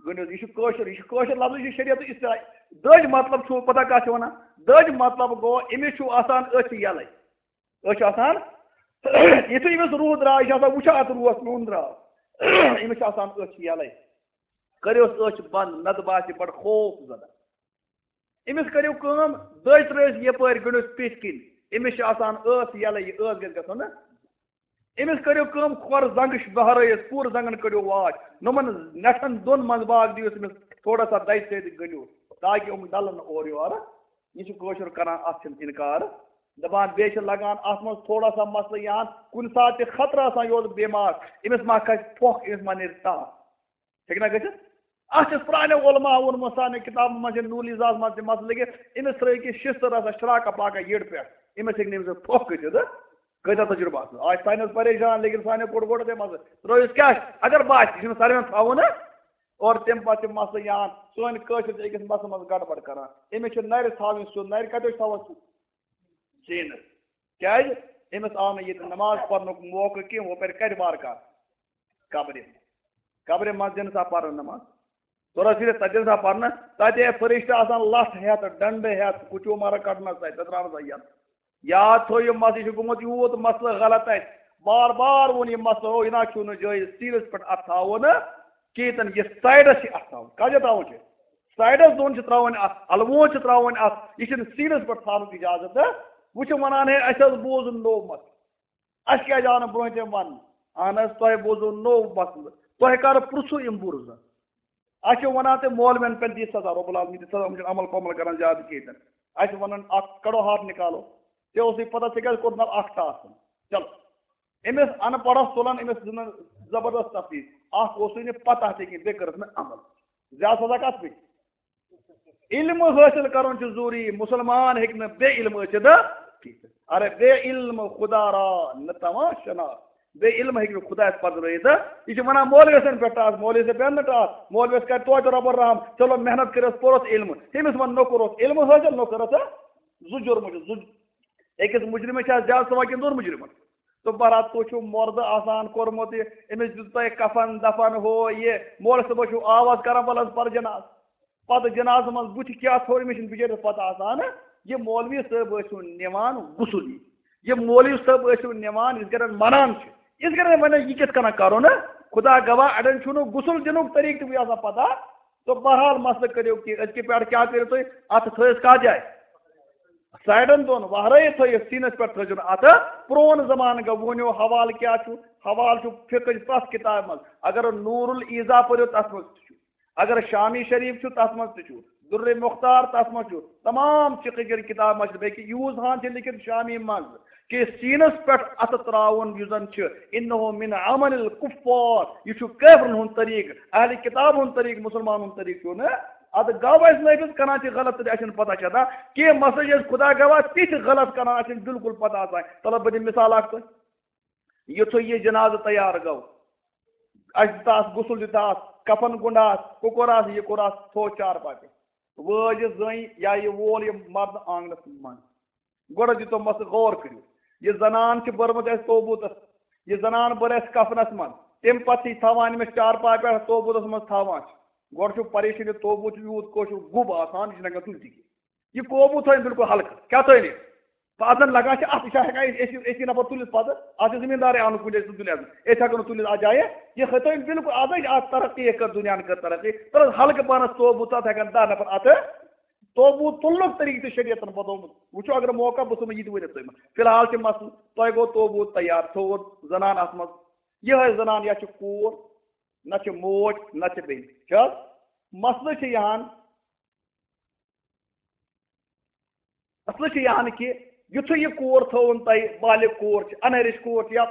گٔنِو، یہِ چھُ کٲشُر، یہِ چھُ کٲشُر لفظ، یہِ چھُ شریعت اصطلاح۔ دٔج مطلب چھُ پَتہ کَتھ چھِ وَنان؟ دٔج مطلب گوٚو، أمِس چھُ آسان أچھ یَلَے۔ أچھ آسان، یُتھُے أمِس روح درٛاو، یہِ چھُ آسان وٕچھان اَتھ روحَس، میون درٛاو۔ أمِس چھُ آسان أچھ یَلَے۔ کٔرِوس أچھ بنٛد، نَتہٕ باسہِ بَڑٕ خوف زدہ۔ أمِس کٔرِو کٲم، دٔج ترٛٲیِس یَپٲرۍ، گٔنٛڈِس پیٚٹھۍ کِنۍ۔ أمِس چھِ آسان ٲس یَلَے، یہِ ٲس گژھِ گژھُن نہ۔ أمِس کٔرِو کٲم، کھۄر زنٛگہٕ چھِ بہرٲیِتھ، پوٗرٕ زنٛگَن کٔڑِو واش۔ یِمَن نٮ۪ٹھَن دۄن منٛز باگ دِیِوس أمِس تھوڑا سا دَجہِ سۭتۍ گٔنٛڈِو، تاکہِ یِم ڈَلَن اورٕ یورٕ۔ یہِ چھُ کٲشُر کَران، اَتھ چھِنہٕ اِنکار۔ دَپان، بیٚیہِ چھِ لَگان اَتھ منٛز تھوڑا سا مسلہٕ یِہَن، کُنہِ ساتہٕ تہِ خطرٕ آسان، یہِ اوس بٮ۪مار، أمِس ما کھسہِ پھۄکھ، أمِس ما نیرِ تاپھ۔ ہیٚکہِ نا گٔژھِتھ؟ اَتھ چھِ پرٛانیو علماء ووٚنمُت، سانہِ کِتابَن منٛز چھِ نوٗر لیزاہَس منٛز تہِ مسلہٕ لیکھِتھ، أمِس ترٛٲیِو کینٛہہ شِستہٕ رَژھا شراکہ پاکہ یٔڈ پٮ۪ٹھ، أمِس ہیٚکہِ نہٕ أمِس پھۄکھ کٔرِتھ۔ کۭتیٛاہ تجربہٕ آسَن؟ آز چھِ ساینَس پریشان، لیکن سانیو کوٚڑ گۄڈٕ تہِ مسلہٕ۔ ترٛٲیِس کیٛاہ چھِ؟ اگر باسہِ، یہِ چھُنہٕ ساروِیَن تھاوُن، اور تَمہِ پَتہٕ چھِ مسلہٕ یِوان، سٲنۍ کٲشِر چھِ أکِس مسلہٕ منٛز گڑبڑ کران۔ أمِس چھِ نَرِ تھاوٕنۍ سیوٚد، نَرِ کَتہِ چھِ تھاوان سیوٚد؟ سیٖنَس۔ کیٛازِ؟ أمِس آو نہٕ ییٚتہِ نٮ۪ماز پَرنُک موقعہٕ کینٛہہ، ہُہ پَرِ کَتہِ وارٕ کارٕ؟ قبرِ۔ قبرِ منٛز دِنہٕ سا پَرنہٕ نٮ۪ماز۔ توٚر حظ فِکرِ؟ تَتہِ دِنہٕ سا پَرنہٕ، تَتہِ ہے فرشتہٕ آسان لَتھ ہٮ۪تھ، ڈنڈٕ ہٮ۪تھ، کُچو مَرٕ کَڑنَس تَتہِ، تَتہِ ترٛاونَس سا یَتھ۔ یاد تھٲیِو، مسلہٕ، یہِ چھُ گوٚمُت یوٗت مسلہٕ غلط اَتہِ۔ بار بار ووٚن یہِ مسلہٕ، ہو، یہِ نہ چھُنہٕ جٲیِز سیٖنَس پٮ۪ٹھ اَتھٕ تھاوُن کِہیٖنۍ، یہِ سایڈَس چھِ اَتھٕ تھاوُن۔ کَتھ جایہِ تھاوُن چھِ؟ سایڈَس دۄن چھِ ترٛاوٕنۍ اَتھ، اَلوُنٛد چھِ ترٛاوٕنۍ اَتھ، یہِ چھِنہٕ سیٖنَس پٮ۪ٹھ تھاونُک اِجازت۔ وۄنۍ چھِ وَنان، ہے، اَسہِ حظ بوٗز نوٚو مسلہٕ۔ اَسہِ کیٛازِ آو نہٕ برٛونٛہہ تہِ وَننہٕ؟ اَہَن حظ، تۄہہِ بوٗزوٕ نوٚو مسلہٕ۔ تۄہہِ کَر پرٛژھوٕ یِم بُرزٕ؟ اَسہِ چھِ وَنان تۄہہِ مولوٮ۪ن پٮ۪ٹھ دِتھ سزا، رۄب العالمین دِتھ سزا، یِم چھِنہٕ عمل پمل کران زیادٕ کِہیٖنۍ تہِ نہٕ۔ اَسہِ چھِ وَنان اَکھ کَڑو ہارٹ نِکالو، ژےٚ اوسُے پَتہ ژےٚ کیٛازِ کوٚرُتھ نہٕ اَکھ ٹاس تہِ نہٕ؟ چلو، أمِس اَن پَڑھَس تُلان، أمِس دِژٕن زبردست تفریٖح، اَکھ اوسُے نہٕ پَتہ تہِ کِہیٖنۍ، بیٚیہِ کٔرٕس نہٕ عمل۔ زیادٕ سزا کَتھ پیٚیہِ؟ علم حٲصِل کَرُن چھُ ضروٗری، مُسلمان ہیٚکہِ نہٕ بے علم ٲسِتھ کِہیٖنۍ۔ اَرے بے علم خدا را نہ تماشا شناس، بیٚیہِ علم ہیٚکہِ نہٕ خۄدایَس پَتہٕ رٲیِتھ۔ یہِ چھِ وَنان مولوی حسن پٮ۪ٹھ ٹاس، مولوی صٲب پٮ۪ن نہٕ ٹاس، مولوی یَس کَرِ توتہِ رۄبُن رحم، چلو محنت کٔرِس، پوٚرُس علم۔ تٔمِس وَن نوٚکُر اوس علم حٲصِل، نوٚکُر ٲسا زُو جوٚرمُت چھُ، زُو۔ أکِس مُجرِمَس چھا زیادٕ ثواب کِنہٕ دۄن مُجرِمَن؟ تہٕ بَرات تُہۍ چھُو مۄردٕ آسان کوٚرمُت یہِ، أمِس دیُت تۄہہِ کفن دفن ہُہ یہِ، مولوی صٲبَس چھُو آواز کران، وَلہٕ حظ پَر جناز۔ پتہٕ جنازٕ منٛز بُتھِ کیٛاہ تھوٚو، أمِس چھُنہٕ بِچٲرِس پتہ آسان۔ یہِ مولوی صٲب ٲسِو نِوان غسل، یہِ مولوی صٲب ٲسِو نِوان، یِتھ کٔنۍ مَنان چھِ، یِتھ کٔنۍ وَنان، یہِ کِتھ کٔنۍ کَرو نہٕ؟ خدا گواہ، اَڑٮ۪ن چھُنہٕ غسل دِنُک طریٖقہٕ تہِ آسان پتہ۔ تہٕ بہرحال مسلہٕ کٔرِو کہِ أزکہِ پٮ۪ٹھ کیٛاہ کٔرِو تُہۍ؟ اَتھٕ تھٲیِس کَتھ جایہِ؟ سایڈَن دۄن وَہرٲیِتھ تھٲیِو، سیٖنَس پٮ۪ٹھ تھٲیزیو نہٕ اَتھٕ۔ پرٛون زمانہٕ گوٚو، وۄنۍ حوالہٕ کیٛاہ چھُ؟ حوالہٕ چھُ فقہٕچ پرٛٮ۪تھ کِتابہِ منٛز۔ اگر نور الایضاح پٔرِو، تَتھ منٛز تہِ چھُ۔ اگر شامی شریف چھُ، تتھ منٛز تہِ چھُ۔ درِ مختار، تتھ منٛز چھُ۔ تمام فقہ کٮ۪ن کتابن منٛز چھُ۔ بلکہ یوٗز ہان چھِ لیکھِتھ شامی منٛز کہِ سیٖنس پٮ۪ٹھ اتھٕ تراوُن یُس زن چھُ، انہ من عمل الکفار، یہِ چھُ کٲفرن ہُنٛد طریقہٕ، اہل کتاب ہُنٛد طریقہٕ، مسلمان ہُنٛد طریقہٕ چھُ نہٕ۔ اتھ گوٚو اَسہِ نٲفِذ کران چھِ غلط تہٕ اَسہِ چھُنہٕ پتہ چھِ آسان کینٛہہ۔ مسلہٕ چھِ أسۍ خدا گواہ تِتھۍ غلط کران، اَسہِ چھُنہٕ بالکل پتہ آسان۔ تلہٕ بہٕ دِمہٕ مثال اکھ تۄہہِ۔ یُتھُے یہِ جنازٕ تیار گوٚو، اَسہِ دیُت اَتھ غسل، دیُت اَتھ کفن گُنڈ، اَتھ کُکُر، اَتھ یہِ کوٚر، اَتھ تھوٚو چارپاے پٮ۪ٹھ۔ وٲج یہِ زٔنۍ یا یہِ وول یہِ مردٕ آنٛگنَس منٛز۔ گۄڈٕ دیُتمَس، غور کٔرِو، یہِ زنان چھِ بٔرمٕژ اَسہِ توبوٗتَس، یہِ زنان بٔر اَسہِ کفنَس منٛز، تَمہِ پَتہٕ چھِ یہِ تھاوان أمِس چارپاے پٮ۪ٹھ، توبوٗتَس منٛز تھاوان چھِ۔ گۄڈٕ چھُ پریشٲنی، توبوٗت چھُ یوٗت کٲشُر گوٚب آسان، یہِ چھُنہٕ ہٮ۪کان تُلتھٕے کینٛہہ۔ یہِ قوبوٗ تھٲیِن بِلکُل ہلکہٕ۔ کیٛاہ تھٲیِن یہِ؟ پَتہٕ زَن لگان چھِ اَتھ، یہِ چھا ہٮ۪کان أسۍ، أسۍ، أسی نفر تُلِتھ پَتہٕ؟ اَتھ چھِ زٔمیٖندارٕے اَنُن کُنہِ جایہِ، سُہ تُلہِ اَتھ۔ أسۍ ہٮ۪کو نہٕ تُلِتھ اَتھ جایہِ۔ یہِ تھٲیِن بِلکُل آز، اَتھ ترقی کٔر، دُنیاہَن کٔر ترقی۔ تَلہٕ حظ ہلکہٕ پانَس توبوٗ تہٕ اَتھ ہٮ۪کَن دَہ نفر اَتھٕ۔ توبوٗت تُلنُک طریٖقہٕ تہِ شریعتَن بدلومُت۔ وٕچھو، اگر موقع، بہٕ ژھٕنہٕ یہِ تہِ ؤنِتھ تۄہہِ منٛز۔ فی الحال چھِ مسلہٕ، تۄہہِ گوٚو توبوٗت تیار، تھوٚوُت زنان اَتھ منٛز۔ یِہوٚے زنان یا چھِ کوٗر، نہ چھِ موج، نہ چھِ بیٚنہِ۔ چھِ حظ؟ مسلہٕ چھِ یِہَن، مسلہٕ چھُ یہِ ہن کہِ یُتھُے یہِ کوٗر تھٲوٕن تۄہہِ، بالغ کوٗر چھِ، اَنہرِش کوٗر چھِ یا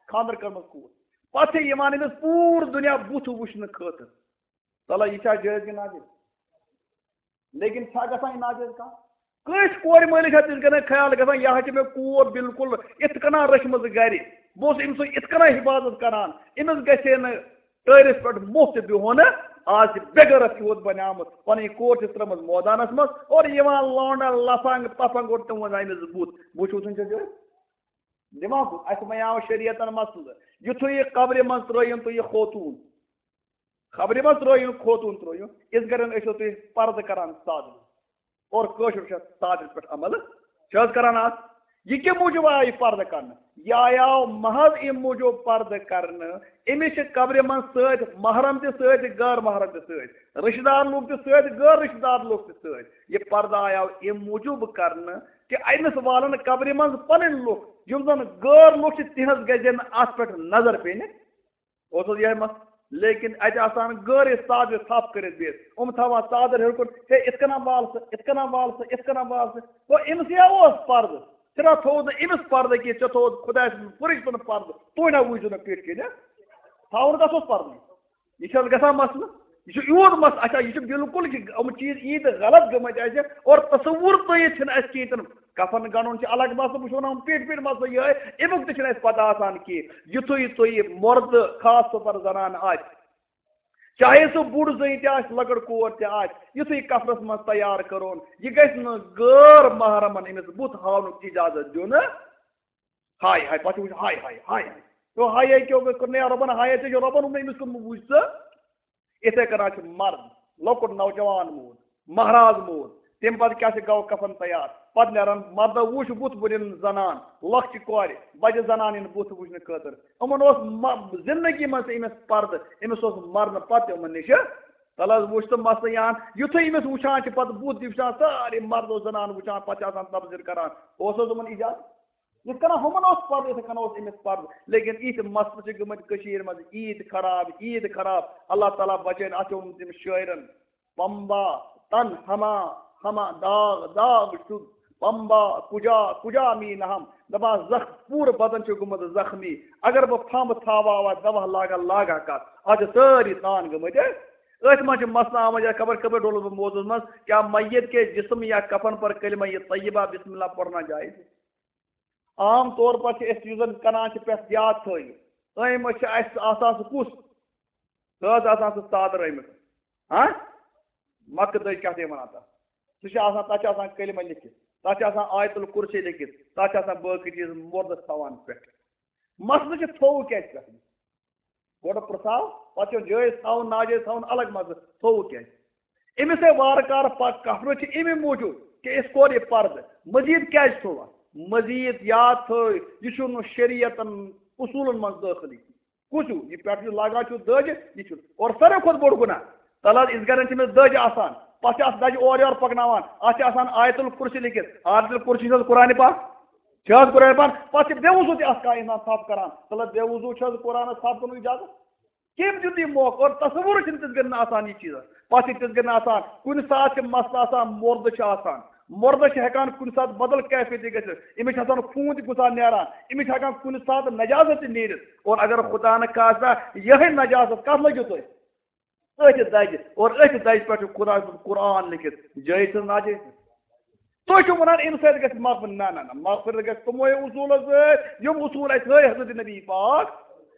خانٛدر کٔرمٕژ کوٗر، پَتہٕ چھِ یِوان أمِس پوٗرٕ دُنیا بُتھ وٕچھنہٕ خٲطرٕ۔ تَلہ، یہِ چھا جٲیِز کِنہٕ ناجٲیِز؟ لیکِن چھا گژھان یہِ ناجٲیِز کانٛہہ؟ کٲنٛسہِ کورِ مٲلِس چھا تِژھ گژھان خیال گژھان، یہِ ہا چھِ مےٚ کوٗر بِلکُل یِتھ کٔنۍ رٔچھمٕژ گَرِ، بہٕ اوسُس أمۍ سُنٛد یِتھ کٔنۍ حفاظت کران، أمِس گژھِ ہے نہٕ ٹٲرِس پٮ۪ٹھ موٚہ تہِ بِہُن۔ آز چھِ بے غیرت یوت بنیمٕژ، پنٕنۍ کور چھِ ترٲمٕژ مٲدانس منٛز، اورٕ یِوان لونڈن لفنگ پفنگ، اور تِمن أمِس بُتھ۔ وٕچھِو تُہۍ چھا دِوان؟ دِوان بُتھ۔ اَسہِ وَنیاو شریعتن مسلہٕ، یُتھُے یہِ قبرِ منٛز ترٲیِن تُہۍ یہِ خوتوٗن، قبرِ منٛز ترٲیِن خوتوٗن ترٲیِن، یِتھ کٔنۍ ٲسِو تُہۍ پردٕ کران سادٕ۔ اور کٲشُر چھُ تادر پٮ۪ٹھ عمل چھِ حظ کران آز۔ یہِ کَمہِ موٗجوٗب آو یہِ پردٕ کرنہٕ؟ یہِ آیاو محض اَمہِ موٗجوٗب پردٕ کرنہٕ، أمِس چھِ قبرِ منٛز سۭتۍ محرم تہِ سۭتۍ، غٲر محرم تہِ سۭتۍ، رشتہٕ دار لوٗکھ تہِ سۭتۍ، غٲر رشتہٕ دار لوٗکھ تہِ سۭتۍ۔ یہِ پردٕ آیاو اَمہِ موٗجوٗب کرنہٕ کہِ أمِس والن قبرِ منٛز پنٕنۍ لُکھ، یِم زن غٲر لُکھ چھِ، تِہنٛز گژھِ نہٕ اتھ پٮ۪ٹھ نظر پیٚنہِ۔ اوس حظ یِہوٚے مسلہٕ؟ لیکن اَتہِ آسان غٲرے سادٕ تھپھ کٔرِتھ بِہِتھ۔ یِم تھاوان ژادر ہیوٚر کُن، ہے، یِتھ کٔنۍ وال سا، یِتھ کٔنۍ وال سا، یِتھ کٔنۍ وال سا۔ گوٚو أمِس یا اوس پردٕ، ژےٚ نا تھوٚوُتھ نہٕ أمِس پردٕ کینٛہہ، ژےٚ تھوٚوُتھ خۄداے سُنٛد فرشتن پردٕ، تُہۍ نا وٕچھِو نہٕ پیٚٹھۍ کِنۍ۔ تھاوُن کَس اوس پردٕ؟ یہِ چھِ حظ گژھان مسلہٕ؟ یہِ چھُ یوٗت مسلہٕ۔ اچھا، یہِ چھُ بالکل، یہِ چھِ یِم چیٖز ییٖتۍ غلط گٔمٕتۍ اَسہِ، اور تصوُر تہِ ییٚتہِ چھِنہٕ اَسہِ کِہیٖنۍ تہِ نہٕ۔ کفن گنڈُن چھُ الگ مسلہٕ، بہٕ چھُس ونان پیٖٹھۍ پیٖٹھۍ مسلہٕ یِہوٚے، اَمیُک تہِ چھُنہٕ اَسہِ پتہ آسان کینٛہہ۔ یُتھُے تُہۍ یہِ مردٕ، خاص طور پر زنان آسہِ، چاہے سُہ بوٚڑ زٔنۍ تہِ آسہِ، لۄکٕٹ کور تہِ آسہِ، یُتھُے کفنس منٛز تیار کٔرٕن، یہِ گژھِ نہٕ غٲر محرمن أمِس بُتھ ہاونُک اجازت دیُن۔ ہاے ہاے، پتہٕ چھُ وٕچھُن، ہاے ہاے، ہاے ہاے۔ تو ہاے ہاے کیوں کوٚر نہٕ رۄبن، ہاے ہاے ژےٚ چھُ رۄبن ووٚنمُت، أمِس کوٚرمُت وٕچھ ژٕ۔ یِتھَے کٔنۍ حظ چھُ مرد، لۄکُٹ نوجوان موٗد، مہراز موٗد، تَمہِ پتہٕ کیٛاہ چھِ گوٚو کفن تیار، پتہٕ نیران مردو وٕچھ بُتھ بٔرِن زنان، لۄکچہِ کورِ، بجہِ زنان یِن بُتھ وٕچھنہٕ خٲطرٕ۔ یِمن اوس م-، زندگی منٛز تہِ أمِس پردٕ، أمِس اوس مرنہٕ پتہٕ تہِ یِمن نِش۔ تلہٕ حظ وٕچھ تہٕ مسلہٕ یِہَن، یُتھُے أمِس وٕچھان چھِ پتہٕ بُتھ، یہِ وٕچھان سٲری مردو زنان وٕچھان، پتہٕ چھِ آسان تبصرٕ کران، اوس حظ یِمن ایجاد؟ یِتھ کٔنۍ ہُمن اوس پردٕ، یِتھَے کٔنۍ اوس أمِس پردٕ۔ لیکن یِتھۍ مسلہٕ چھِ گٔمٕتۍ کٔشیٖرِ منٛز، عیٖد خراب، عیٖد خراب۔ اللہ تعالیٰ بچٲیِن، اَتھ چھِ ووٚنمُت تٔمِس شٲعرن، "پمبا تن ہما ہما داغ داغ شد، پمبا کجا کجا می نہم"۔ دپان زخ-، پوٗرٕ بدن چھُ گوٚمُت زخمی۔ اگر بہٕ پھمب تھاوہا، دوا لاگہا، لاگہا کتھ؟ اَتھ چھِ سٲری تان گٔمٕتۍ۔ أتھۍ منٛز چھِ مسلہٕ آمٕتۍ، یا خبر کٔمۍ ڈولُس بہٕ موضوعس منٛز، کیا میت کے جسم یا کفن پر کلمہ طیبہ بسم اللہ پڑھنا جائز ہے؟ عام طور پر چھِ أسۍ یُس زن کران چھِ پرٛٮ۪تھ یاد تھٲیِو، أمۍ منٛز چھِ اَسہِ آسان سُہ کُس؟ سُہ حظ آسان سُہ ژادر أمِس۔ ہاں؟ مۄکھٕ دٔج کیٛاہ چھِ وَنان تَتھ؟ سُہ چھُ آسان، تَتھ چھُ آسان کلمہٕ لیکھِتھ، تَتھ چھُ آسان آیت الکرسی لیکھِتھ، تَتھ چھُ آسان باقٕے چیٖز مُردَس تھاوان پٮ۪ٹھ۔ مسلہٕ چھُ تھوٚو کیٛازِ پٮ۪ٹھ؟ گۄڈٕ پرٛژھاو، پَتہٕ چھُ جٲیِز تھاوُن، ناجٲیِز تھاوُن، الگ مسلہٕ، تھوٚو کیٛازِ؟ أمِس ہے وارٕ کارٕ پَتہٕ کَتھ چھِ اَمی موٗجوٗب کہِ أسۍ کوٚر یہِ پَردٕ۔ مٔزیٖد کیٛازِ تھوٚو اَتھ؟ مٔزیٖد یاد تھٲوِو، یہِ چھُنہٕ شریعتَن اصوٗلَن منٛز دٲخلٕے۔ کُس ہیوٗ؟ یہِ پٮ۪ٹھ یُس لاگان چھُ دٔج، یہِ چھُ۔ اور ساروی کھۄتہٕ بوٚڑ گُناہ، تَلہٕ حظ، یِتھ کٔنۍ چھِ أمِس دٔج آسان، پَتہٕ چھِ اَتھ دَجہِ اورٕ یورٕ پَکناوان، اَتھ چھِ آسان آیت الکرسی لیکھِتھ، آیت الکرسی چھِ حظ قرآنِ پاک؟ چھِ حظ قرآنِ پاک؟ پَتہٕ چھِ بے وضوٗ تہِ اَتھ کانٛہہ اِنسان تھَپھ کَران، تَلہٕ حظ، بے وضوٗ چھِ حظ قرآنَس تھَپھ کَرنُک اِجازت؟ کٔمۍ دیُت یہِ موقعہٕ؟ اور تصوُر چھُنہٕ تِتھ کٔنۍ نہٕ آسان یہِ چیٖز۔ پَتہٕ چھِ تِتھ کٔنۍ آسان، کُنہِ ساتہٕ چھِ مسلہٕ آسان، مُردٕ چھِ آسان، مُردَس چھِ ہٮ۪کان کُنہِ ساتہٕ بدل کیفیت تہِ گٔژھِتھ، أمِس چھِ آسان خوٗن تہِ کُنہِ ساتہٕ نیران، أمِس چھِ ہٮ۪کان کُنہِ ساتہٕ نجازت تہِ نیٖرِتھ۔ اور اگر خدا نہ خاصہ یِہوٚے نجازت کَتھ لٔگِو تُہۍ؟ أتھۍ دَجہِ۔ اور أتھۍ دَجہِ پٮ۪ٹھ چھُ خدا سُنٛد قرآن لیکھِتھ، جٲیِز چھُ ناجٲیِز؟ تُہۍ چھِو وَنان اَمہِ سۭتۍ گژھِ مغفرت۔ نہ، نہ، نہ، مغفرت گژھِ تِموے اصوٗلو سۭتۍ، یِم اصوٗل اَسہِ ہٲوۍ حضرت نبی پاک۔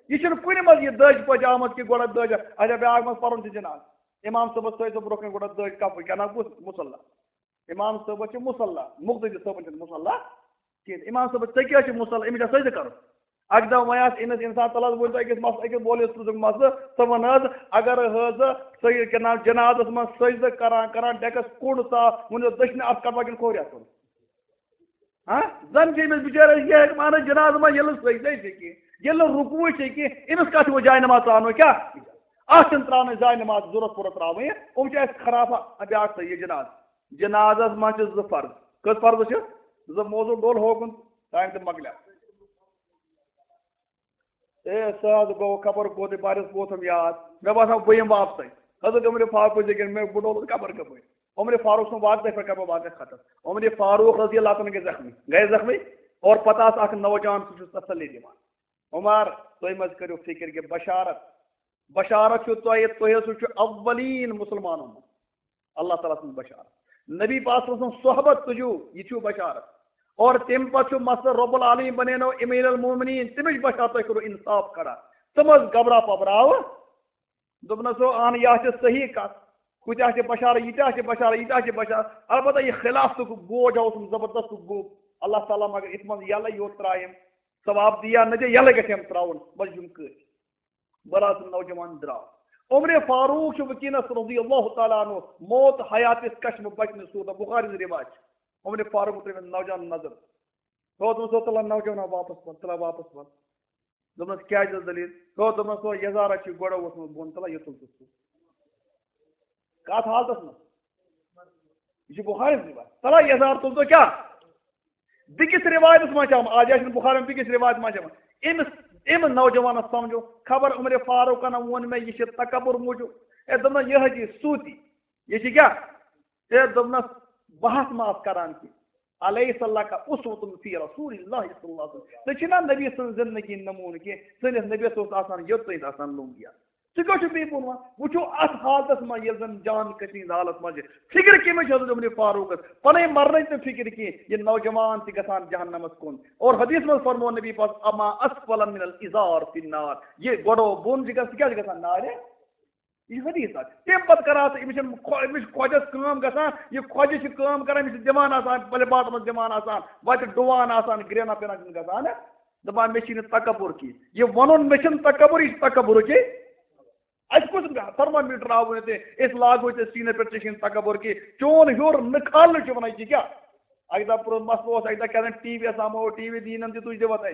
یہِ چھُنہٕ کُنہِ منٛز یہِ دٔج پٲٹھۍ آمٕژ کہِ گۄڈٕ دٔج، اچھا، بیٛاکھ منٛز پَرُن چھُ جناز۔ امام صٲبَس تھٲوِو برٛونٛہہ کَنہِ گۄڈٕ دٔج کَپُر، کیٛاہ ناو گوٚژھ؟ مُصلی۔ امام صٲبَس چھِ مُصلی، مُقتدی صٲبَن چھُنہٕ مُصلی کِہیٖنۍ۔ امام صٲبَس، ژےٚ کیٛاہ چھُ مُصلی؟ أمِس چھا سجدٕ کَرُن؟ اَکہِ دۄہ وَنیٛاس أمِس اِنسان، تَلہٕ حظ ؤنۍ تو أکِس مس-، أکِس مولوی صٲبُن مسلہٕ، ژٕ وَن حظ، اگر حظ سُہ یہِ کیٛاہ ناو جنازَس منٛز سٔجدٕ کران کران ڈٮ۪کَس کوٚڑ ژاو، وٕنہِ اوس دٔچھنہِ اَتھٕ کَٹہٕ وَٹہِ کِنہٕ کھوورِ اَتھٕ کوٚڑ؟ ہاں؟ زَن چھِ أمِس بِچٲرِس یہِ ہیٚکہِ مان ژٕ جنازٕ منٛز ییٚلہِ نہٕ سٔجدَے چھِ کینٛہہ، ییٚلہِ نہٕ رُکوٗعٕے چھِ کینٛہہ، أمِس کَتھ چھِ وۄنۍ جاے نٮ۪ماز ترٛاونُے کیٛاہ؟ اَتھ چھِنہٕ ترٛاونٕچ جاے نٮ۪ماز ضوٚرَتھ پوٗرٕ ترٛاوٕنۍ، یِم چھِ اَسہِ خرافات۔ بیٛاکھ تھٲیِو یہِ جنازٕ، جنازَس منٛز چھِ زٕ فرض۔ کٔژ فرض چھِ؟ زٕ۔ موضوع ڈوٚل ہوکُن، ٹایم تہِ مۄکلیو۔ اے، سُہ حظ گوٚو خبر کوٚت، بہٕ حظ ووتُم یاد۔ مےٚ باسان، بہٕ یِمہٕ واپسٕے۔ حضرت عمر فاروق پٔزۍ کِنۍ مےٚ بہٕ ڈوٚلُس خبر کَپٲرۍ۔ عمر فاروق سُنٛد واقعہٕ، تۄہہِ پٮ۪ٹھ کَرٕ بہٕ واقعہٕ ختم۔ عمر فاروق رضی اللہ تعالیٰ عنہ گٔے زخمی۔ گٔے زخمی۔ اور پتہٕ آس اکھ نوجوان، سُہ چھُ تسلی دِوان۔ عمر، تُہۍ مہ حظ کٔرِو فِکر کہِ بشارت، بشارت چھُ تۄہہِ، تُہۍ حظ چھِو اولین مُسلمانو منٛز۔ اللہ تعالیٰ سٕنٛز بشارت۔ نبی پاک صلی اللہ علیہ وسلم صحبت تُجو، یہِ چھُ بشارت۔ اور تَمہِ پتہٕ چھُ مسلہٕ رب العالمین بنینو امیر المومنین، تٔمِس بشارت تۄہہِ کوٚرُو انصاف کھڑا۔ تِم حظ گھبرا پبراوٕ۔ دوٚپنَس، ہو، اہن، یہِ حظ چھِ صحیح کتھ۔ کۭتیٛاہ چھِ بشارت، ییٖتیٛاہ چھِ بشارت، ییٖتیٛاہ چھِ بشارت۔ البتہ یہِ خلافتُک بوج اوسُم زبردستُک گوٚب۔ اللہ تعالیٰ مگر یَتھ منٛز یَلہٕ یوت ترٛایَم۔ ثواب دِیا نہ دِیا، یَلہٕ گژھِ ہم ترٛاوُن۔ بس یِم کٔرۍ۔ بڑا سُہ نوجوان درٛاو۔ عمر فاروق چھُ وٕنکیٚنَس رضی اللہ تعالیٰ عنہ موت حیاتِس کشمہٕ بچنہٕ صورتہ، بخاری ہٕنٛز رِوایت چھِ۔ عمر فاروق ترٛٲوِن نوجوان نظر۔ ہو، دوٚپمَس، ہو، تَلہ نوجوان واپس وَن، تَلہ واپس وَن۔ دوٚپمَس، کیٛازِ حظ دٔلیٖل؟ ہو، دوٚپمَس، ہو، یَزارا چھُ گۄڈٕ ووٚتھمُت بۄن، تَلہ یہِ تُل ژٕ۔ کَتھ حالتَس منٛز؟ یہِ چھُ بُخاری ہٕنٛز رِوایت۔ تَلہ یَزار تُل ژٕ کیٛاہ؟ بیٚکِس رِوایتَس منٛز چھِ آمُت، آز چھِنہٕ بُخاری بیٚکِس رِوایتَس منٛز چھِ آمُت۔ أمِس، أمۍ نوجوانَس سَمجھو، خبر عمر فاروقَن ووٚن مےٚ، یہِ چھِ تکبر موٗجوٗب۔ ہے، دوٚپنَس، یہِ حدیٖث سوٗتی۔ یہِ چھِ کیٛاہ؟ ہے، دوٚپنَس، بحث ما آس کران کینٛہہ۔ الیس لک اسوۃ فی رسول اللہ صلی اللہ علیہ وسلم۔ ژےٚ چھُے نا نبی سٕنٛز زندگی نموٗنہٕ کینٛہہ؟ سٲنِس نبیَس اوس آسان یوٚت تام آسان لوٚنٛگ یا۔ ژٕ کیٛاہ چھُکھ بیٚیہِ بۄن وَنان؟ وٕچھِو اَتھ حالتَس منٛز، ییٚلہِ زَن جان کشیٖد حالَس منٛز چھِ۔ فِکر کٔمِس چھِ حضرت عمر فاروقَس؟ پَنٕنۍ مَرنٕچ نہٕ فِکر کینٛہہ، یہِ نوجوان تہِ گژھان جہنمَس کُن۔ اور حدیث منٛز فرموو نبی پاک، اما اسفل من الازار فی النار۔ یہِ گۄڈو بۄن چھِ گژھان، سُہ کیٛاہ چھِ گژھان؟ نارِ۔ یہِ چھُ حدیث اکھ۔ تَمہِ پتہٕ کران ژٕ، أمِس چھِنہٕ خۄ-، أمِس چھِ خۄجَس کٲم گژھان، یہِ خۄجہِ چھِ کٲم کران، أمِس چھِ دِوان آسان، پَلہِ باٹَس منٛز دِوان آسان، وَتہِ ڈُوان آسان، گرٛینہ پینہ چھِنہٕ گژھان، دَپان، مےٚ چھِ نہٕ تکبر کینٛہہ۔ یہِ وَنُن، مےٚ چھِنہٕ تکبر، یہِ چھِ تکبرٕچے۔ اَسہِ کُس thermometer آوُے نہٕ تہِ، أسۍ لاگو ژےٚ سیٖنَس پٮ۪ٹھ، ژےٚ چھِنہٕ تکبر کینٛہہ۔ چون ہیوٚر نہٕ کھالنہٕ چھُ وَنان، یہِ کیٛاہ؟ اَکہِ دۄہ پرٛوٚنٛہہ مسلہٕ اوس، اَکہِ دۄہ کیٛاہ تام ٹی وی یَس آمو، ٹی وی دیٖنَن تہِ تُج دِوان اَسہِ۔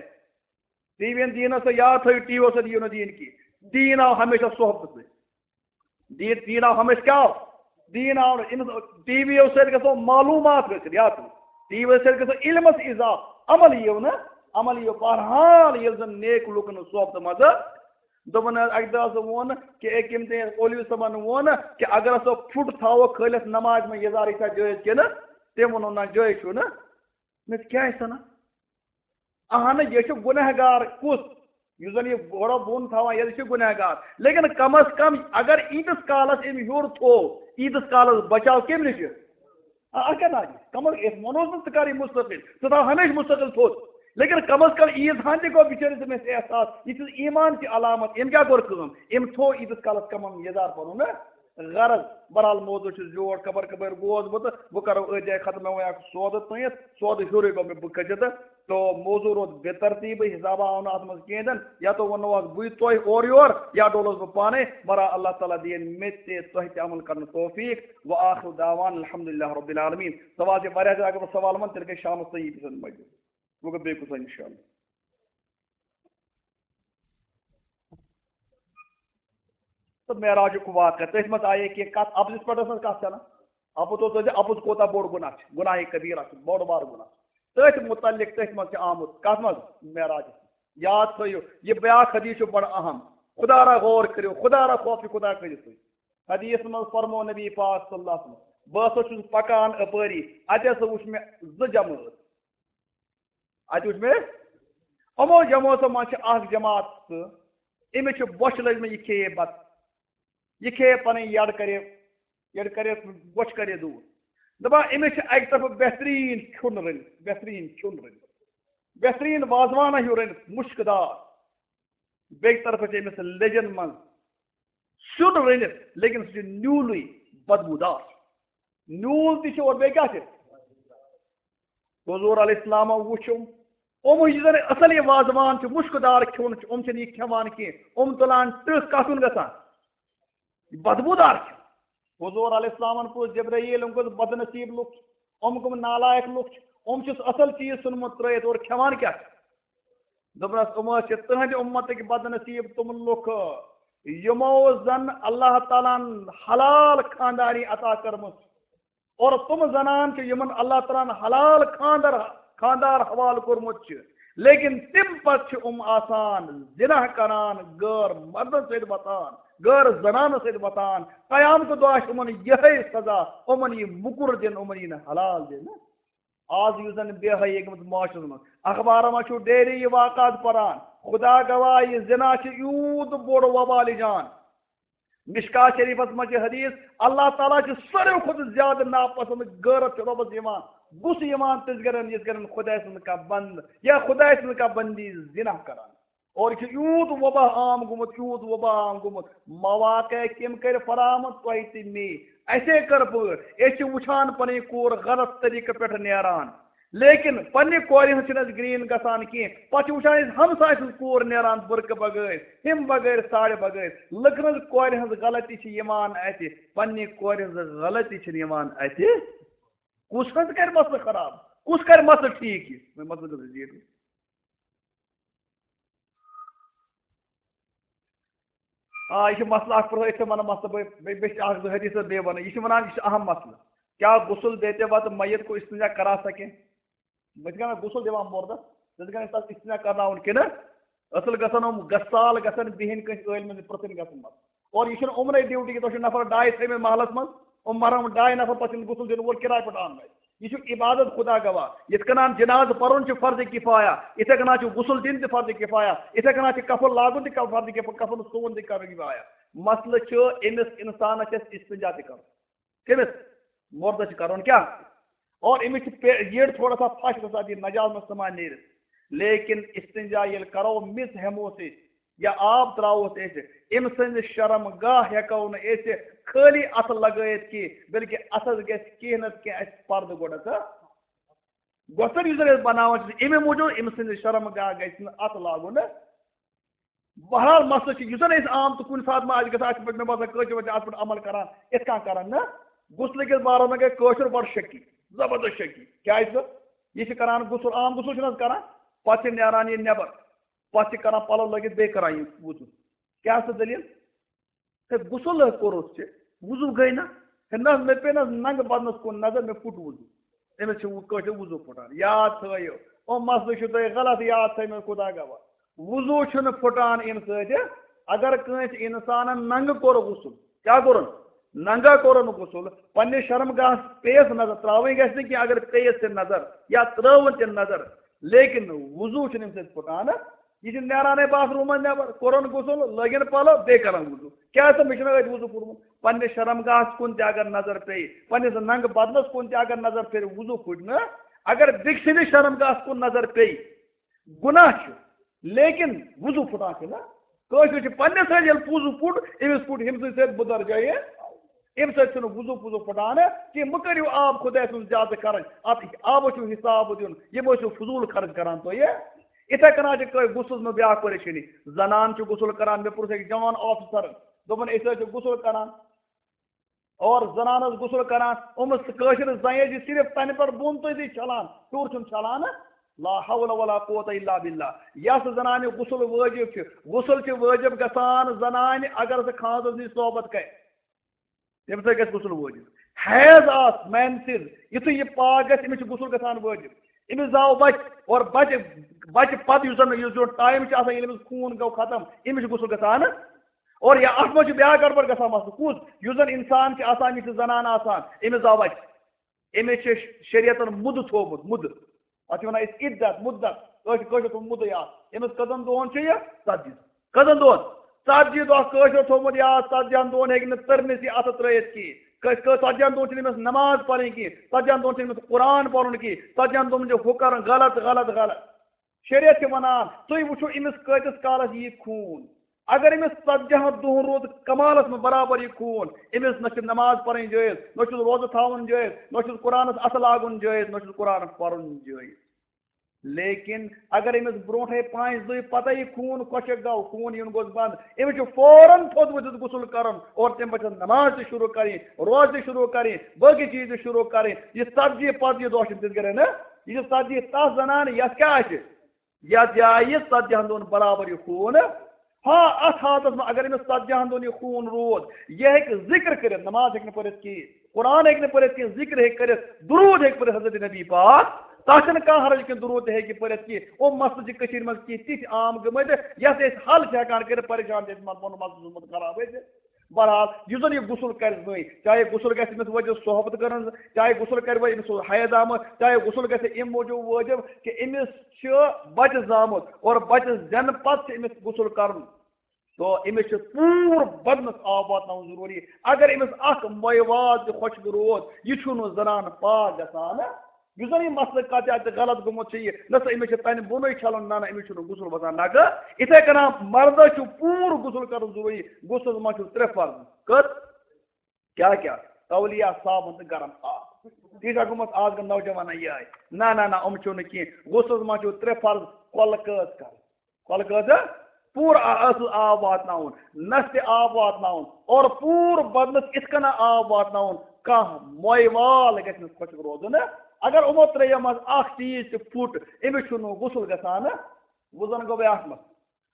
ٹی وی یَن دیٖنَس سا یاد تھٲیِو، ٹی وی یَس سا دِیِو نہٕ دیٖن کینٛہہ۔ دیٖن آو ہمیشہ صحبتہٕ سۭتۍ۔ دیٖن، دیٖن آو ہمیشہ کیٛاہ آو؟ دیٖن آو نہٕ أمِس، ٹی وی یو سۭتۍ گژھو معلوٗمات حٲصِل، یاد تھٲیِو۔ ٹی وی یو سۭتۍ گژھو علمَس اضافہٕ، عمل یِیو نہٕ، عمل یِیو۔ بہرحال، ییٚلہِ زَن نیک لُکَن ہٕنٛز صحبتہٕ منٛز، دوٚپُن حظ، اَکہِ دۄہ حظ ووٚن کہِ أکۍ ییٚمۍ تٔمۍ اولوی صٲبَن ووٚن کہِ اگر ہسا پھُٹ تھاوو کھٲلِتھ نمازِ منٛز، یہِ زارٕے چھا جٲیِز کِنہٕ؟ تٔمۍ ووٚنُن، نہ، جٲیِز چھُنہٕ۔ مےٚ دوٚپ، کیٛازِ چھُنہٕ؟ اہن، یہِ چھُ گُنہگار۔ کُس؟ یُس زن یہِ گۄڈٕ بۄن تھاوان، یہِ چھُ گُنہگار۔ لیکن کم از کم اگر ییٖتِس کالس أمۍ ہیوٚر تھوٚو، ییٖتِس کالس بچاو کٔمۍ نِش؟ آ، اَتھ کیٛاہ ناو چھُ؟ کم از کم أسۍ وَنوس نہٕ ژٕ کر یہِ مستقل، ژٕ تھاو ہمیشہِ مستقل تھوٚد۔ لیکن کم از کم عیٖد ہن تہِ گوٚو بِچٲرِس أمِس احساس، یہِ چھِ ایٖمان چہِ علامت۔ أمۍ کیٛاہ کوٚر کٲم؟ أمۍ تھوٚو عیٖدس کالس کم از کم یَزار پنُن نا غرض۔ بہرحال، موضوع چھُ زیوٹھ، خبر کَپٲرۍ گوس بہٕ، تہٕ بہٕ کَرو أتھۍ جایہِ ختم۔ مےٚ ووٚن اکھ سودٕ تُہِتھ، سودٕ ہیوٚرُے گوٚو مےٚ، بہٕ کھٔژِتھ، تہٕ موضوع روٗد بے ترتیٖبٕے، حسابہ آو نہٕ اَتھ منٛز کِہیٖنۍ تہِ نہٕ۔ یا تو ووٚننوہس بٕے تۄہہِ اورٕ یور، یا ڈولوس بہٕ پانے۔ مگر اللہ تعالیٰ دِیِن مےٚ تہِ تۄہہِ تہِ عمل کرنُک توفیق۔ وآخر دعوانا الحمدللہ رب العالمین۔ سوال چھِ واریاہ زیادٕ، اگر بہٕ سوال وَنہٕ، تیٚلہِ گژھِ شامَس تام یی بِہِتھ مجلس۔ وۄنۍ گوٚو بیٚیہِ کُس وَنہِ اِنشاءاللہ۔ تہٕ معراجُک واقعہٕ، تٔتھۍ منٛز آیے کینٛہہ کَتھ، اَپزِس پٮ۪ٹھ ٲس نہٕ کَتھ چَلان۔ اَپُز اوس دَپان، اَپُز کوٗتاہ بوٚڑ گُناہ چھُ، گُناہ کبیٖرہ چھُ، بوٚڑ بار گُناہ چھُ۔ تٔتھۍ مُتعلِق، تٔتھۍ منٛز چھُ آمُت، کَتھ منٛز؟ معراجَس۔ یاد تھٲیِو، یہِ بیٛاکھ حدیٖث چھُ بَڑٕ اَہَم۔ خۄدا را غور کٔرِو، خۄدا را خوف چھُ خۄدا کٔرِو تُہۍ۔ حدیث منٛز فرمو نبی پاک صلی اللہ علیہ وسلم، بہٕ ہسا چھُس پکان اپٲری، اتہِ ہسا وُچھ مےٚ زٕ جمٲژ۔ اتہِ وُچھ مےٚ، یِمو جمٲژو منٛز چھِ اکھ جماعت سُہ، أمِس چھِ بۄچھِ لٔجمٕژ، یہِ کھیٚیہِ بتہٕ، یہِ کھیٚیہِ پنٕنۍ یڈ کرِ، یڈ کرِ، بۄچھِ کرِ دوٗر۔ دپان، أمِس چھِ اکہِ طرفہٕ بہتریٖن کھیوٚن رٔنِتھ، بہتریٖن کھیوٚن رٔنِتھ، بہتریٖن وازوانہ ہیوٗ رٔنِتھ، مُشکہٕ دار۔ بیٚکہِ طرفہٕ چھِ أمِس لیٚجَن منٛز سیُن رٔنِتھ، لیکن سُہ چھُ نیوٗلٕے، بدبوٗدار۔ نیوٗل تہِ چھُ اور بیٚیہِ کیٛاہ چھِ؟ حضور علیہ السلامو وُچھ یِم۔ یِم یُس زَن اَصٕل یہِ وازوان چھُ، مُشکہٕ دار کھیوٚن چھُ، یِم چھِنہٕ یہِ کھٮ۪وان کینٛہہ۔ یِم تُلان ٹٕکھ، کَتھ کُن گژھان؟ یہِ بدبوٗدار چھُ۔ حضور علیہ السلامن پرُژھ جبرائیل، یِم کُس بدنصیٖب لُکھ چھِ، یِم کٕم نالایق لُکھ چھِ، یِم چھِس اصل چیٖز ژھُنمُت ترٲیِتھ اور کھٮ۪وان کیٛاہ چھِ؟ دوٚپنس، یِم حظ چھِ تُہنٛدِ اُمتٕکۍ بدنصیٖب تِم لُکھ، یِمو زن اللہ تعالیٰ ہن حلال خانداری عطا کٔرمٕژ، اور تِم زنان چھِ یِمن اللہ تعالیٰ ہن حلال خاندر، خاندار حوالہٕ کوٚرمُت چھُ، لیکن تَمہِ پتہٕ چھِ یِم آسان زِنا کران، غٲر مردن سۭتۍ وۄتھان، غٲر زنانن سۭتۍ وۄتھان۔ قیامتہٕ دۄہ آسہِ یِمن یِہے سزا، یِمن یی موٚکُر دِنہٕ، یِمن یی نہٕ حلال دِنہٕ۔ آز یُس زن بے حیٲیی گٔمٕژ معاشرس منٛز، اخبارن منٛز چھُو ڈیلی یہِ واقعات پران۔ خدا گواہ، یہِ زِنا چھُ یوٗت بوٚڑ وبالہِ جان۔ مشکات شریفس منٛز چھِ حدیث، اللہ تعالیٰ چھُ ساروی کھۄتہٕ زیادٕ ناپسند، غٲرت چھُ رۄبس یِوان، غصہٕ یِوان تِژھ گرن، یِژھ گرن خداے سُنٛد کانٛہہ بندٕ یا خداے سٕنٛز کانٛہہ بندی زِنا کران۔ اور یہِ چھُ یوٗت وبا عام گوٚمُت، یوٗت وبا عام گوٚمُت، مواقع کٔمۍ کٔرۍ فراہم؟ تۄہہِ تہٕ مے۔ اَسے کٔر پٲٹھۍ، أسۍ چھِ وٕچھان پنٕنۍ کوٗر غلط طریٖقہٕ پٮ۪ٹھ نیران، لیکن پننہِ کورِ ہٕنٛز چھِنہٕ اَسہِ گرین گژھان کینٛہہ۔ پتہٕ چھِ وٕچھان أسۍ ہمسایہِ سٕنٛز کوٗر نیران بُرقہٕ بغٲر، ہُمہِ بغٲر، ساڑِ بغٲر۔ لٔکرِ ہٕنٛز کورِ ہٕنٛز غلطی چھِ یِوان اَتھِ، پننہِ کورِ ہٕنٛز غلطی چھِنہٕ یِوان اَتھِ۔ کُس حظ کرِ مسلہٕ خراب؟ کُس کرِ مسلہٕ ٹھیٖک؟ یہِ وۄنۍ مسلہٕ گژھِ زیٖٹھٕے۔ آ، یہِ چھُ مسلہٕ اکھ پرٛٲرِتھ تہِ وَنہٕ مسلہٕ بہٕ، بیٚیہِ، بیٚیہِ چھِ اکھ زٕ حدیث بیٚیہِ وَنہٕ۔ یہِ چھُ وَنان، یہِ چھُ اہم مسلہٕ۔ کیٛاہ غسل دیتے وقت میت کو استنجا کرا سکے؟ بہٕ چھُس کران غسل دِوان مردس، ژٕ چھُکھ کران تَس استنجا کرناوُن کِنہٕ؟ اصل گژھن یِم غسال گژھن بِہِنۍ کٲنٛسہِ عٲلمہِ نِش پرٛژھٕنۍ گژھن منٛز۔ اور یہِ چھُنہٕ یِمنٕے ڈیوٹی کہِ تۄہہِ چھُو نفر ڈاے تھٲومٕتۍ محلس منٛز، یِم مرن ڈاے نفر، پتہٕ چھُنہٕ غسل دِنہٕ وول کِراے پٮ۪ٹھ اَننَے۔ یہِ چھُ عبادت خدا گواہ۔ یِتھ کٔنۍ جنازٕ پرُن چھُ فرض کفایہ، یِتھے کٔنۍ چھُ غسل دِنۍ تہِ فرض کفایہ، یِتھے کٔنۍ چھُ کفن لاگُن تہِ فرض کفایہ، کفن سُوُن تہِ فرض کفایہ۔ مسلہٕ چھُ أمِس انسانس چھِ اَسہِ استنجا تہِ کرُن۔ کٔمِس؟ مردس چھُ کرُن کیٛاہ؟ اور أمِس چھِ پے-، یٔڈ تھوڑا سا پھش گژھان، یہِ نجاست منٛز ژھٕنان نیٖرِتھ۔ لیکن استنجا ییٚلہِ کرو، مِس ہٮ۪موس أسۍ یا آب تراووس أسۍ، أمۍ سٕنٛز شرم گاہ ہٮ۪کو نہٕ أسۍ خٲلی اَتھٕ لگٲیِتھ کینٛہہ، بلکہِ اَتھس گژھِ کینٛہہ نتہٕ کینٛہہ اَسہِ پردٕ گۄڈٕ، تہٕ گۄژھر یُس زن أسۍ بناوان چھِ، اَمے موٗجوٗب أمۍ سٕنٛز شرم گاہ گژھِ نہٕ اَتھٕ لاگُن۔ بہرحال، مسلہٕ چھُ، یُس زن أسۍ عام تہٕ کُنہِ ساتہٕ ما آسہِ گژھان، اَسہِ چھِ پٔتمہِ باسان کٲشِر پٲٹھۍ اَتھ پٮ۪ٹھ عمل کران، یِتھ کٔنۍ کران نہٕ۔ غسلہٕ کِس بارس منٛز گٔے کٲشُر بڑٕ شکی، زبردست شکی۔ کیٛازِ؟ یہِ چھِ کران غسل، عام غسل چھِنہٕ حظ کران، پتہٕ چھِ نیران یہِ نٮ۪بر، پتہٕ چھِ کران پلو لٲگِتھ، بیٚیہِ کران یہِ وضو۔ کیٛاہ سا دٔلیٖل؟ ہے، غسل حظ کوٚرُتھ ژےٚ، وضو گٔے نہ؟ ہے، نہ حظ، مےٚ پیٚیہِ نہ حظ ننٛگہٕ بدنس کُن نظر، مےٚ پھُٹ وضو۔ أمِس چھُ وُ-، کٲشُر وضو پھُٹان۔ یاد تھٲیِو، یِم مسلہٕ چھِو تۄہہِ غلط یاد تھٲیمٕتۍ، خدا گواہ۔ وضو چھُنہٕ پھُٹان اَمہِ سۭتۍ۔ اگر کٲنٛسہِ اِنسانن ننٛگہٕ کوٚر غسل، کیٛاہ کوٚرُن؟ ننٛگہٕ کوٚرُن غسل، پننِس شرم گاہس پیٚیس نظر، ترٛاوٕنۍ گژھِ نہٕ کینٛہہ اگر پیٚیس تہِ نظر یا ترٛٲوٕن تہِ نظر، لیکن وضو چھُنہٕ اَمہِ سۭتۍ پھُٹان۔ یہِ چھُ نیرانٕے باتھ روٗمس نٮ۪بر، کوٚرُن غسل، لٲگِن پلو، بیٚیہِ کرن وضو۔ کیٛاہ سا، مےٚ چھُنہ أتھۍ وضو پھوٚٹمُت؟ پننِس شرم گاہس کُن تہِ اگر نظر پیٚیہِ، پننِس ننٛگہٕ بدنس کُن تہِ اگر نظر پھیرِ، وضو پھُٹہِ نہٕ۔ اگر بیٚکہِ سٕنٛدِس شرم گاہس کُن نظر پیٚیہِ، گناہ چھُ، لیکن وضو پھُٹان چھُ نہ۔ کٲشُر چھُ پننہِ سۭتۍ ییٚلہِ وضو پھُٹ، أمِس پھُٹ ہُمہِ سٕنٛدِ سۭتۍ بُدر جایہِ۔ اَمہِ سۭتۍ چھُنہٕ وضو پضو پھُٹان کینٛہہ۔ مہٕ کٔرِو آب خۄداے سُنٛد زیادٕ خرٕچ، اَتھ آبَس چھُ حساب دیُن، یہِ مہ ٲسِو فضوٗل خرٕچ کران تُہۍ۔ یِتھَے کٔنۍ چھِ کٲ-، غسلَس منٛز بیٛاکھ پریشٲنی۔ زنان چھِ غسل کران، مےٚ پرُژھ أکِس جوان آفیسرَن، دوٚپُن، أسۍ حظ چھِ غسل کران، اور زنان ٲس غسل کران، أمِس کٲشرِس زنہِ ٲس یہِ صرف تَنہِ پٮ۪ٹھ بۄن تام چھَلان، ہیوٚر چھُنہٕ چھَلان۔ لا حول ولا قوت الا باللہ۔ یۄس زنانہِ غسل وٲجِب چھُ، غسل چھُ وٲجِب گژھان زنانہِ اگر سۄ خاوندَس نِش صحبت کرِ، تَمہِ سۭتۍ گژھِ غسل وٲجِب۔ حیض آس، مینسز، یُتھُے یہِ پاک گژھِ، أمِس چھُ غسل گژھان وٲجِب۔ أمِس زاو بچہِ، اور بچہِ، بچہِ پتہٕ یُس زن، یُس زن ٹائم چھُ آسان، ییٚلہِ أمِس خوٗن گوٚو ختم، أمِس چھُ غسل گژھان۔ اور یا اتھ منٛز چھُ بیٛاکھ گڑبڑ گژھان مسلہٕ۔ کُس؟ یُس زن انسان چھُ آسان، یہِ چھِ زنان آسان، أمِس زاو بچہِ، أمِس چھِ شریعتن مُدٕ تھوٚومُت، مُدٕ۔ اتھ چھِ ونان أسۍ عدت، مُدت، کٲشِر، کٲشِر پٲٹھۍ مُدٕ یاد۔ أمِس کٔژن دۄہن چھُ یہِ؟ ژتجی۔ کٔژن دۄہن؟ ژتجی دۄہ۔ کٲشِر تھوٚومُت یاد، ژتجی ہن دۄہن ہیٚکہِ نہٕ تٔرنِس یہِ اَتھٕ ترٛٲیِتھ کِہیٖنۍ۔ کٲ-، کٲ-، ژتجی ہن دۄہن چھِنہٕ أمِس نماز پرٕنۍ کِہیٖنۍ، ژتجی ہن دۄہن چھِنہٕ أمِس قرآن پرُن کِہیٖنۍ، ژتجی ہن دۄہن چھِ ہُہ کرُن غلط، غلط، غلط۔ شریعت چھِ ونان، تُہۍ وٕچھِو أمِس کۭتِس کالس یی خوٗن۔ اگر أمِس ژتجی ہن دۄہن روٗد کمالس منٛز برابر یہِ خوٗن، أمِس نہ چھِ نماز پرٕنۍ جٲیز، نہ چھُس روزٕ تھاوُن جٲیز، نہ چھُس قرآنس اَتھٕ لاگُن جٲیز، نہ چھُس قرآنس پرُن جٲیز۔ لیکن اگر أمِس برونٛٹھے پانٛژِ دۄہہِ پتہ یہِ خوٗن خۄشک گوٚو، خوٗن یُن گوٚژھ بنٛد، أمِس چھُ فوراً تھوٚد ؤتھِتھ غسل کرُن اور تَمہِ پتہٕ چھِ نماز تہِ شروع کرٕنۍ، روزٕ تہِ شروع کرٕنۍ، باقٕے چیٖز تہِ شروع کرٕنۍ۔ یہِ ژتجی پتہٕ یہِ دۄہ چھِنہٕ تِتھ کٔنۍ نہ، یہِ چھِ ژتجی تَس زنانہٕ یَتھ کیٛاہ آسہِ؟ یَتھ جایہِ ژتجی ہن دۄہن برابر یہِ خوٗن۔ ہاں، اتھ حالتس منٛز اگر أمِس ژتجی ہن دۄہن یہِ خوٗن روٗد، یہِ ہیٚکہِ ذکر کٔرِتھ، نماز ہیٚکہِ نہٕ پٔرِتھ کِہیٖنۍ، قرآن ہیٚکہِ نہٕ پٔرِتھ کینٛہہ، ذکر ہیٚکہِ کٔرِتھ، درود ہیٚکہِ پٔرِتھ حضرت نبی پاک، تَتھ چھُنہٕ کانٛہہ حرج کینٛہہ، درود تہِ ہیٚکہِ پٔرِتھ کینٛہہ۔ او مسلہٕ چھِ کٔشیٖرِ منٛز کینٛہہ تِتھۍ عام گٔمٕتۍ، یَتھ أسۍ حل چھِ ہٮ۪کان کٔرِتھ، پریشان چھِ أسۍ، پَنُن مسلہٕ چھُ گوٚمُت خراب أسۍ۔ بہرحال، یُس زَن یہِ غسل کَرِ زٔنۍ، چاہے غسل گژھِ أمِس وجہ صحبت کَرُن، چاہے غسل کَرِ وۄنۍ أمِس اوس حیض آمُت، چاہے غسل گژھِ اَمہِ موٗجوٗب وٲجِب کہِ أمِس چھُ بَچہٕ زامُت اور بَچہٕ زٮ۪نہٕ پَتہٕ چھُ أمِس غسل کَرُن۔ تو أمِس چھُ پوٗرٕ بدنَس آب واتناوُن ضروٗری۔ اگر أمِس اَکھ مۄے واد تہِ خۄشک روٗد، یہِ چھُنہٕ زنان پاک گژھان۔ یُس زَن یہِ مسلہٕ کَتہِ اَتہِ غلط گوٚمُت چھُ یہِ، نہ سا أمِس چھِ تَنہِ بۄنٕے چھَلُن، نہ، نہ، أمِس چھُنہٕ غسل وَسان نَکھٕ۔ یِتھَے کٔنۍ مردَس چھُ پوٗرٕ غسل کَرُن ضروٗری۔ غسلَس منٛز چھُ ترٛےٚ فرض۔ کٔژ؟ کیٛاہ کیٛاہ؟ تولیہ، صابن تہٕ گرم آب۔ تی چھا گوٚمُت آز کٮ۪ن نوجوانَن یِہوٚے؟ نہ، نہ، نہ، یِم چھِو نہٕ کینٛہہ۔ غسلَس منٛز چھُو ترٛےٚ فرض، کۄلہٕ کٔژ کَرٕنۍ؟ کۄلہٕ کٔژ؟ پوٗرٕ آ-، اَصٕل آب واتناوُن، نَستہِ آب واتناوُن، اور پوٗرٕ بدنَس یِتھ کٔنۍ آب واتناوُن، کانٛہہ مۄے وال گژھِ نہٕ خۄشک روزُن۔ اگر یِمو ترٛیٚیو منٛز اَکھ چیٖز تہِ پھُٹ، أمِس چھُنہٕ غسل گژھان۔ وۄنۍ زَن گوٚو بیٛاکھ مسلہٕ۔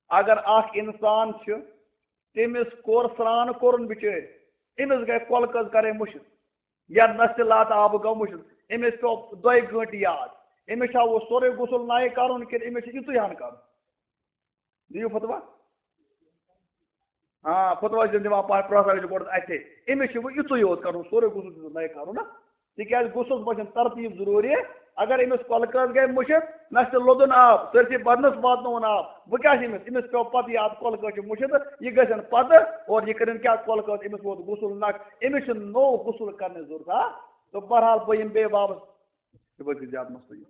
اگر اَکھ اِنسان چھُ، تٔمِس کوٚر سرٛان کوٚرُن بِچٲرۍ، أمِس گٔے کۄلہٕ کٔژ کَرٕنۍ مُشِتھ، یا نَستہِ لَت آبہٕ گوٚو مُشِتھ، أمِس پیوٚو دۄیہِ گٲنٛٹہِ یاد، أمِس چھا وۄنۍ سورُے غسل نَیہِ کَرُن کِنہٕ أمِس چھُ یِتُے ہَن کَرُن؟ دِیِو فتوا۔ آ، فتوا چھِ دِوان پَتہٕ پرٛوفیسر چھُ گۄڈٕ اَتھے، أمِس چھُ وۄنۍ یِتُے یوت کَرُن، سورُے غسل چھُ نَیہِ کَرُن نا۔ تِکیٛازِ غسلَس منٛز چھَنہٕ ترتیٖب ضروٗری۔ اگر أمِس کۄلہٕ کٔژ گٔے مُشِتھ، نَستہِ لوٚدُن آب، سٲرسٕے بدنَس واتنووُن آب، وۄنۍ کیٛاہ چھِ أمِس؟ أمِس پیوٚو پَتہٕ یاد کۄلہٕ کٔژ چھِ مُشِتھ، یہِ گژھن پَتہٕ، اور یہِ کٔرِن کیٛاہ؟ کۄلہٕ کٔژ، أمِس ووت غسل نَکھ، أمِس چھُنہٕ نوٚو غسل کَرنٕچ ضروٗرت۔ آ، تہٕ بہرحال بہٕ یِمہٕ بیٚیہِ واپس، یہِ وٲتۍ زیادٕ مسلہٕ یہِ۔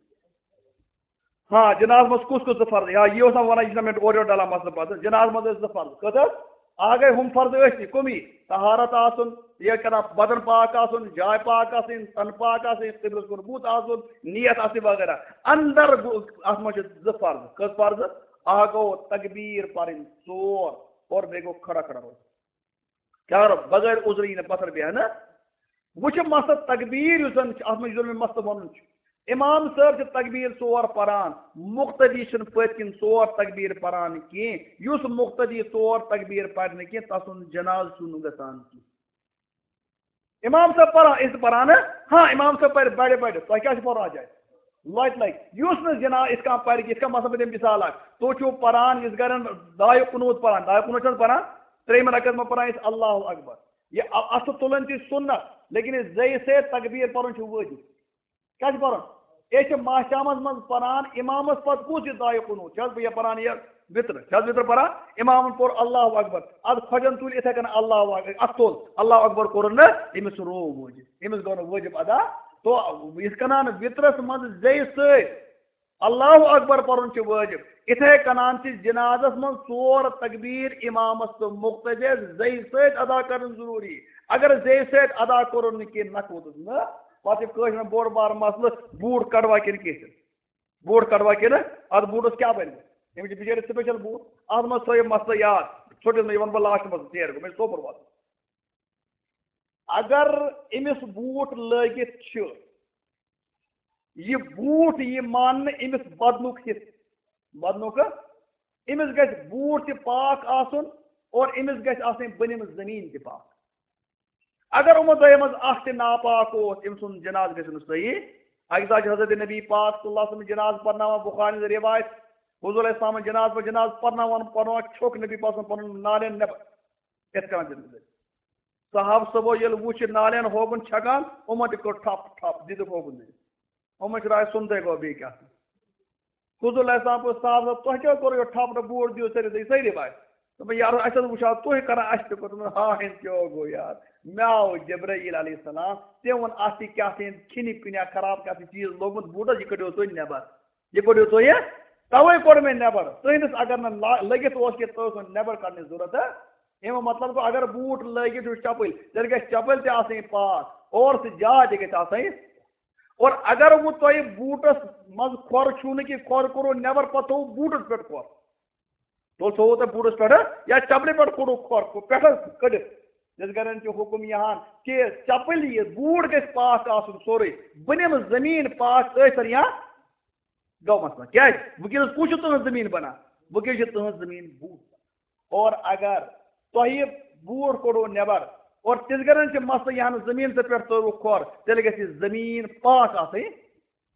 ہاں، جنازٕ منٛز کُس کُس زٕ فرض؟ یا یہِ اوس نہ وَنان، یہِ چھُنہ مےٚ اورٕ یورٕ ڈلان مسلہٕ پَتہٕ۔ جنازٕ منٛز ٲسۍ زٕ فرض۔ کٔژ حظ؟ اَکھ گٔے ہُم فرض ٲسۍ نہٕ، کٕمٕے؟ طہارت آسُن، یہِ کَران بدن پاک آسُن، جاے پاک آسٕنۍ، تَن پاک آسٕنۍ، قبلَس کُن بُتھ آسُن، نیت آسٕنۍ وغیرہ۔ اَندَر گوٚو، اَتھ منٛز چھِ زٕ فرض۔ کٔژ فرض؟ اَکھ گوٚو تکبیٖر پَرٕنۍ ژور، اور بیٚیہِ گوٚو کھڑا کھڑا روزُن۔ کیٛاہ کرو؟ بغٲر عذرٕ یی نہٕ پتھر بیٚہنہٕ۔ وۄنۍ چھُ مسلہٕ تکبیٖر یُس زن چھُ، اتھ منٛز یُس زن مےٚ مسلہٕ وَنُن چھُ۔ امام صٲب چھِ تکبیٖر ژور پران، مقتدی چھُنہٕ پٔتۍ کِنۍ ژور تکبیٖر پران کینٛہہ۔ یُس مقتدی ژور تکبیٖر پرِ نہٕ کینٛہہ، تسُنٛد جنازٕ چھُنہٕ گژھان کینٛہہ۔ امام صٲب پران، أسۍ تہِ پران، ہاں، امام صٲب پرِ بڑِ بڑِ، تۄہہِ کیٛاہ چھُ پرُن اتھ جایہِ؟ لۄتہِ لۄتہِ۔ یُس نہٕ جناز، یِتھ کٔنۍ پرِ، یِتھ کٔنۍ مثلاً بہٕ دِمہٕ مثال اکھ، تُہۍ چھِو پران، یُس گرن دعایہِ قنوٗت پران، دعایہِ قنوٗت چھِ پران، ترٛیٚیِمہِ رکعت منٛز پران أسۍ اللہ اکبر۔ یہِ ا-، اَتھٕ تُلٕنۍ تہِ سُنت، لیکن یہِ زیٚیہِ سۭتۍ تکبیٖر پرُن چھُ وٲجِب۔ کیٛاہ چھُ پرُن؟ أسۍ چھِ ماہِ شامس منٛز پران، امامس پتہٕ کُس یہِ دعایہِ قنوٗت؟ چھِ حظ بہٕ یہِ پران یہِ وِترٕ؟ چھِ حظ وِترٕ پران؟ امامن پوٚر اللہ اکبر، ادٕ کھۄجن تُلۍ یِتھے کٔنۍ اللہ اکبر، اتھٕ تُل، اللہ اکبر کوٚرُن نہٕ، أمِس چھُ روو وٲجِب، أمِس گوٚو نہٕ وٲجِب ادا۔ تو یِتھ کٔنۍ وِترس منٛز زیٚیہِ سۭتۍ اللہ اکبر پرُن چھُ وٲجِب۔ اِتھے کٔنۍ چھِ جنازس منٛز ژور تکبیر امامس تہٕ مقتدیس زیٚیہِ سۭتۍ ادا کرٕنۍ ضروٗری۔ اگر زیٚیہِ سۭتۍ ادا کوٚرُن نہٕ کینٛہہ، نہ کوٚرُس نہٕ، پتہٕ چھُ کٲشرٮ۪ن بوٚڑ بار مسلہٕ، بوٗٹھ کڑوا کِنہٕ کِہیٖنۍ؟ بوٗٹھ کڑوا کِنہٕ؟ اتھ بوٗٹس کیٛاہ بنہِ؟ أمِس چھِ بِچٲرِس special بوٗٹھ۔ اتھ منٛز تھٲیِو مسلہٕ یاد، ژھوٚٹِس نہٕ، یہِ وَنہٕ بہٕ last منٛز، ژیر گوٚو، مےٚ چھُ سوپور واتُن۔ اگر أمِس بوٗٹھ لٲگِتھ چھُ، یہِ بوٗٹھ یی ماننہٕ أمِس بدنُک حصہٕ، بدنُک، أمِس گژھِ بوٗٹھ تہِ پاک آسُن اور أمِس گژھِ آسٕنۍ بٔنِم زٔمیٖن تہِ پاک۔ اگر یِمو دۄیو منٛز اکھ تہِ ناپاک اوس، أمۍ سُنٛد جنازٕ گژھِ نہٕ صحیح۔ اکہِ دۄہ چھُ حضرت نبی پاک صلی اللہ علیہ وسلم جنازٕ پرناوان، بخاری منٛز روایت، حضور علیہ السلام جنازٕ پتہٕ جنازٕ پرناوان، پرناوان چھوٚک نبی پاک صلی اللہ علیہ وسلم پنُن نالین نٮ۪بر۔ یِتھ کٔنۍ دِتھ گُزٲرِتھ۔ صحابہٕ صٲبو ییٚلہِ وُچھ یہِ نالین ہوگُن چھکان، یِمن تہِ کوٚر ٹھپ ٹھپ، دِتُکھ ہوگُن دِتھ۔ یِمن چھُ راے سُنتھے گوٚو بیٚیہِ کیٛاہ۔ حضور علیہ السلام پوٚتُس صحابہٕ صٲب، تۄہہِ کیٛاہ کوٚروٕ یہِ ٹھپ ٹھپ، بوٗٹھ دِیِو سٲری، سٲری باے۔ دوٚپُن، یارو، اَسہِ حظ وُچھاو تُہۍ کران، اَسہِ تہِ کوٚر۔ دوٚپُن، ہا، ہِنٛد کیٛاہ گوٚو یار؟ مےٚ آو جبرائیل علیہ السلام، تٔمۍ ووٚن، اَتھ چھِ کیٛاہ تام کھِنہِ پِنہِ خراب کیٛاہ تام چیٖز لوٚگمُت بوٗٹس، یہِ کٔڑِو تُہۍ نٮ۪بر۔ یہِ کٔڑِو تُہۍ یہِ، توے کوٚڑ مےٚ نٮ۪بر۔ تُہٕنٛدِس اگر نہٕ لا-، لٔگِتھ اوس کینٛہہ، تُہۍ اوس نہٕ نٮ۪بر کڑنٕچ ضروٗرت، ہا؟ اَمیُک مطلب گوٚو، اگر بوٗٹ لٲگِتھ چھُ چپٕلۍ، تیٚلہِ گژھِ چپٕلۍ تہِ آسٕنۍ پاک، اور سُہ جاے تہِ گژھِ آسٕنۍ۔ اور اگر وۄنۍ تۄہہِ بوٗٹس منٛز کھۄر چھُو نہٕ کینٛہہ، کھۄر کوٚروٕ نٮ۪بر، پتہٕ تھوٚوُ بوٗٹس پٮ۪ٹھ کھۄر، تُل تھوٚوُ تۄہہِ بوٗٹس پٮ۪ٹھ، یا چپلہِ پٮ۪ٹھ کوٚڑُو کھۄر، پٮ۪ٹھٕ کٔڑِتھ، یِتھ کٔنۍ چھُ حُکم یِہان کہِ چپٕلۍ یہِ بوٗٹ گژھِ پاک آسُن سورُے، بٔنِم زٔمیٖن پاک ٲسِن یا گوٚو مسلہٕ۔ کیٛازِ؟ وٕنکیٚنَس کُس چھُ تُہٕنٛز زٔمیٖن بَنان؟ وٕنکیٚنَس چھِ تُہٕنٛز زٔمیٖن بوٗ۔ اور اگر تۄہہِ بوٗٹھ کوٚڑوُ نٮ۪بر اور تِژھ گرن چھِ مسلہٕ، یہِ ہن زٔمیٖن ژےٚ پٮ۪ٹھ ترٛٲوٕکھ کھۄر، تیٚلہِ گژھِ یہِ زٔمیٖن پاک آسٕنۍ،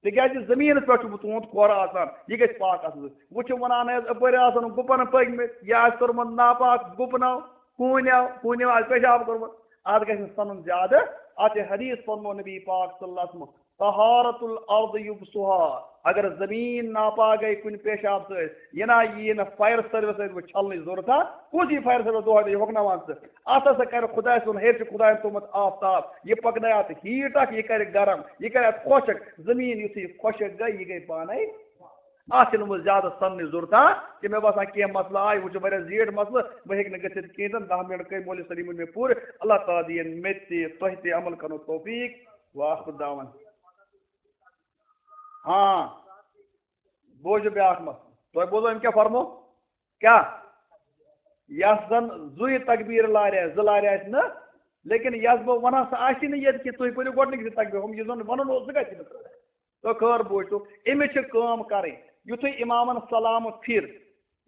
تِکیٛازِ زٔمیٖنَس پٮ۪ٹھ چھُ تُہُنٛد کھۄر آسان، یہِ گژھِ پاک آسُن۔ وۄنۍ چھِ وَنان حظ، اَپٲرۍ آسَن گُپَن پٔکۍ مٕتۍ، یا آسہِ کوٚرمُت ناپاک گُپنو، ہوٗنیو، ہوٗنیو آسہِ پیشاب کوٚرمُت، اَتھ گژھِ نہٕ سَنُن زیادٕ۔ اَتھ چھِ حدیث فرمو نبی پاک صلی اللہ علیہ وسلم، طہارت الارض یبسها، اگر زمین ناپاک گئی کُنہِ پیشاب سۭتۍ، یہِ نہ یی نہٕ فائر سروس سۭتۍ وۄنۍ چھلنٕچ ضرورت۔ کُس یی فائر سروس دۄہے دۄہے ہۄکھناوان ژٕ؟ اَتھ ہسا کرِ خداے سُنٛد، ہیٚرِ چھُ خداین تھوٚومُت آفتاب، یہِ پکنایہِ اَتھ ہیٖٹ اکھ، یہِ کرِ گرم، یہِ کرِ اَتھ خۄشک۔ زمین یُتھُے یہِ خۄشک گٔے، یہِ گٔے پانے۔ اَتھ چھِنہٕ وۄنۍ زیادٕ سننٕچ ضرورت، ہا؟ کہِ مےٚ باسان کینٛہہ مسلہٕ آے، وۄنۍ چھُ واریاہ زیٖٹھ مسلہٕ، وۄنۍ ہیٚکہِ نہٕ گٔژھِتھ کِہیٖنۍ تہِ نہٕ۔ دَہ منٹ گٔے، مولوی سلیمُن مےٚ پوٗرٕ۔ اللہ تعالیٰ دِیِن مےٚ تہِ تۄہہِ تہِ عمل کرنُک توفیٖق۔ وآخر دعوانا۔ ہاں، بوزِو بیٛاکھ مسلہٕ۔ تۄہہِ بوزو أمۍ کیٛاہ فرمو؟ کیٛاہ؟ یَس زَن زٕے تکبیٖر لارِ آسہِ، زٕ لارِ آسہِ نہٕ، لیکن یَس بہٕ وَنان سۄ آسہِ نہٕ ییٚتہِ کہِ تُہۍ پٔرِو گۄڈٕنِکسٕے تکبیٖر، ہُم یُس زَن وَنُن اوس سُہ کَتہِ چھُ؟ تو خٲر بوٗزِو، أمِس چھِ کٲم کَرٕنۍ، یُتھُے اِمامَن سلام پھِر،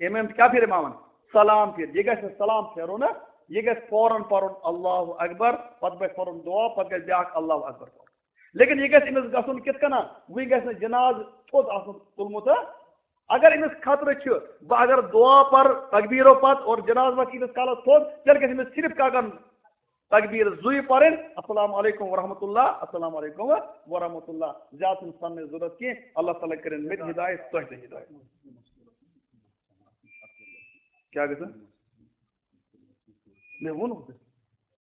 أمۍ أمۍ کیٛاہ پھِر اِمامَن؟ سلام پھِر۔ یہِ گژھِ نہٕ سلام پھِرُن نہ، یہِ گژھِ فوراً پَرُن اللہ اکبر، پَتہٕ گژھِ پَرُن دُعا، پَتہٕ گژھِ بیٛاکھ اللہ اکبر پَرُن۔ لیکن یہِ گژھِ أمِس گژھُن کِتھ کٔنۍ؟ وۄنۍ گژھِ نہٕ جنازٕ تھوٚد آسُن تُلمُت، ہا؟ اگر أمِس خطرٕ چھُ، بہٕ اگر دُعا پَرٕ تکبیٖرو پَتہٕ اور جنازٕ وَتھِ ییٖتِس کالَس تھوٚد، تیٚلہِ گژھِ أمِس صرف کاکَن تکبیٖر زٕے پَرٕنۍ، السلام علیکم ورحمۃ اللہ، السلام علیکم ورحمۃ اللہ۔ زیادٕ چھُنہٕ سَننٕچ ضروٗرت کینٛہہ۔ اللہ تعالیٰ کٔرِنۍ مےٚ تہِ ہدایت، تۄہہِ تہِ ہدایت۔ کیٛاہ گژھِ؟ مےٚ ووٚن۔